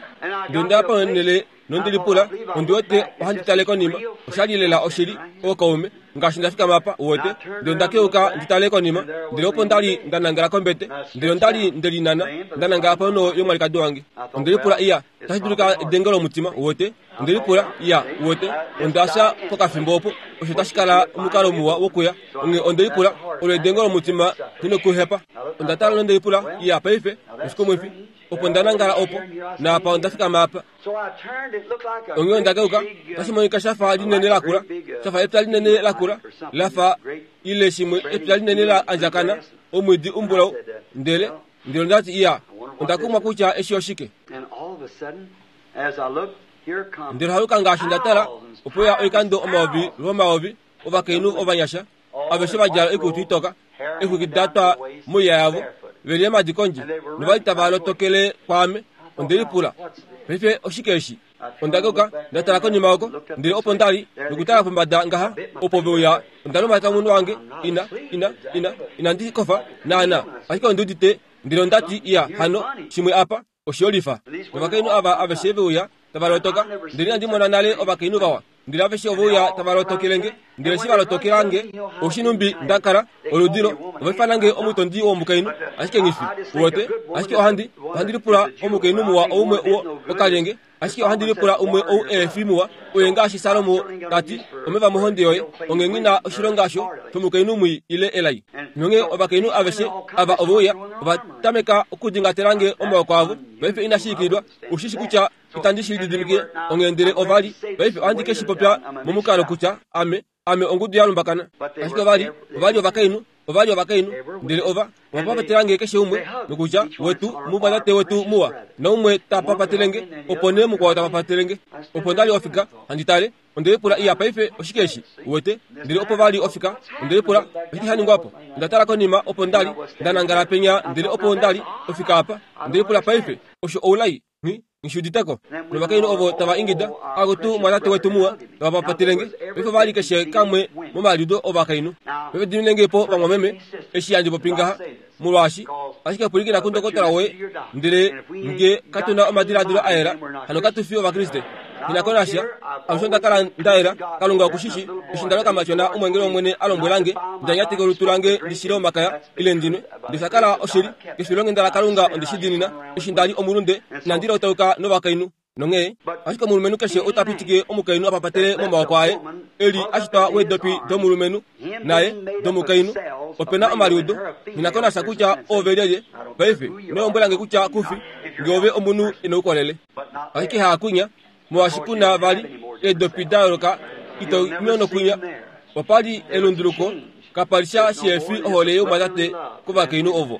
Ndele onda ya ponhele nonde lipula, ondi wete ohandi tale konima. Osha li lela oshili, ookaume, ngaashi nda fikama apa, uwete. Ndele onda keuka ndi tale konima, ndele opo nda li nda nangala kombete. Ndele onda li nde linana, nda nangala ponho yomwalikadi wange. Onde lipula, Iya, otashi dulika edenge lomutima, uwete. Onde lipula, Ya, uwete, onda fya pokafimbo opo. Osho otashi kala omukalo muwa wokuya. Onghee onde lipula, Olo edengo lomutima li nokuhepa. Onda tala nonde lipula, Ya, paife, oshikumwifi. Opo nda nangala opo, naapa onda fikama apa. Onghee onda keuka, otashi monika sha fa linene lakula, sha fa epya linene lakula, la fa, ile shimwe, epya linene la andjakana, omwiidi umbulau. Ndele, ndele onda ti, Iya, onda kumwa kutya eshi oshike. Ndele haluka ngaashi nda tala, ope uya oikando omayovi lwomayovi ovakainhu ovanyasha, aveshe va djala oikutu itoka, eexwiki da twa moiya yavo, ve li eemhadi kondje, nova li tava lotokele kwaame. Onde lipula, Paife oshike eshi? Onda keuka, nda tala konima oko, ndele opo nda li, nokutala pombada ngaha, opo ve uya. Onda lumata omunwe wange, ina, ina, ina, inandi kofa, naana, ashike ondi udite. Ndele onda ti, Iya, hano, shimwe apa. Oshiyolifa. Novakainhu ava aveshe ve uya, tava lotoka, ndele inandi mona nale ovakainhu vawa. Ndele aveshe ove uya tava lotokele nge, ndele eshi va lotokela nge, oshinhumbi nda kala, oludilo, ova ifana nge omutondi womukainhu, ashike nghi fi. Uwete? Ashike ohandi, ohandi lipula omukainhu muwa oumwe wo okalyenge, ashike ohandi lipula umwe ou ehe fi muwa, oye ngaashi Salomo ta ti, omeva mohonde yoye, onghee nghi na oshilonga sho, shomukainhu mwii ile elai. Nonghee ovakainhu aveshe ava ove uya, ova tameka okudingatela nge omaoko avo. Paife inashi ikililwa, ou shi shi kutya itandi shi lididimikile. Onghee ndele ova li, paife ohandi ke shi popya momukalo kutya ame, Ame ongudu ya lumbakana. Ashike ova li, ova li ovakainhu, ova li ovakainhu. Ndele ova, ova papatela nge keshe umwe, nokutya, Wetu, mumwatate wetu muwa. Naumwe ta papatele nge, opo nee mukwao ta papatele nge. Opo nda li ofika, handi tale, onde lipula, Iya, paife, oshike eshi? Uwete? Ndele opo va li ofika, onde lipula, Oshike sha ningwa po? Onda tala konima, opo nda li, nda nangala penya, ndele opo nda li ofika apa. Onde lipula, Paife, osho oulai? Nghi, nghi udite ko. Novakainhu ovo tava ingida, Akutu, mwatate wetu muwa, tava papatele nge. Paife ova li keshe kamwe momaliudo ovakainhu. Paife dimine nge po, vamwameme, eshi handi popi ngaha, molwaashi, ashike pwilikina kundokotola woye, ndele nge katu na omadiladilo a yela, hano katu fi Ovakriste. Nghi na ko nasha, alushe onda kala nda yela. Kalunga oku shi shii, eshi nda loka kamatyona omweengeli wOmwene a lombwela nge, nda nyateke olutu lange ndi shile omakaya, ile ndi nwe. Ndele osha kala oshili, kefilonghenda laKalunga onde shi diinina, eshi nda li omulunde, inandi lotauka novakainhu. Nonghee, ashike omulumenhu keshe ota pitike omukainhu a papatele momaoko aye, e li a shitwa weedopi domulumenhu, naye domukainhu. Ope na omaliudo. Nghi na ko nasha kutya oove lyelye. Paife, ino lombwela nge kutya ku fi, nge ove omunhu e na oukolele. Ashike haakunya, molwaashi ku na vali eedopi da yooloka, ito nyono kunya. Opa li elunduluko, kapa li sha shihe fi ohole youmwatate kovakainhu ovo.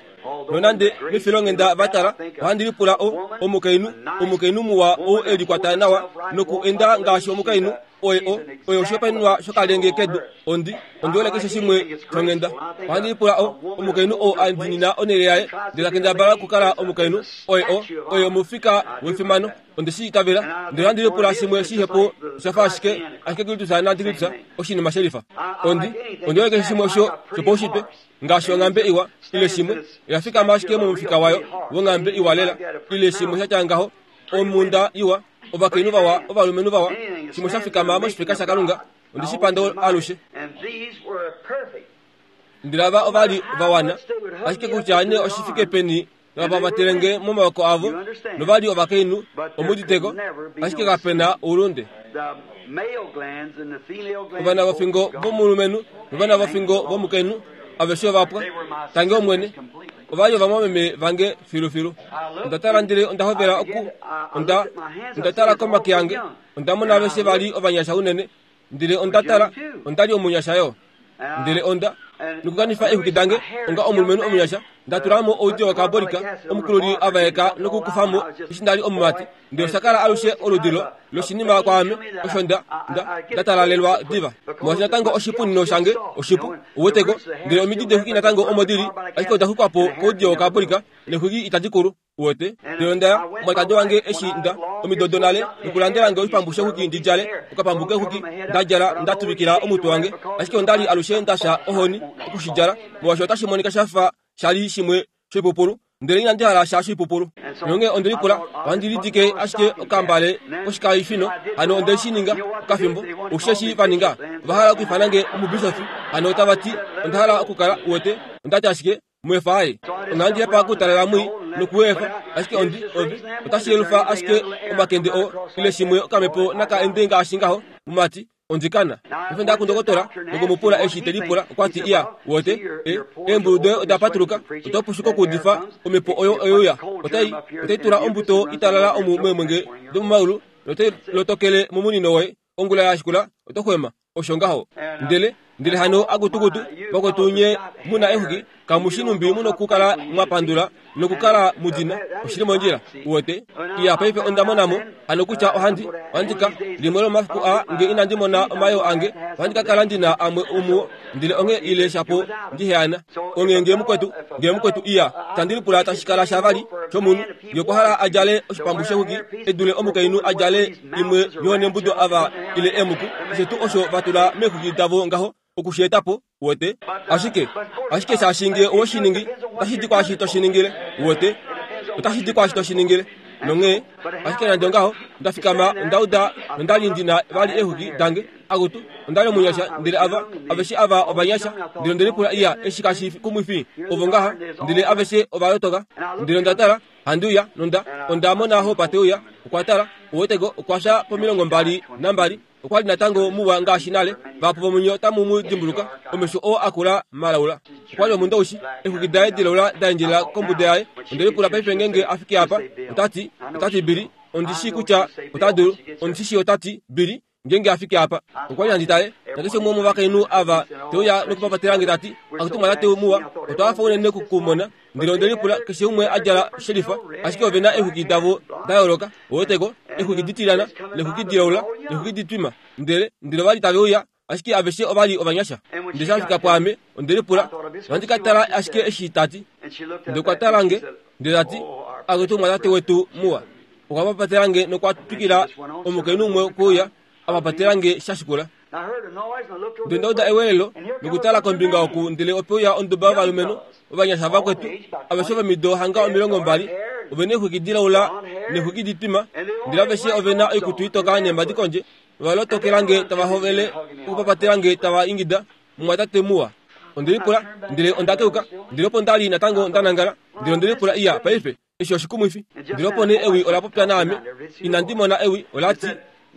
Nonande mefilonghenda va tala, ohandi lipula o, omukainhu, omukainhu muwa ou e likwata nawa noku enda ngaashi omukainhu, oye o, oye oshihopaenenwa shokalenge kedu. Ondi, ondi hole keshe shimwe shonghenda. Ohandi lipula o, omukainhu oo a dinina onhele yaye ndele ta kendabala okukala omukainhu, oye o, oye omufika wefimano. Onde shi itavela. Ndele ohandi lipula shimwe shihepu osha fa ashike, ashike Kristus naantikristus oshinima shelifa. Ondi, ondi hole keshe shimwe osho shopaushitwe. Ngaashi onghambe iwa, ile shimwe, oya fikama ashike momufika wayo wonghambe iwa lela, ile shimwe sha tya ngaho, omhunda iwa, ovakainhu vawa, ovalumenhu vawa, shimwe sha fikama moshifeka shaKalunga. Ondi shi panda alushe. Ndele ava ova li va wana, ashike kutya nee oshi fike peni tava pamatelenge momaoko avo, nova li ovakainhu, omuditeko, ashike kape na oulunde. Ovana vofingo vomulumenhu novana vofingo vomukainhu aveshe ova pwa. Tangi Omwene, ova li ovamwameme vange filufilu. Onda tala ndele onda hovela oku onda onda tala komake ange, onda mona aveshe va li ovanyasha unene, ndele onda tala, onda li omunyasha yo. Ndele onda nokukanifa eexwiki dange onga omulumenhu omunyasha, nda tula mo oudiyo wokaabolika, omukululi a vaeka nokukufa mo eshi nda li omumati. Ndele osha kala alushe oludi lo, loshinima kwaame, osho nda, nda, nda talalelwa diva. Molwaashi natango oshipunino shange oshipu, uweteko, ndele omidi deexwiki natango omo di li, ashike oda xwikwa po koudiyo wokaabolika, neexwiki itadi kulu. Uwete? Ndele onda ya, omwalikadi wange eshi nda, omido donale, nokulandela nge oshipambu shexwiki ndi djale, okapambu kexwiki, nda djala, nda tuvikila omutwe wange. Ashike onda li alushe nda fya ohoni oku shi djala, molwaashi otashi monika sha fa sha li shimwe shoipupulu. Ndele inandi hala sha shoipupulu. Nonghee onde lipula, Ohandi lidike ashike okambale koshikaifino? Hano onde shi ninga, okafimbo. Osheshi va ninga? Ova hala okwiifana nge omubishofi. Hano otava ti onda hala okukala, uwete. Onda ti ashike, Muefa aye. Onandi hepa okutalela mwii nokuefa, ashike ondi, ove, otashi yelufa ashike omakende oo, ile shimwe okamhepo naka ende ngaashi ngaho, mumati, ondi kana. Paife nda kundokotola noku mu pula eshi te lipula, okwa ti, Iya, uwete, e, eembulu doye oda patuluka, oto pushuka okuudifa, omhepo oyo oyeuya. Otai, otai tula ombuto italala omu meemwenge domomaulu, notai lotokele momunino woye. Ongula ya shikula, oto xwema. Osho ngaho. Ndele, ndele hano akutukutu, vakwetu nye mu na exwiki, kamu shi numbi mu nokukala mwa pandula nokukala mu di na. Oshi li mondjila. Uwete? Iya, paife onda mona mo hano kutya ohandi, ohandi ka, limwe lomomafiku aa, nge inandi mona omayoo ange, ohandi ka kala ndi na amwe omuo, ndele onghee ile shapo ndi heana. Onghee nge mukwetu, nge mukwetu iya, tandi lipula tashi kala sha vali shomunhu, nge okwa hala a djale oshipambu shexwiki e dule omukainhu a djale imwe yoonembudo ava ile eemuku, keshe tuu osho va tula meexwiki davo ngaho, oku shi eta po, uwete. Ashike, ashike shaashi nge owe shi ningi, otashi di kwaashi to shi ningile, uwete. Otashi di kwaashi to shi ningile. Nonghee, ashike nande ongaho, onda fikama, onda uda, nonda li ndi na vali eexwiki dange. Akutu, onda li omunyasha, ndele ava, aveshe ava ovanyasha. Ndele onde lipula, Iya, eshi kashi kumwifi? Ovo ngaha, ndele aveshe ova lotoka. Ndele onda tala, handi uya, nonda, onda mona Hopa te uya. Okwa tala, uweteko, okwa fya po22. Okwa li natango muwa ngaashi nale. Vahapu vomunye otamu mu dimbuluka, omesho oo a kula malaula. Okwa li omundoushi, eexwiki daye dilaula da endjelela kombuda yaye. Onde lipula paife ngeenge a fiki apa, ota ti, ota ti, Billy, ondi shii kutya ota dulu. Ondi shi shii ota ti, Billy, Ngeenge a fiki apa, okwa li handi tale, nakeshe umwe womovakainhu ava te uya nokupapatela nge ta ti, Akutu mwatate muwa, otwa hafa unene oku ku mona. Ndele onde lipula, keshe umwe a djala shelifa, ashike ove na eexwiki davo da yooloka, uweteko, eexwiki ditilyana, neexwiki dilaula, neexwiki ditwima. Ndele, ndele ova li tave uya, ashike aveshe ova li ovanyasha. Ndele sha fika pwaame, onde lipula, Ohandi ka tala ashike eshi ta ti. Ndele okwa tala nge, ndele ta ti, Akutu mwatate wetu muwa. Okwa papatela nge nokwa twikila omukainhu umwe okuuya a papatela nge sha shikula. Ndele onda uda ewelelo nokutala kombinga oku ndele ope uya onduba yovalumenhu ovanyasha vakwetu aveshe vomido hanga 20 ove na eexwiki dilaula neexwiki ditwima ndele aveshe ove na oikutu itoka neembadi kondje nova lotokela nge tava hovele okupapatela nge tava ingida Mumwatate muwa. Onde lipula ndele onda keuka ndele opo nda li natango nda nangala ndele onde lipula iya paife Eshi oshikumwifi. Ndele opo nee ewi ola popya naame. Inandi mona ewi, ola ti,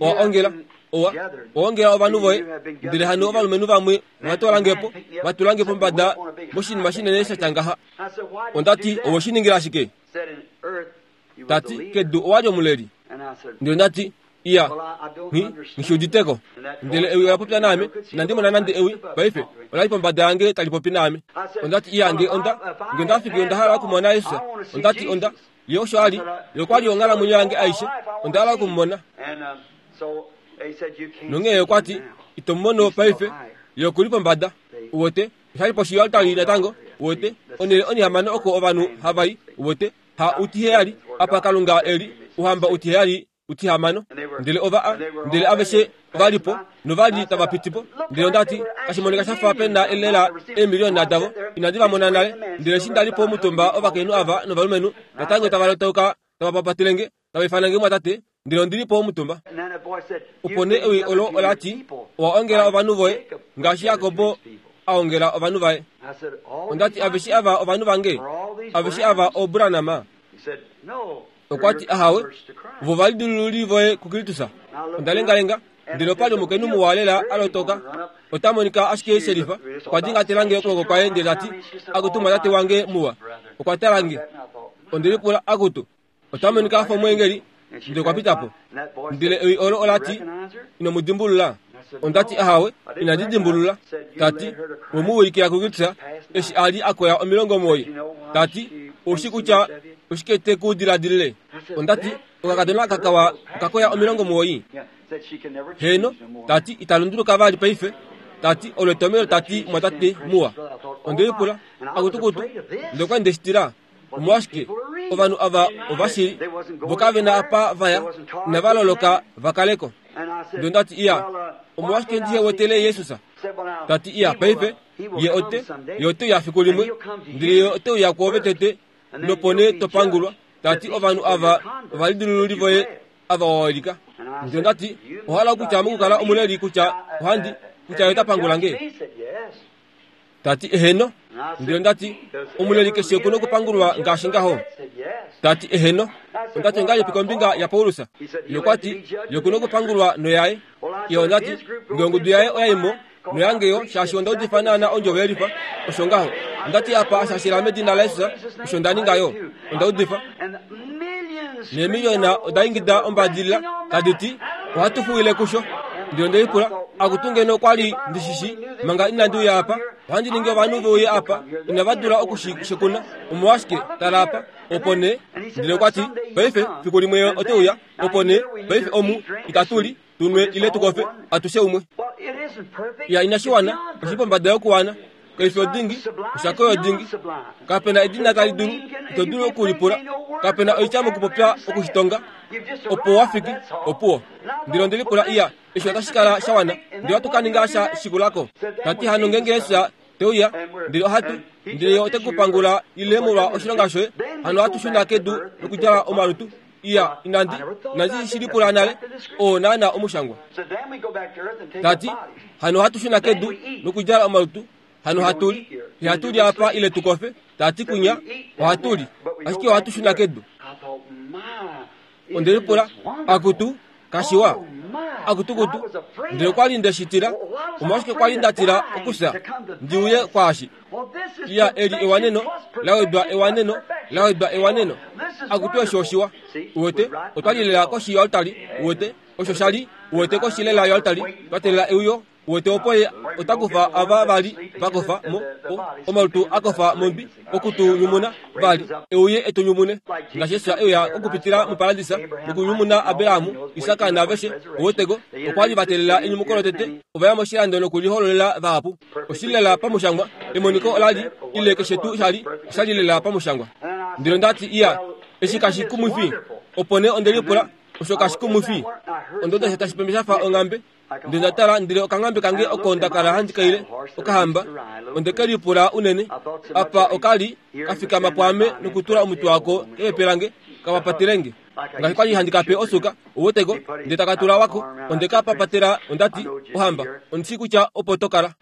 Owa ongela, owa, owa ongela ovanhu voye. Ndele hano ovalumenhu vamwe ova twala nge po, va tula nge pombada moshinima shinene sha tya ngaha. Onda ti, Owe shi ningila shike? Ta ti, Kedu owa li omuleli. Ndele onda ti, Iya, nghi uditeko. Ndele ewi ola popya naame, inandi mona nande ewi paife, ola li pombada yange tali popi naame. Onda ti, iya, nge onda, nge onda fiki onda hala okumona Jesus. Onda ti, onda, ye osho a li, ye okwa li onghalamwenyo yange aishe, onda hala oku mu mona. Nonghee okwa ti, Ito mu mono paife, ye oku li pombada. Uwete, osha li poshi yoaltari natango, uwete, onhele onihamano oko ovanhu hava i, uwete, ha utiheyali, apa Kalunga e li, ouhamba utiheyali utihamano. Ndele ova a, ndele aveshe ova li po, nova li tava piti po. Ndele onda ti, Kashi monika sha fa pe na lela eemiliona davo. Inandi va mona nale. Ndele eshi nda li po omutumba ovakainhu ava novalumenhu natango tava lotauka tava papatele nge, tava ifana nge mwatate, ndele ondi li po omutumba. Opo nee ewi olo ola ti, Owa ongela ovanhu voye, ngaashi Jakob a ongela ovanhu vaye. Onda ti, Aveshe ava ovanhu vange? Aveshe ava ooBranham? Okwa ti, Ahawe, vo va lidilululi voye kuKristus. Onda lengalenga, ndele opa li omukainhu muwa lela a lotoka. Ota monika ashike shelifa. Okwa dingatela nge okwooko kwaye ndele ta ti, Akutu mwatate wange muwa. Okwa tala nge. Onde lipula, Akutu, ota monika a fa omweengeli. Ndele okwa pita po. Ndele ewi olo ola ti, Ino mu dimbulula? Onda ti, Ahawe, inandi dimbulula. Ta ti, We mu ulikila kuKristus eshi a li a koya 90. Ta ti, Ou shi kutya oshike te ku diladilile? Onda ti, Okakadona aka kawa oka koya 90. Heeno, ta ti, ita lunduluka vali paife. Ta ti, Olo etomelo ta ti, Mwatate muwa. Onde lipula, Akutukutu, ndele okwa li nde shi tila. Omolwashike ovanhu ava ovashili vo kave na apa va ya, inava loloka va kale ko? Ndele onda ti, Iya, omolwashike ndihe wetele Jesus? Ta ti, Iya, paife, Ye ote, Ye ote uya fiku limwe, ndele Ye ote uya kwoove tete, nopo nee to pangulwa. Ta ti, Ovanhu ava ovalidilululi voye ava wa walika. Ndele onda ti, Owa hala okutya mokukala omuleli kutya ohandi, kutya Ye ota pangula nge? Ta ti, Eheno. Ndele onda ti, Omuleli keshe oku nokupangulwa ngaashi ngaho. Ta ti, Eheno. Onda ti, Ongahelipi kombinga yaPaulus? Ye okwa ti, Ye oku nokupangulwa noyaye. Ye onda ti, Nge ongudu yaye oya i mo, noyange yo, shaashi onda udifa naana ondjovo yelifa. Osho ngaho. Onda ti apa, shaashi la medina laJesus, osho nda ninga yo. Onda udifa. Neemiliona oda ingida ombadilila, tadi ti, Ohatu fuwile kusho. Ndele onde lipula, Akutu ngeno okwa li ndi shi shii, manga inandi uya apa, ohandi ningi ovanhu ve uye apa, inava dula oku shi shekuna. Omolwashike, tala apa. Opo nee, ndele okwa ti, Paife, fiku limwe Ye ote uya. Opo nee, paife omu, itatu li, tu nwe ile tu kofe, atushe umwe. Ya inashi wana, oshi pombada yokuwana. Kaifi odingi, oshako yodingi. Kape na edina tali dulu, ito dulu oku lipula. Kape na oitya mokupopya oku shi tonga. Opo wa fiki, opuwo. Ndele onde lipula, iya, eshi otashi kala sha wana, ndele ohatu ka ninga sha shikulako. Ta ti hano ngeenge Jesus te uya, ndele ohatu, ndele Ye ote ku pangula ile molwa oshilonga shoye, hano ohatu shuna kedu nokudjala omalutu. Iya, inandi, inandi shi lipula nale. Oo naana omushangwa. Ta ti, Hano ohatu shuna kedu nokudjala omalutu, hano hatu li. Ihatu li apa ile tu kofe. Ta ti kunya, ohatu li, ashike ohatu shuna kedu. Onde lipula, Akutu, kashiwa. Akutukutu, ndele okwa li nde shi tila. Omolwashike kwa li nda tila okufya ndi uye kwaashi? Iya, eli ewaneno, la wedwa ewaneno, la wedwa ewaneno. Akutu eshi oshiwa. Uwete, otwa li lela koshi yoaltari, uwete, osho sha li, uwete koshi lela yoaltari, twa teelela euyo. Uwete opo ye ota kufa ava va li va kofa mo, o, omalutu a kofa mondwi, oku tu nyumuna vali, e uye e tu nyumune. Ngaashi Jesus e uya okupitila moparadisa nokunyumuna Abraham, Isak naaveshe, uweteko, okwa li va teelela enyumuko lotete, ova ya moshilando nokulihololela vahapu. Oshili lela pamushangwa, emoniko ola li, ile keshe tuu sha li, osha li lela pamushangwa. Ndele onda ti, Iya, eshi kashi kumwifi. Opo nee onde lipula, Osho kashi kumwifi? Onda uda sha tashi pembe sha fa onghambe. Ndele nda tala, ndele okanghambe kange oko nda kala handi kaile, okahamba. Onde ke lipula unene. Apa oka li ka fikama pwaame nokutula omutwe wako kepepe lange, ka papatele nge. Ngaashi kwa li handi ka pe osuka, uweteko, ndele taka tula wako. Onde ka papatela, onda ti, Ohamba, ondi shii kutya opo to kala.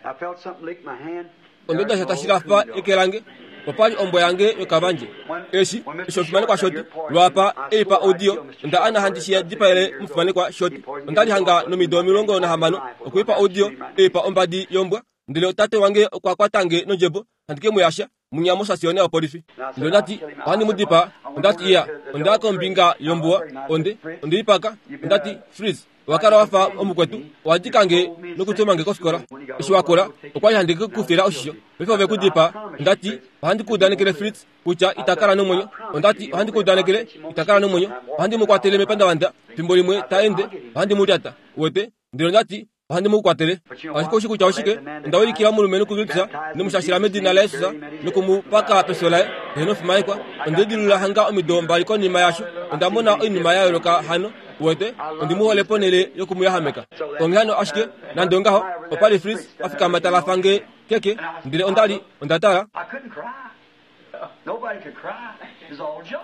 Onda uda sha tashi lafa eke lange. Opa li ombwa yange yokavandje. Eshi, eshi omufimanekwa Shoti, lwaapa e i pa oudiyo, onda ana handi shi dipaele omufimanekwa Shoti. Onda li hanga nomido 16, okwe i pa oudiyo, e i pa ombadi yombwa. Ndele tate wange okwa kwata nge nondjebo, handi ke mu yasha. Munya mosasiona yopolifi. Ndele onda ti, Ohandi mu dipaa. Onda ti, Iya, onda ya kombinga yombuwa, onde, onde lipaka. Onda ti, Fritz, owa kala wa fa omukwetu, owa dika nge nokutuma nge kofikola. Eshi wa kula, okwa li handi ke ku fila oshisho. Paife ove ku dipaa. Onda ti, Ohandi ku udanekele, Fritz, kutya ita kala nomwenyo. Onda ti, Ohandi ku udanekele, ita kala nomwenyo. Ohandi mu kwatele mepandavanda, fimbo limwe ta ende, ohandi mu lyata. Uwete? Ndele onda ti, Ohandi mu kwatele. Ashike oushi kutya oshike? Onda ulikila omulumenhu kuKristus, nomushashila medina laJesus, noku mu paka pefyo laye, eheno fimanekwa. Onde lidilulula hanga omido mbali konima yaasho. Onda mona oinima ya yooloka hano. Uwete, ondi mu hole ponhele yoku mu yahameka. Onghee hano ashike, nande ongaho, opa li Fritz a fikama ta lafa nge keke, ndele onda li, onda tala.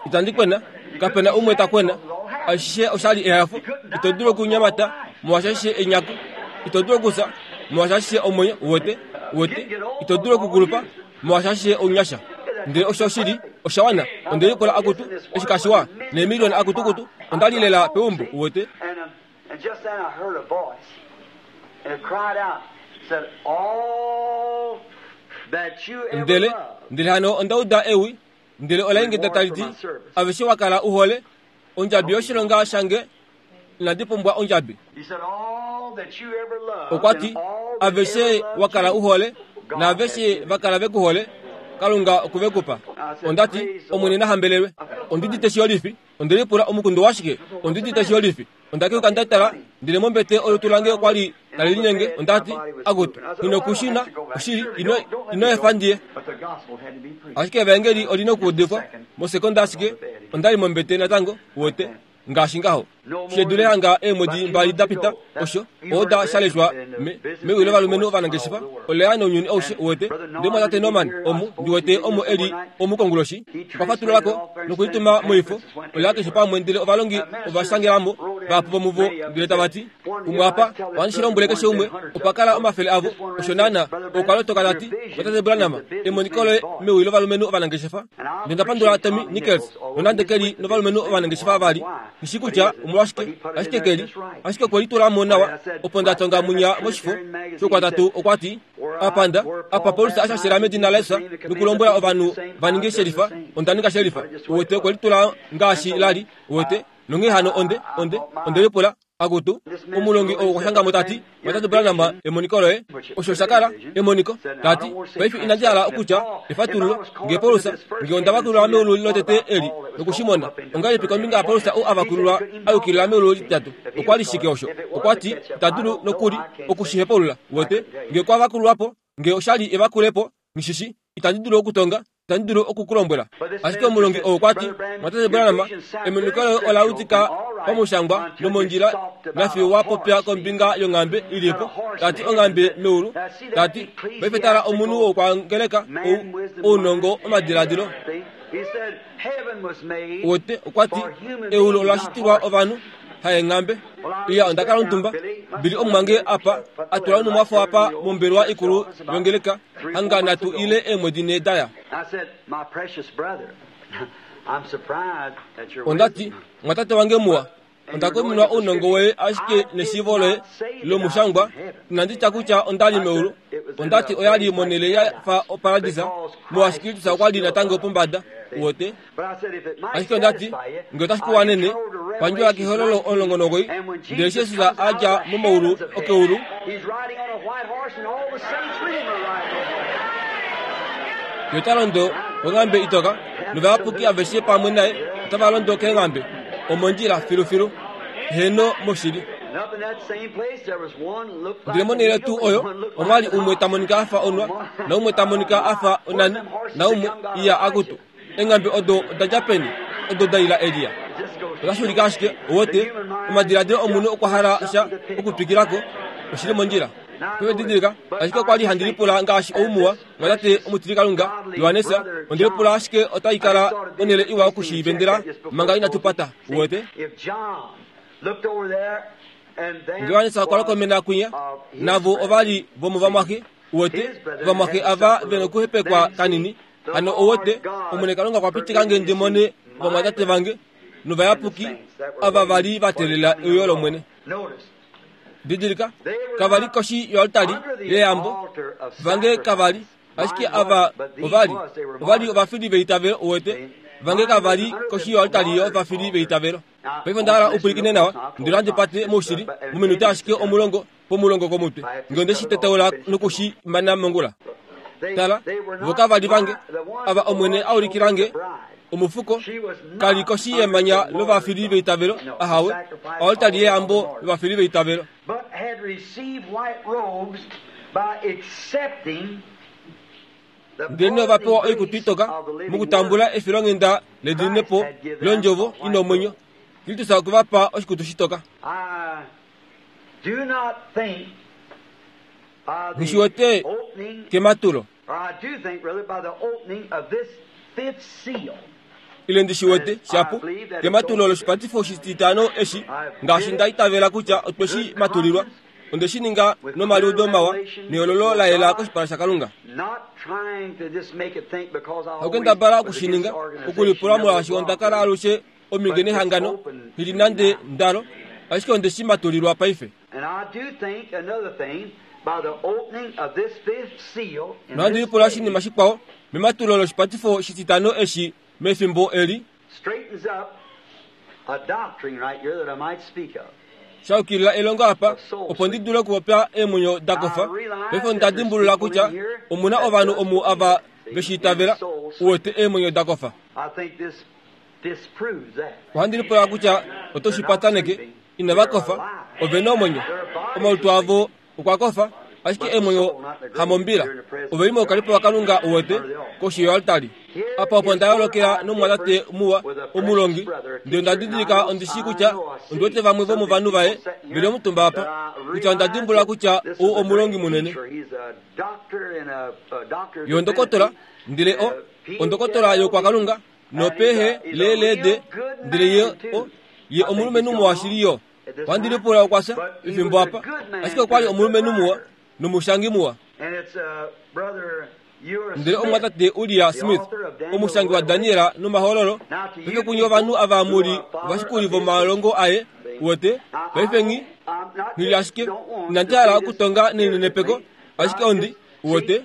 Itandi kwena, kape na umwe ta kwena. Ashishe osha li ehafo. Ito dulu okunyamata molwaashi ashishe enyaku. Ito dulu okufya molwaashi ashishe omwenyo. Uwete? Uwete? Ito dulu okukulupa molwaashi ashishe ounyasha. Ndele osho oshili, osha wana. Onde lipula akutu, eshi kashiwa, neemiliona akutukutu, onda li lela peumbo. Uwete? Ndele, ndele hano onda uda ewi, ndele ola ingida tali ti, Aveshe wa kala u hole, ondjabi yoshilonga shange, inandi pumbwa ondjabi. Okwa ti, Aveshe wa kala u hole, naaveshe va kala ve ku hole, Kalunga oku ve ku pa. Onda ti, Omwene na hambelelwe. Ondi udite shiyolifi. Onde lipula omukundu washike? Ondi udite shiyolifi. Onda keuka nda tala, ndele mombete olutu lange okwa li tali linyenge. Onda ti, Akutu, nghi nokushuna, oshili, ino, ino efa ndi ye. Ashike Evaengeli oli nokuudifwa. Mosekonda ashike, onda li mombete natango, uwete, ngaashi ngaho. She dule hanga eemwedi mbali da pita, osho, oda sha leshwa me, mewi lovalumenhu ovanangeshefa, ola ya nounyuni aushe, uwete. Ndele Mumwatate Norman, omu, ndi wete omo e li omu konguloshi, okwa fatulula ko nokulituma moifo, ola keshe pamwe ndele ovalongi ova shangela mo vahapu vomuvo ndele tava ti, Umwe apa, ohandi shi lombwele keshe umwe, opa kala omafele avo, osho naana. Okwa lotoka ta ti, Mwatate Branham, emoniko loye mewi lovalumenhu ovanangeshefa. Ndele onda pandula Tommy Nickels, nonande ke li novalumenhu ovanangeshefa vali, nghi shii kutya omolwashike, ashike ke li, ashike okwe litula mo nawa. Opo nda tonga munya moshifo shOukwatatu, okwa ti, Apa nda, apa Paulus a shashela medina laJesus nokulombwela ovanhu va ninge shelifa, onda ninga shelifa. Uwete, okwe litula ngaashi la li, uwete. Nonghee hano onde, onde, onde lipula, Akutu, omulongi ou okwa shanga mo ta ti, Mwatate Branham, emoniko loye. Osho osha kala, emoniko. Ta ti, Paife inandi hala okutya, efatululo, nge Paulus, nge onda vakululwa meulu lotete eli, noku shi mona. Ongahelipi kombinga yaPaulus ou a vakululwa a yukilila meulu lititatu? Okwa li shike osho? Okwa ti, Ita dulu nokuli oku shi hepaulula. Uwete? Nge okwa vakululwa po, nge osha li evakulepo, nghi shi shii. Itandi dulu okutonga, itandi dulu oku ku lombwela. Ashike omulongi ou okwa ti, Mwatate Branham, emoniko loye ola udika pamushangwa nomondjila nafiyo wa popya kombinga yonghambe i li po, ta ti onghambe meulu, ta ti, paife tala omunhu wokwangeleka ou, ounongo womadiladilo. Uwete, okwa ti, Eulu ola shitilwa ovanhu, haenghambe. Iya, onda kala omutumba. Billy omumwange apa, a tula onhumwafo apa mombelewa ikulu yongeleka, hanga nhatu ile eemwedi nhee da ya. Onda ti, Mwatate wange muwa, onda kuminwa ounongo woye ashike neshiivo loye lomushangwa. Inandi tya kutya onda li meulu. Onda ti oya li monhele ya fa oparadisa, molwaashi Kristus okwa li natango pombada. Uwete? Ashike onda ti, Nge otashi ku wanene, pandjola kehololo 19, ndele eshi Jesus a dja momaulu okeulu, Ye ota londo konghambe itoka, novayapuki aveshe pamwe naye otava londo keenghambe, omondjila filufilu. Heeno, moshili. Ndele monhele tuu oyo omwa li umwe ta monika a fa onwa, naumwe ta monika a fa onani, naumwe iya akutu. Eenghambe odo oda dja peni, odo da ila Elia? Otashi ulike ashike, uwete, omadiladilo omunhu okwa hala sha okutwikila ko. Oshi li mondjila. Paife didilika, ashike okwa li handi lipula ngaashi ou muwa, mwatate omutilikalunga, Johannes, onde lipula ashike otai kala onhele iwa oku shi vendela manga inatu pata, uwete. Nge Johannes okwa lokomena kwinya, navo ova li vomovamwaxe, uwete, ovamwaxe ava ve nokuhepekwa kanini. Hano uwete, Omwene Kalunga okwa pitika nge ndi mone ovamwatate vange novayapuki ava va li va teelela euyo lOmwene. Didilika, kava li koshi yoaltari yeyambo, vange kava li. Ashike ava ova li, ova li ovafili veitavelo, uwete. Vange kava li koshi yoaltari yovafili veitavelo. Paife onda hala u pwilikine nawa, ndele ohandi pate moushili, mominute ashike omulongo pomulongo komutwe, nge onde shi tetaula noku shi mana mongula. Tala, vo kava li vange, ava Omwene a ulikila nge, omufuko, ka li koshi yemanya lovafili veitavelo, ahawe, oaltari yeyambo lovafili veitavelo. Ndelenee ova pewa oikutu itoka mokutambula efilonghenda lediminepo londjovo i nomwenyo. Kristus okwe va pa oshikutu shitoka. Nghi wete kematulo. Ile ndi shi wete, shapu, kematulo loshipatifo oshititano eshi, ngaashi nda itavela kutya otwe shi matulilwa. Onde shi ninga nomaliudo mawa nehololo la yela koshipala shaKalunga. Haukendabala oku shi ninga, okulipula molwaashi onda kala alushe ominge nehangano, nghi li nande ndalo, ashike onde shi matulilwa paife. Nohandi lipula oshinima shikwao, mematulo loshipatifo shititano eshi mefimbo eli, Sha yukilila elongo apa, opo ndi dule okupopya eemwenyo da kofa. Paife onda dimbulula kutya omu na ovanhu omu ava ve shi itavela, uwete eemwenyo da kofa. Ohandi lipula kutya oto shi pataneke, inava kofa, ove na omwenyo. Omalutu avo okwa kofa, ashike eemwenyo hamombila. Ove li moukalipo waKalunga uwete, koshi yoaltari. Apa opo nda yoolokela nomumwatate muwa, omulongi, ndele onda didilika ondi shii kutya ondi wete vamwe vomovanhu vaye ve li omutumba apa, kutya onda dimbulula kutya ou omulongi munene. Ye ondokotola, ndele o, ondokotola youkwakalunga, nopehe leeleede, ndele ye o, ye omulumenhu muwa shili yo. Ohandi lipula okwa fya efimbo apa, ashike okwa li omulumenhu muwa nomushangi muwa. Ndele omumwatate Uria Smith, omushangi waDaniel nOmahololo, paife kunye ovanhu ava mu li ovashikuli vomalongo aye, uwete, paife nghi, nghi li ashike, inandi hala okutonga nelinenepeko, ashike ondi, uwete.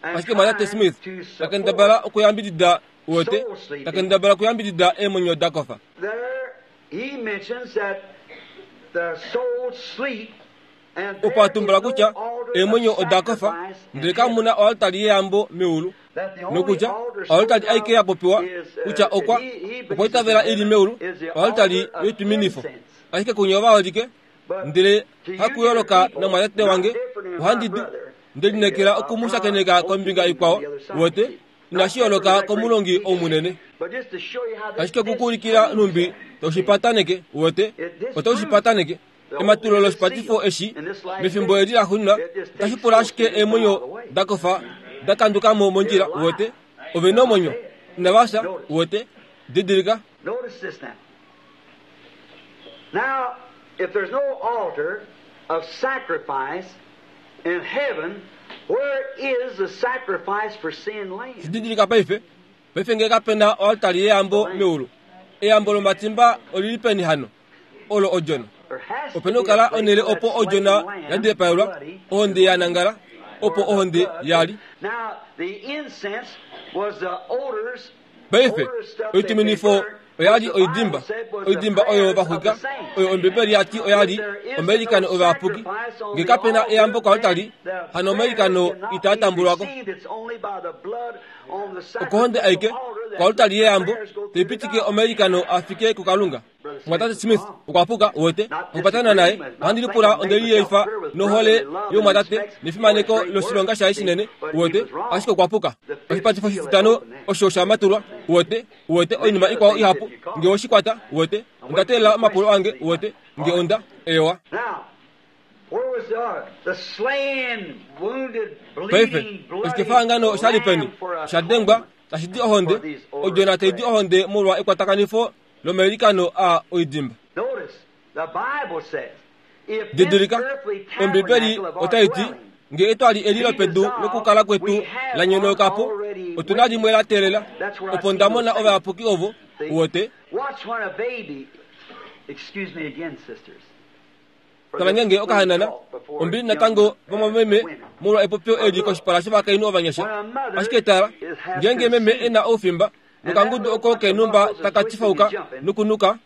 Ashike Mwatate Smith ta kendabala okuyambidida, uwete, ta kendabala okuyambidida eemwenyo da kofa. Opo a tumbula kutya eemwenyo oda kofa, ndele kamu na oaltari yeyambo meulu, nokutya oaltari aike ya popiwa kutya okwa okwa itavela i li meulu, oaltari yoitwiminifo. Ashike kunye ovaholike, ndele hakuyooloka namwatate wange, ohandi du nde lineekela oku mu shakeneka kombinga ikwao, uwete, inashi yooloka komulongi ou munene. Ashike oku ku ulikila nhumbi to shi pataneke, uwete, oto shi pataneke. Ematulo loshipatifo eshi, mefimbo eli laxuuninwa, otashi pula ashike eemwenyo da kofa da kanduka mo mondjila, uwete. Ove na omwenyo. Inava fya, uwete. Didilika. Now, if there's no altar of sacrifice in heaven, where is the sacrifice for sin lamb? Shididilika paife, paife nge kape na oaltari yeyambo meulu, eyambo lomatimba oli li peni hano? Olo odjona. Ope na okukala onhele opo odjona ya dipaelwa, ohonde ya nangala, opo ohonde ya li. Now, the incense was the odors Paife, oituminifo oya li oidimba, oidimba oyo va xwika, oyo Ombibeli ya ti oya li omailikano ovayapuki. Nge kape na eyambo koaltari, hano omailikano itaa tambulwa ko. Okohonde aike, koaltari yeyambo, tai pitike omailikano a fike kuKalunga. Mumwatate Smith okwa puka, uwete, okupatana naye. Ohandi lipula onde liyeifa nohole yomumwatate nefimaneko loshilonga shaye shinene, uwete, ashike okwa puka. Oshipatifo shititano osho sha matulwa, uwete, uwete oinima ikwao ihapu, nge owe shi kwata, uwete. Onda teelela omapulo ange, uwete, nge onda, eewa. Paife, oshikefahangano osha li peni? Osha dengwa, tashi di ohonde, odjona tai di ohonde molwa ekwatakanifo lomailikano aa oidimba. Didilika, Ombibeli otai ti, Nge etwali eli lopedu lokukala kwetu la nyonauka po, otu na limwe la teelela. Opo nda mona ovayapuki ovo, uwete. Tala ngeenge okahanana, ombili natango vamwameme molwa epopyo eli koshipala shovakainhu ovanyasha. Ashike tala, ngeenge meme e na oufimba, nokangudu oko kenumba taka tifauka nokunuka,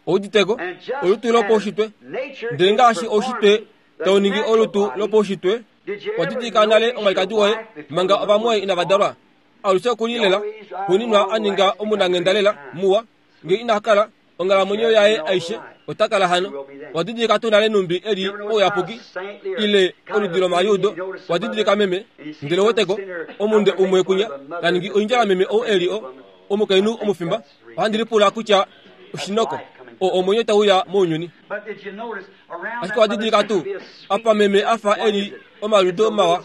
ouditeko, olutu lopaushitwe. Ndele ngaashi oushitwe tau ningi olutu lopaushitwe, wa didilika nale omwalikadi woye manga ovamwoye inava dalwa. Alushe oku li lela, xuuninwa a ninga omunanghenda lela, muwa. Nge ina kala, onghalamwenyo yaye aishe ota kala hano. Wa didilika tuu nale numbi e li ouyapuki, ile oludi lomaliudo? Wa didilika meme? Ndele weteko, omunde umwe kunya, ta ningi oindjala meme ou e li o, omukainhu omufimba. Ohandi lipula kutya oshinoko, o omwenyo tau uya mounyuni. Ashike owa didilika tuu apa meme a fa e li omaludo mawa?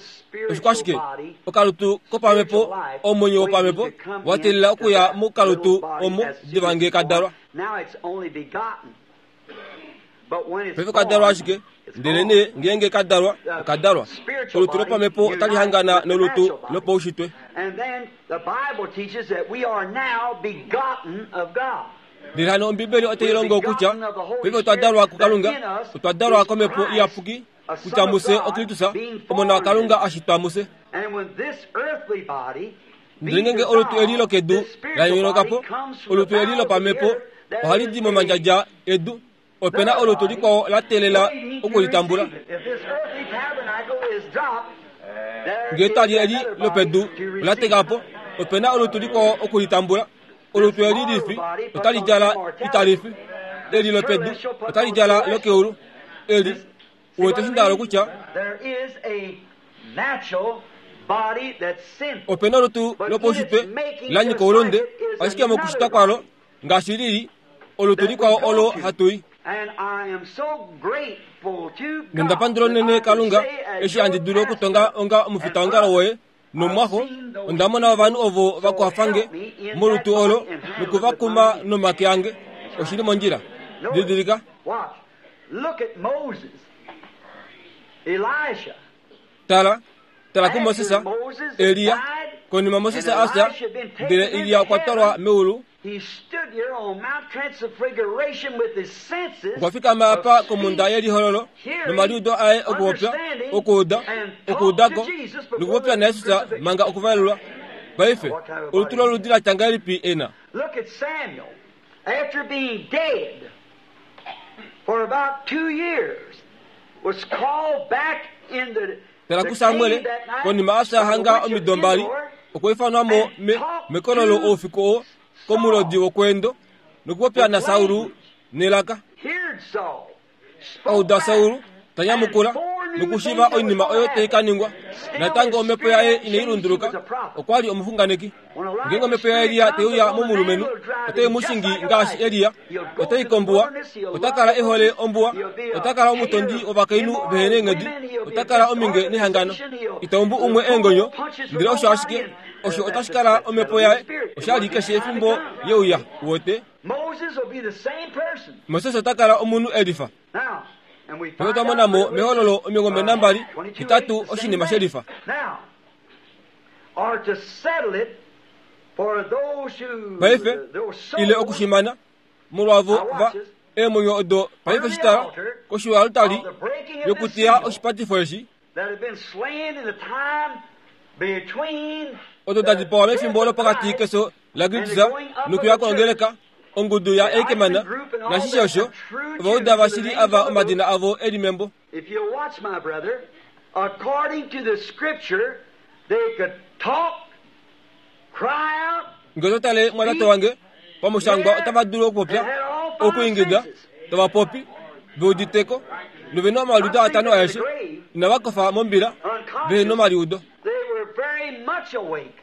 Oshikwashike? Okalutu kopamhepo, omwenyo wopamhepo, wa teelela okuya mokalutu omo diva nge ka dalwa. Paife ka dalwa ashike, ndelenee ngeenge ka dalwa, oka dalwa. Olutu lopamhepo otali hangana nolutu lopaushitwe. Ndele hano Ombibeli otai longo kutya paife otwa dalwa kuKalunga, otwa dalwa kOmhepo Iyapuki, kutya mufye oKristus, Omona waKalunga a shitwa mufye. Ndele ngeenge olutu eli lokedu la yooloka po, olutu eli lopamhepo ohali di momandjadja edu, ope na olutu likwao la teelela oku li tambula. Ngee etwali eli lopedu ola teka po, ope na olutu likwao oku li tambula. Olutu eli lifi otali djala itali fi, eli lopedu otali djala lokeulu. Eli, uwete eshi nda hala okutya? Ope na olutu lopaushitwe la nyika oulunde, ashike mokushitwa kwalo ngaashi li li, olutu likwao olo hatu i. Nonda pandula unene Kalunga eshi handi dulu okutonga onga omufitaongalo woye nomwaxo. Onda mona ovanhu ovo va kwafa nge molutu olo noku va kuma nomake ange. Oshi li mondjila. Didilika. Tala, tala kuMoses, Elia. Konima Moses a fya, ndele Elia okwa twalwa meulu. Okwa fikama apa komhunda yelihololo nomaliudo aye okupopya, okuuda, okuuda ko, nokupopya naJesus manga okuvalelwa. Paife, olutu loludi la tya ngahelipi e na? Tala kuSamuel, konima a fya hanga omido mbali, okwa ifanwa mo me, mekololo oufiku oo komulodi wokweendo nokupopya naSaul nelaka. A uda Saul ta nyamukula nokushiiva oinima oyo tai ka ningwa. Natango omhepo yaye inai lunduluka, okwa li omuxunganeki. Ngeenge omhepo yaElia tai uya momulumenhu, otai mu shingi ngaashi Elia. Otai kombuwa, ota kala e hole ombuwa, ota kala omutondi wovakainhu vehe neenghedi, ota kala ominge nehangano. Ita umbu umwe eengonyo, ndele osho ashike osho otashi kala omhepo yaye oshali keshe efimbo ye uya. Uwete? Moses ota kala omunhu e lifa. Paife otwa mona mo mEhololo 28, 8 oshinima she lifa. Paife, ile okushimana, molwavo va eemwenyo odo paife shitala koshiwalutali yokuteya oshipatifo eshi, odo da dipawa mefimbo lopokati kefyo laKristus nokuya kwongeleka ongudu yaEikman nashishe osho, Ovauda vashili ava omadina avo e li membo. If you'll watch, my brother, according to the scripture, they could talk, cry out, Nge oto tale mwatate wange, pamushangwa otava dulu okupopya, okuingida, tava popi, ve udite ko, nove na omaliudo atano aeshe, inava kofa mombila, vehe nomaliudo. They were very much awake.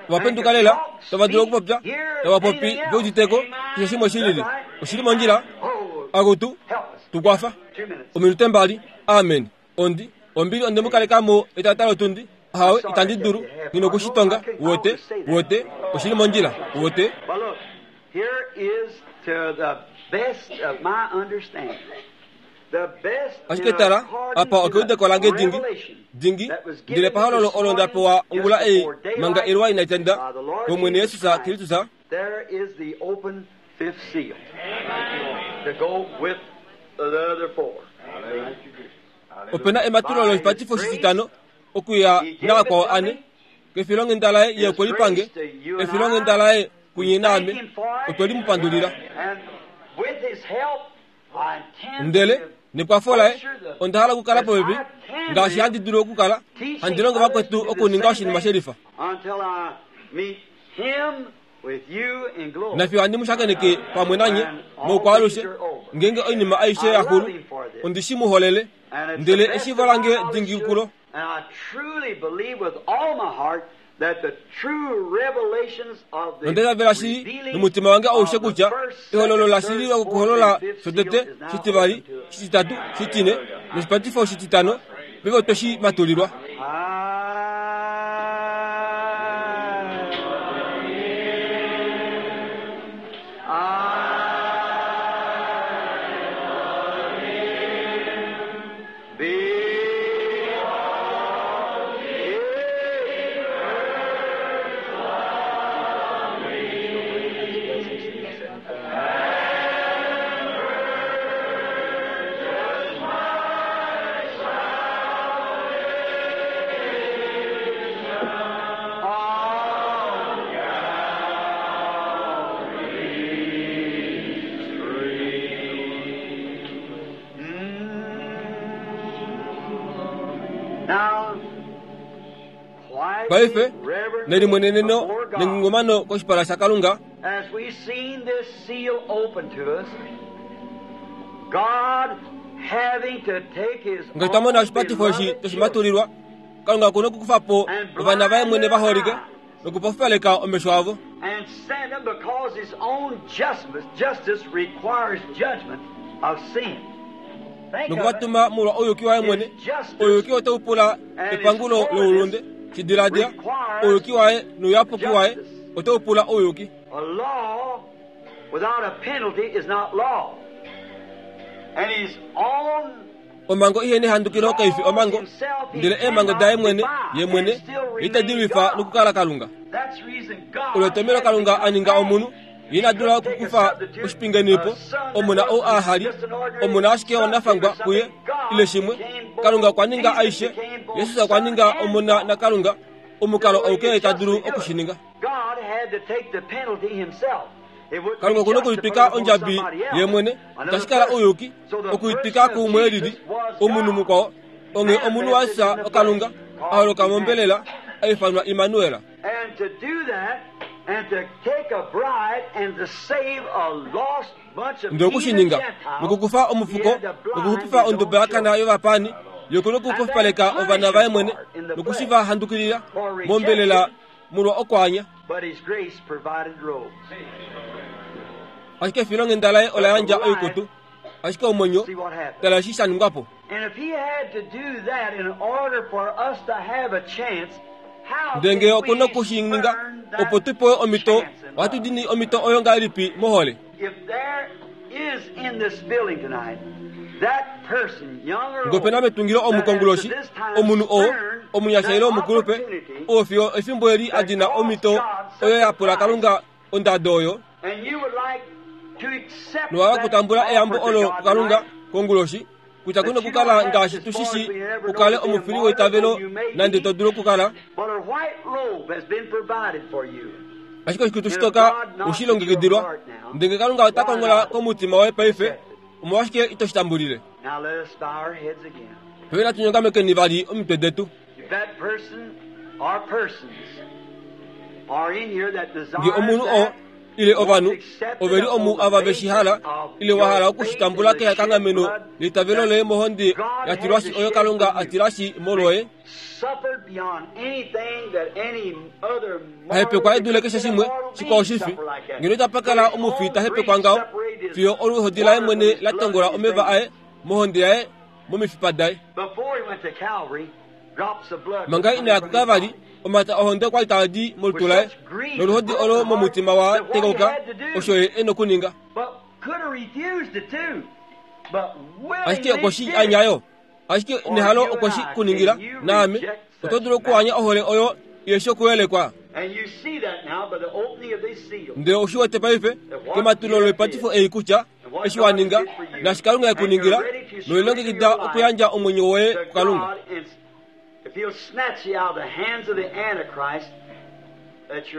Ova penduka lela, tava dulu okupopya, tava popi, ve udite ko, keshe shimwe shi lili. Oshi li mondjila. Akutu, tu kwafa. Ominute mbali. Amen. Ondi, ombili onde mu kaleka mo etata lotundi. Ahawe, itandi dulu. Nghi noku shi tonga. Uwete? Uwete? Oshi li mondjila. Uwete? But look, here is to the best of my understanding. Ashike tala, apa okeudeko lange dingi, dingi, ndele pahololo olo nda pewa ongula ei manga eluwa inai tenda, kOmwene Jesus Kristus, fifth seal to go with the other four. Opena ematulilo loshipatifo shititano okuya navakwao ane kefilonghenda laye ye okwe lipange efilonghenda laye kunye naame otwe limupandulila. And with his help, I intend Ndele to nekwafo laye onda hala okukala popepi ngaashi handi dulu okukala handi longo vakwetu okuninga oshinima shelifa until I meet him with you in glory. nafiyo handi mushakeneke pamwe nanye moukwaalushe ngenge oinima aishe yaxulu ondi shi muholele And it's ndele the best eshivo of my lange knowledge dingikulo to it, And I truly believe with all my heart that the true revelations of the nondetavela shili revealing nomutima wange aushe of the kutya first, ehololo second, la shili third, fourth, lokuholola and fifth seal shotete is now shitivali open to us. shititatu shitine noshipatifo shititano peve otwe shi matulilwa. I be Now, Paife quietly, reverently, nelimweneneno before God, nengungumano koshipala shakalunga as we seen this seal open to us, God having to take His ngaashi twa mona own oshipatifo eshi beloved toshi children matulilwa kalunga okuna okukufa po ovana vaye mwene vaholike nokupofupaleka omesho avo and send them because His own justice, justice requires judgment of sin. Think of it. nokuvatuma molwa ouyuki waye mwene ouyuki otau pula epangulo loulunde shidiladila ouyuki waye nouyapuki waye otau pula ouyuki. A law without a penalty is not law. And His own Omhango ihena ehandukilo kaifi omhango ndele eemhango daye mwene ye mwene itadi lwifa nokukala kalunga. That's the reason God Olo etomelo kalunga a ninga omunhu ye ina dula okukufa oshipingenipo omuna ou a hali omuna ashike wanafangwa kuye ile shimwe kalunga okwa ninga aishe yesus okwa ninga omuna nakalunga omukalo auke ta dulu okushininga. God had to take the penalty himself. It wouldn't Kalunga be okuna just to okulitwika put it on ondjabi somebody else, ye mwene another tashi kala person. ouyuki So the okuitwika person of kuumwe elili Jesus was omunhu God. mukwao onge omunhu wasa okalunga a holoka mombelela a ifanwa Immanuel. And to do that, and to take a bride and to save a lost bunch of Ndele okushininga heathen Gentiles, nokukufa omufuko he had to blind nokuxupifa his own onduba yakana children. yovapani yokuna okupofupaleka ovana vaye mwene nokushiva handukilila mombelela molwa okwaanya. But his grace provided robes. Ashike efilonghenda laye ola yandja oikutu ashike omwenyo See what happened. tala eshi sha ningwapo. And if he had to do that in order for us to have a chance, how Ndele can ngee okuna we okushininga earn that opo tu pewe omhito chance in ohatu love? dini omhito oyo ngahelipi mohole. If there is in this building tonight that person, young or Ngee opena old, metungilo that has to omukonguloshi this time omunhu oo spurned omunyasha that ile omukulupe opportunity, oo fiyo efimbo eli a dina omhito oyo ya pula kalunga ondado oyo and you would like to accept nowala that kutambula eyambo offer to olo God kukalunga tonight, konguloshi kutya kuna okukala ngaashi tushishi ukale omufili weitavelo nande to dulu okukala but a white robe has been provided for you. ashike oshikutu shitoka oshilongekidilwa ndenge kalunga ota kongola komutima woye paife omolwashike ito shitambulile. Now let us bow our heads again. Paife natu nyongamekeni vali omitwe detu. If that person or persons are in here that Nge omunhu desires oo that, ile ovanhu oveli omu ava veshi hala ile wa hala okushitambula kekanghameno leitavelo loye mohonde ya tilwashi oyo kalunga a tilashi molwoye suffered beyond anything that any other ahepekwa edule keshe shimwe shikwao shifi ngeno itapa kala omufi ta hepekwa ngaho fiyo oluhodi laye mwene la tongola omeva aye mohonde yaye momifipa daye. Before he went to Calvary, drops of blood Manga were ina ya coming from his kuKalvari body. omata ohonde okwali taadi molutu laye noluhodi olo momutima wa tekauka osho ye ena okuninga. But could have refused it too. But Ashike willingly okwe shi did it. anyayo ashike nehalo okwe shi kuningila naame oto dulu okuanya ohole oyo Iheshi okuyelekwa. Ndele ou shi wete paife kematulo loipatifo ei kutya eshi wa ninga naashi Kalunga e ku ningila, nolilongekida okuyandja omwenyo woye kuKalunga.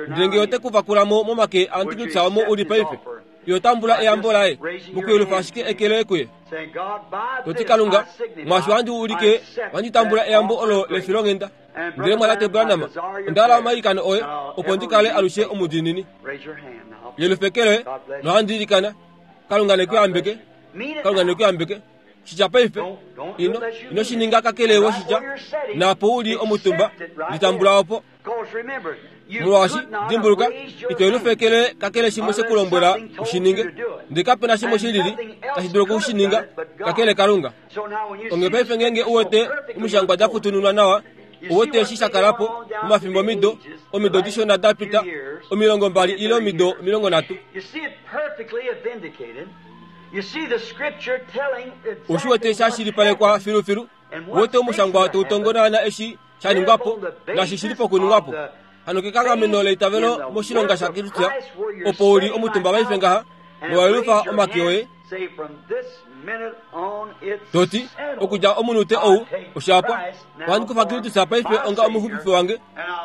Ndele ngee ote ku vakula mo momake aAntikristu omo u li paife, iho tambula eyambo laye mokuyelufa ashike eke loye kuye, to ti, Kalunga, mwaashi ohandi ulike ohandi tambula eyambo olo lefilonghenda. Ndele Mwatate Branham, onda hala omailikano oye opo ndi kale alushe omudiinini. Yelufa eke loye nohandi ilikana. Kalunga ne ku yambeke. Kalunga ne ku yambeke. Shitya paife. Ino, ino shi ninga kakele we shitya. Naapo u li omutumba, litambula opo. Molwaashi, dimbuluka, ito yelufa eke loye kakele shimwe she ku lombwela u shi ninge. Ndele kape na shimwe shi lili tashi dulu oku shi ninga kakele Kalunga. Onghee paife ngeenge u wete omishangwa da futununwa nawa, u wete eshi sha kala po momafimbomido, omido dishona da pita, 20 ile omido 30. U shi wete sha shilipalekwa filufilu, u wete omushangwa tau tongo naana eshi sha ningwa po naashi shi li pokuningwa po. Hano kekanghameno leitavelo moshilonga shaKristus, opo u li omutumba paife ngaha, nowa yelufa omake oye, To ti, Okudja omunute ou, osha pwa. Ohandi kufa Kristus paife onga omuxupifi wange,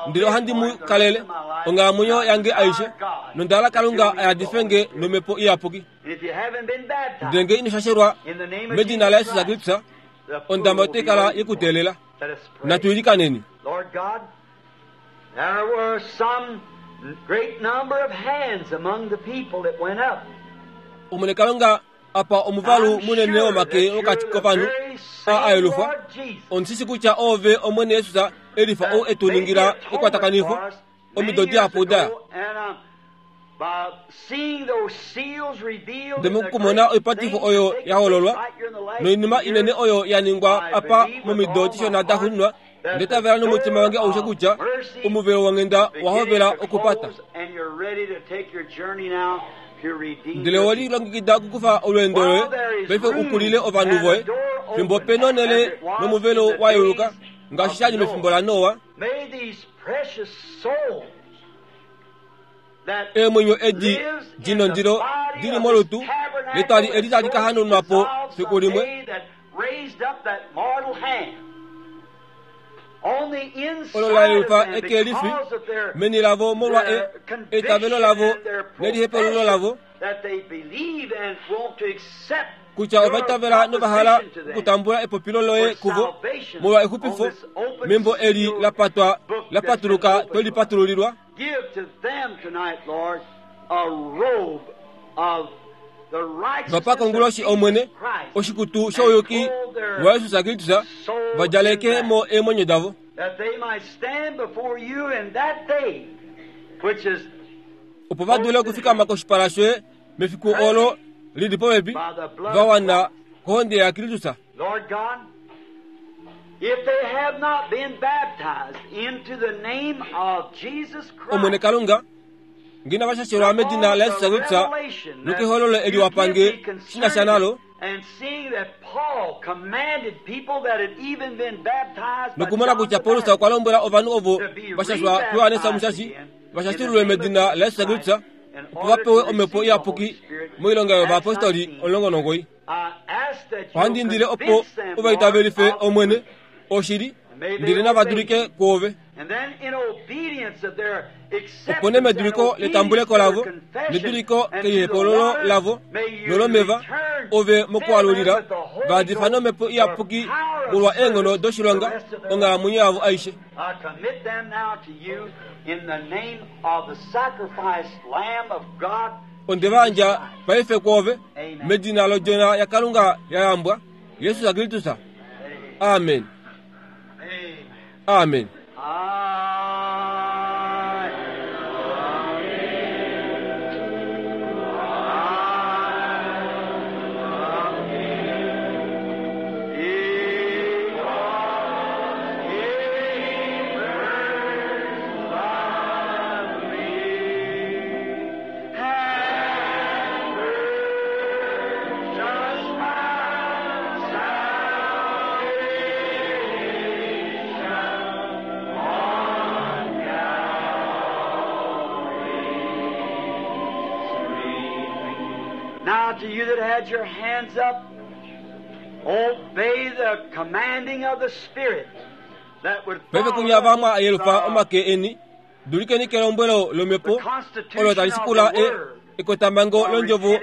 ndele ohandi mu kalele onghalamwenyo yange aishe, nonda hala Kalunga a yadife nge nOmhepo Iyapuki. Ndele nge ino shashelwa medina laJesus Kristus, ondama otai kala ye ku teelela. Natu ilikaneni. There were some great number of hands among the people that went up. Omwene Kalunga apa omuvalu munene womake mokati kovanhu a ayelufwa. Ondi shi kutya oove Omwene Jesus e lifa ou e tu ningila ekwatakanifo omido dihapu da ya. Ndele mokumona oipatifo oyo ya hololwa noinima inene oyo ya ningwa apa momido dishona da xuninwa, Nda itavela nomutima wange aushe kutya omuvelo wonghenda owa hovela okupata. Ndele owe lilongekida okukufa olweendo loye paife u kulile ovanhu voye, fimbo pe nonhele nomuvelo wa yeuluka, ngaashi sha li mefimbo laNoa. Eemwenyo edi di nondilo di li molutu letwali eli tali ka hanaunwa po fiku limwe, olo la yelufa eke lifi meni lavo molwa e, eitavelo lavo nelihepululo lavo, kutya ova itavela nova hala okutambula epopilo loye kuvo molwa exupifo membo eli la patwa la patuluka to li patululilwa. Va pa konguloshi Omwene oshikutu shouyuki waJesus Kristus, va djaleke mo eemwenyo davo. Opo va dule okufikama koshipala shoye mefiku olo li li popepi, va wana kohonde yaKristus. Lord God, if they have not been baptized into the name of Jesus Christ, Omwene Kalunga, nge inava shashelwa medina laJesus Kristus nokehololo eli wa pa nge shi na sha nalo, nokumona kutya Paulus okwa lombwela ovanhu ovo va shashwa kuJohannes Omushashi va shashululwe medina laJesus Kristus opo va pewe Omhepo Iyapuki moilonga yovayapostoli 19. Ohandi indile opo u va itavelife, Omwene, oshili, ndele nava dulike kwoove. Opo nee meduliko letambuleko lavo, neduliko kelihepololo lavo nolomeva, ove mokualulila, va yadifa nOmhepo Iyapuki molwa eenghono doshilonga onghalamwenyo yavo aishe. Onde va yandja paife kwoove, medina lOdjona yaKalunga ya yambwa, Jesus Kristus. Amen. Amen. Now to you that had your hands up, obey the commanding of the Spirit that would Paife follow kunya vamwe ayelufa the, omake eni dulikeni kelombwelo lomhepo the constitution olo tali of the sikula e Word. ekotamhango londjovo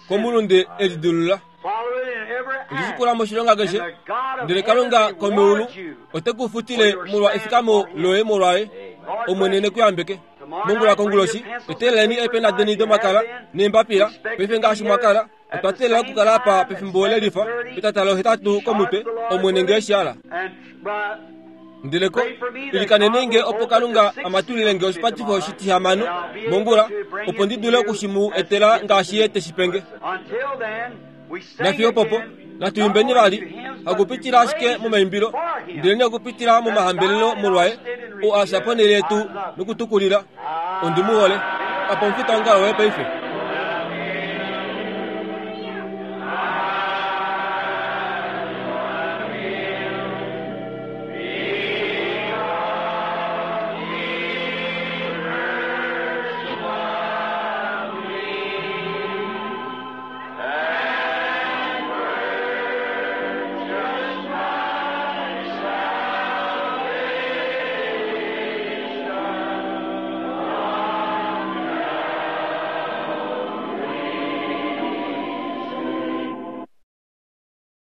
komulunde elidulula Follow it in every act. lisikula moshilonga And keshe the God of ndele heaven kalunga komeulu reward you. ote ku futile molwa efikamo loye molwaye Lord omwene bless you. nekuyambeke mongula konguloshi eteleleni eepena deni domakala neembapila paife ngaashi mwakala otwa teelela okukala apa pefimbo lelifa petatalo hetatu komutwe omwene ngee shiala And by ndeleko ilikanene opo kalunga amatulile nge oshipatifo shitihamano mongula opo ndi dule okushimu etela ngaashi ye teshipenge Until then, we sing nafiyo popo again, natu not imbeni only vali to hymns, but to hakupitila ashike praises momaimbilo for him. ndelene okupitila momahambelelo molwaye o asha ponele yetu nokutukulila ondimuhole apa omufita ongalo woye paife.